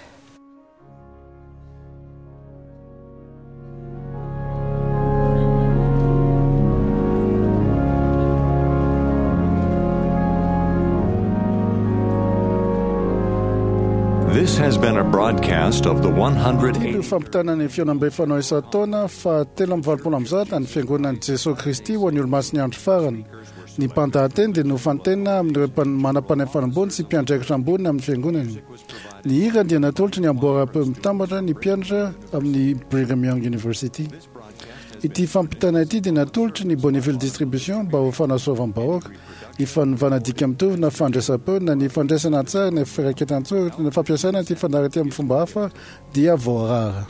This has been a broadcast of the one hundred Ity eighty. no fampitana ny fihaonambe fanao isan-taona fa telo amby valopolo amby zato ny fiangonan'i Jesosy Kristy ho an'ny olomasin'ny andro farany. Ny mpandahateny dia nofantenina amin'ireo mpan- manam-panahy ambony sy mpiandraikitra ambony amin'ny fiangonany. Ny hira dia natolotry ny amboara-peo mitambatra ny mpianatra amin'ny Brigham Young University. Ity fampitana ity dia natolotry ny Bonneville Distribution mba ho fanasoavam-bahoaka, ny fanovana dika mitovy na fandraisam-peo na ny fandraisana an-tsary na firaketan-tsoratra na fampiasana ity fandaharana ity amin'ny fomba hafa dia voarara.